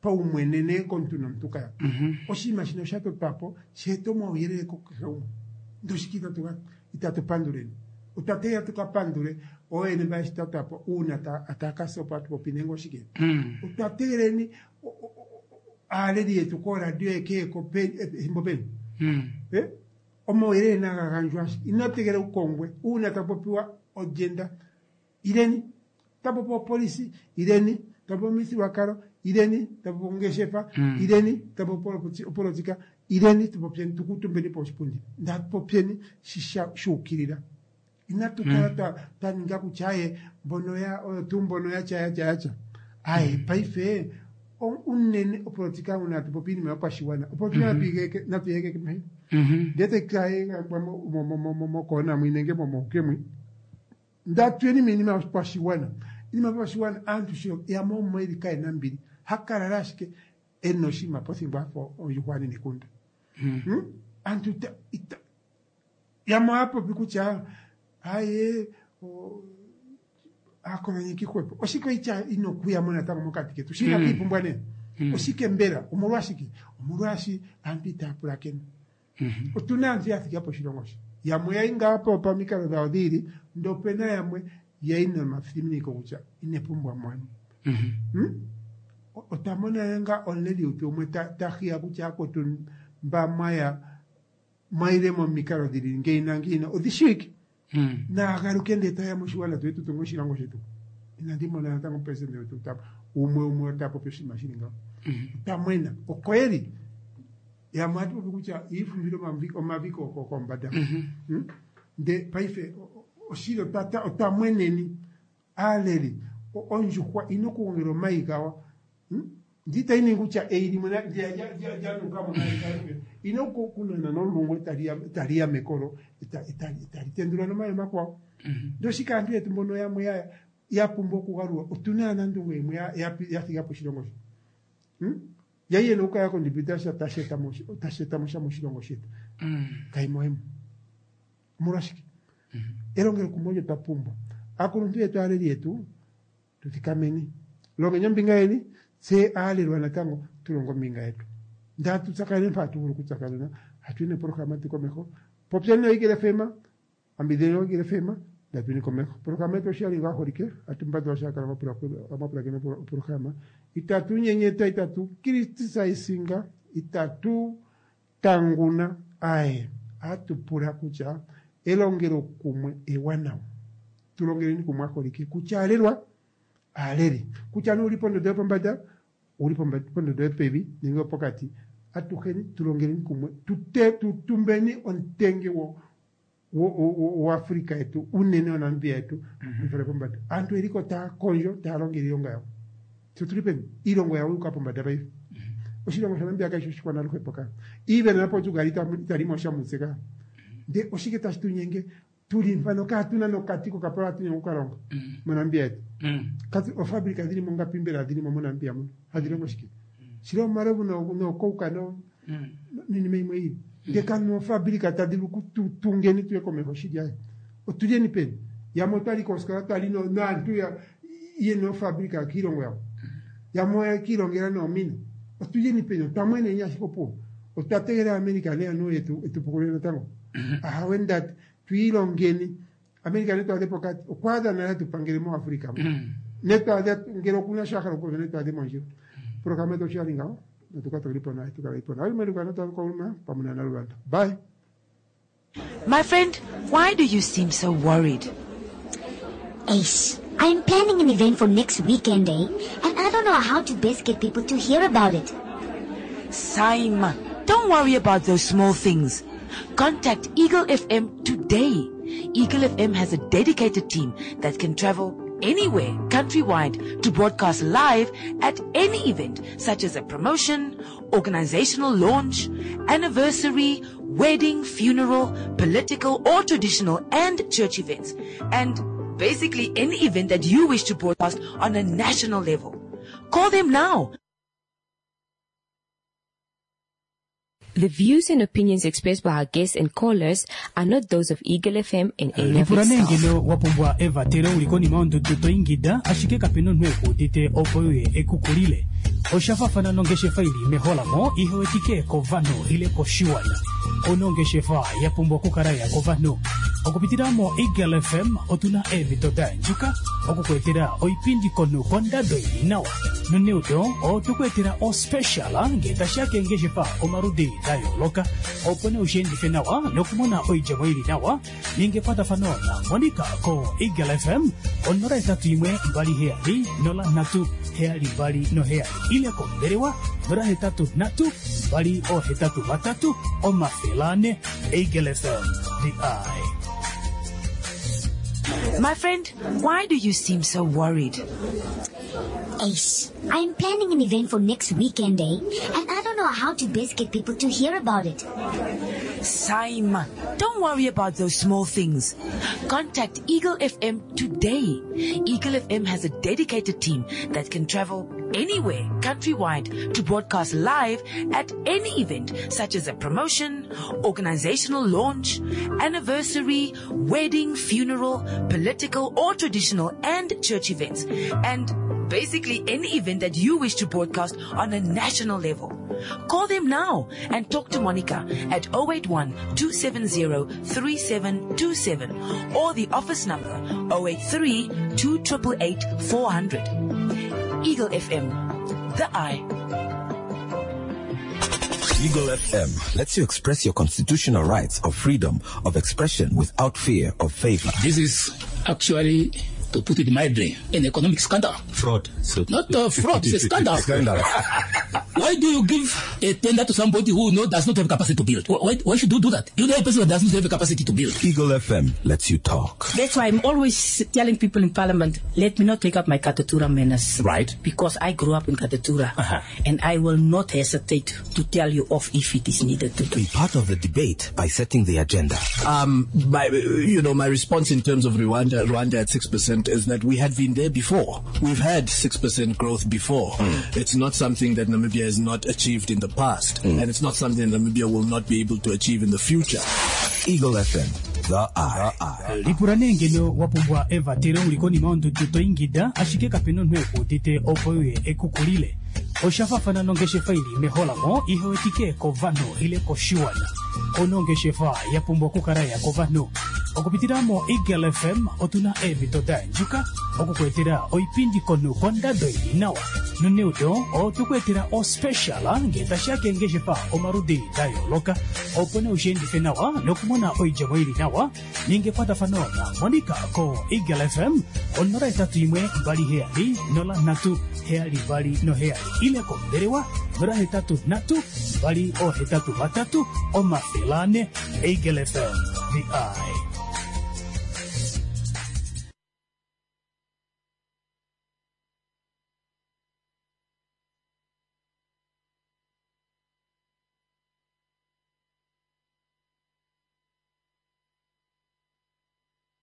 paumwene komuntu nomuntu kaya. Oshinima shino osha totwa po shi ete omauyelele kukehe umwe. Ndele oshike itatu panduleni? Otwa tegelela tuka pandule ooyene mba yeshi totwa po uuna taya ka sa opo hatu popi nenge oshike. Otwa tegeleleni aaleli yetu kooradio yeke ko ethimbo peni. Omauyelele naga gandjwe ashike. Ino tegelela u kongwe. Uuna taku popiwa ogenda, ileni. Ta popiwa opolisi, ileni. Ta popiwa omithigululwakalo, ileni. Ta popiwa ongeshefa, ileni. Ta popiwa opolotika, ileni. Tu popyeni, tu kuutumbeni poshipundi. Natu popyeni shi shuukilila. Inatu kala twa ninga kutya aye mbono ya oyo tuu mbono yatya yatya yatya. Aye paife unene opolotika uuna hatu popi iinima yopashigwana. Opolotika natu yi egeke mehi. Ndee tayi kala mokoona mwi nenge momohuke mwi. Ndatuyeni miinima yopashigwana. Iinima yopashigwana aantu sho yamwe omo kaye na ombili. Hakalala ashike ena oshinima pothingo afa ondjuhwa ya nekunda. Aantu yamwe ohaya popi kutya aye aakolonyeki hwepo. Oshike itya ino kuyamo natango mokati ketu? Shi inatu ipumbwa nee. Oshike mbela? Omolwashike? Omolwashi aantu itaya pulakene. Otuna aantu ya thiga po oshilongo shi. Yamwe oya yi ngaa po pamikalo dhawo dhi ili, ndele opena yamwe ya yi nomathiminiko kutya ine pumbwa mo. Otwa mona ngaa omuleli wetu umwe ta hiya kutya akwetu mba mwaya mwayile momikalo dhili ngeyi nangeyi odhi shiwike. Naagaluke ndee taya moshigwana tuye tu tunge oshilongo shetu. Inandi mona natango omupresidente wetu umwe umwe ota popi oshinima shili ngawo. Otwa mwena oko yeli. Yamwe ohatu popi kutya iifumbile omavi kombanda. Nde paife oshili otwa mweneni aaleli ondjuhwa ina okugongela omayi gawo. Ndi itayi ningi kutya eyi limwe lyanukamo ina okunana nomulungu etali ya mekolo etali tendula nomayi omakwawo. Ndele oshike aantu yetu mbono yamwe ya pumbwa okugalulwa. Otuna aanandunge yimwe ya thiga po oshilongo shi. Yai yena okukala ya contributa sha tashi etamo sha moshilongo shetu. Kayimo hemo. Omolwashike? Elongelokumwe olyo twa pumbwa. Aakuluntu yetu aaleli yetu tu thikameni. Longeni ombinga yeni, tse aalelwa natango tu longe ombinga yetu. Ndele atu tsakanene mpa hatu vulu okutsakanena, hatu yi neprograma yetu komeho. Popyeni noEagle FM, ambidhidheni oEagle FM, ndatu yini komeho. Programa yetu oshali ngaa holike, atu mbandula sha kala mapulakene oprograma. Itatu nyenyeta, itatu criticizinga, itatu tanguna, aye, atu pula kutya elongelo kumwe ewanawa. Tu longeleni kumwe aholike, kutya aalelwa, aaleli, kutya nee uli pondondo yopombada, uli pondondo yopevi nenge yopokati, atuheni tu longeleni kumwe, tutumbeni omutenge woAfrica yetu, unene woNamibia yetu, tuifale pombada. Aantu oyeliko taya kondjo, taya longele iilonga yawo. Tse otuli peni? Iilongo yawo yuuka pombada paife. Oshilongo shaNamibia kashi oshikwana-luhepo ka. Even naPortugal itali mo sha mutse ka. Ndele oshike tashi tu nyenge? Tuli mpano kaatuna nokati kokapala hatu nyenge okukalonga moNamibia yetu. Katu ofabrika dhili mo ngapi mbela dhili mo moNamibia muno? Hadhi longo shike? Shili omalovu nookouka niinima imwe ili. Ndele kanu ofabrika tadhi vulu kututungeni tuye komeho shili aye. Otulyeni peni? Yamwe otwali koosikola twali naantu yena ofabrika kiilongo yawo. Yamwe oya kiilongela noomina. Otulyeni peni? Otwa mweneni ashike opuwo. Otwa tegelela America nee anuwa etu pukulule natango. Ahawe ndati twiilongeni. America ne twaadhe pokati. Okwa adha nale atu pangele moAfrica mo. Ne twaadhe ngele okuna sho a hala okupopya ne twaadhe mondjila. Programa yetu osho ya li ngaho. Natuka tulipo naye tukalipo naye mweluka natakoluma pamwe na Bye. My friend, why do you seem so worried? Ace, I'm planning an event for next weekend, eh? And I don't know how to best get people to hear about it. Saima, don't worry about those small things. Contact Eagle FM today. Eagle FM has a dedicated team that can travel anywhere countrywide to broadcast live at any event, such as a promotion, organizational launch, anniversary, wedding, funeral, political or traditional and church events. And basically any event that you wish to broadcast on a national level. Call them now. The views and opinions expressed by our guests and callers are not those of Eagle FM and any of lipula its nee staff. ngeno wa pumbwa evatelo uli konima yondudu to ingida ashike kapena omunhu ekuudite opo uye ekukulile oshafafana nongeshefa ili meholamo ihewetike kovanhu ile koshiwana ona ongeshefa ya pumbwa okukala ya kovanhu okupitila mo Eagle FM otuna eemhito da yandjuka okukweetela oipindi komunhu kondado ili nawa noneudo otwekuetela ospecial ngee tashiya keengeshefa omaludi da yooloka opo nee ushiendife nawa nokumona oidjemo ili nawa ninga ekwatafano na Monica ko Eagle FM 081 27 03 72 7 ile kombelewa 083 283 400. Eagle FM, the eye. My friend, why do you seem so worried? Ace, I'm planning an event for next weekend, eh? And I don't know how to best get people to hear about it. Saima, don't worry about those small things. Contact Eagle FM today. Eagle FM has a dedicated team that can travel anywhere countrywide to broadcast live at any event such as a promotion, organizational launch, anniversary, wedding, funeral, political or traditional and church events. And basically any event that you wish to broadcast on a national level. Call them now and talk to Monica at 081 270 3727 or the office number 083 2888 400. Eagle FM, the eye. Eagle FM lets you express your constitutional rights of freedom of expression without fear of favor. This is actually, to put it mildly, an economic scandal. Fraud. So Not a fraud, it's a scandal. Scandal. Why do you give a tender to somebody who does not have capacity to build? Why should you do that? You know a person who does not have capacity to build. Eagle FM lets you talk. That's why I'm always telling people in Parliament, let me not take up my Katutura manners. Right. Because I grew up in Katutura. Uh-huh. And I will not hesitate to tell you off if it is needed to do. Be part of the debate by setting the agenda. My response in terms of Rwanda at 6% is that we had been there before. We've had 6% growth before. It's not something that Namibia has not achieved in the past, and it's not something that Namibia will not be able to achieve in the future. Eagle FM, the eye. Lipula nee ngeno wa pumbwa evatelo uli konima yondudu to ingida ashike kapena omunhu ekuudite opo uye ekukulile oshafafana nongeshefa ili meholamo ihewetike kovanhu ile koshiwana ona ongeshefa ya pumbwa okukala ya kovanhu okupitila mo Eagle FM otuna eemhito da yandjuka okukweetela oipindi komunhu kondado ili nawa noneudo otwekuetela ospecial ngee tashiya keengeshefa omaludi da yooloka opo nee ushiendife nawa nokumona oidjemo ili nawa ninga ekwatafano na Monica ko Eagle FM 081 27 03 72 7 ile kombelewa 083 283 400. Eagle FM, the eye.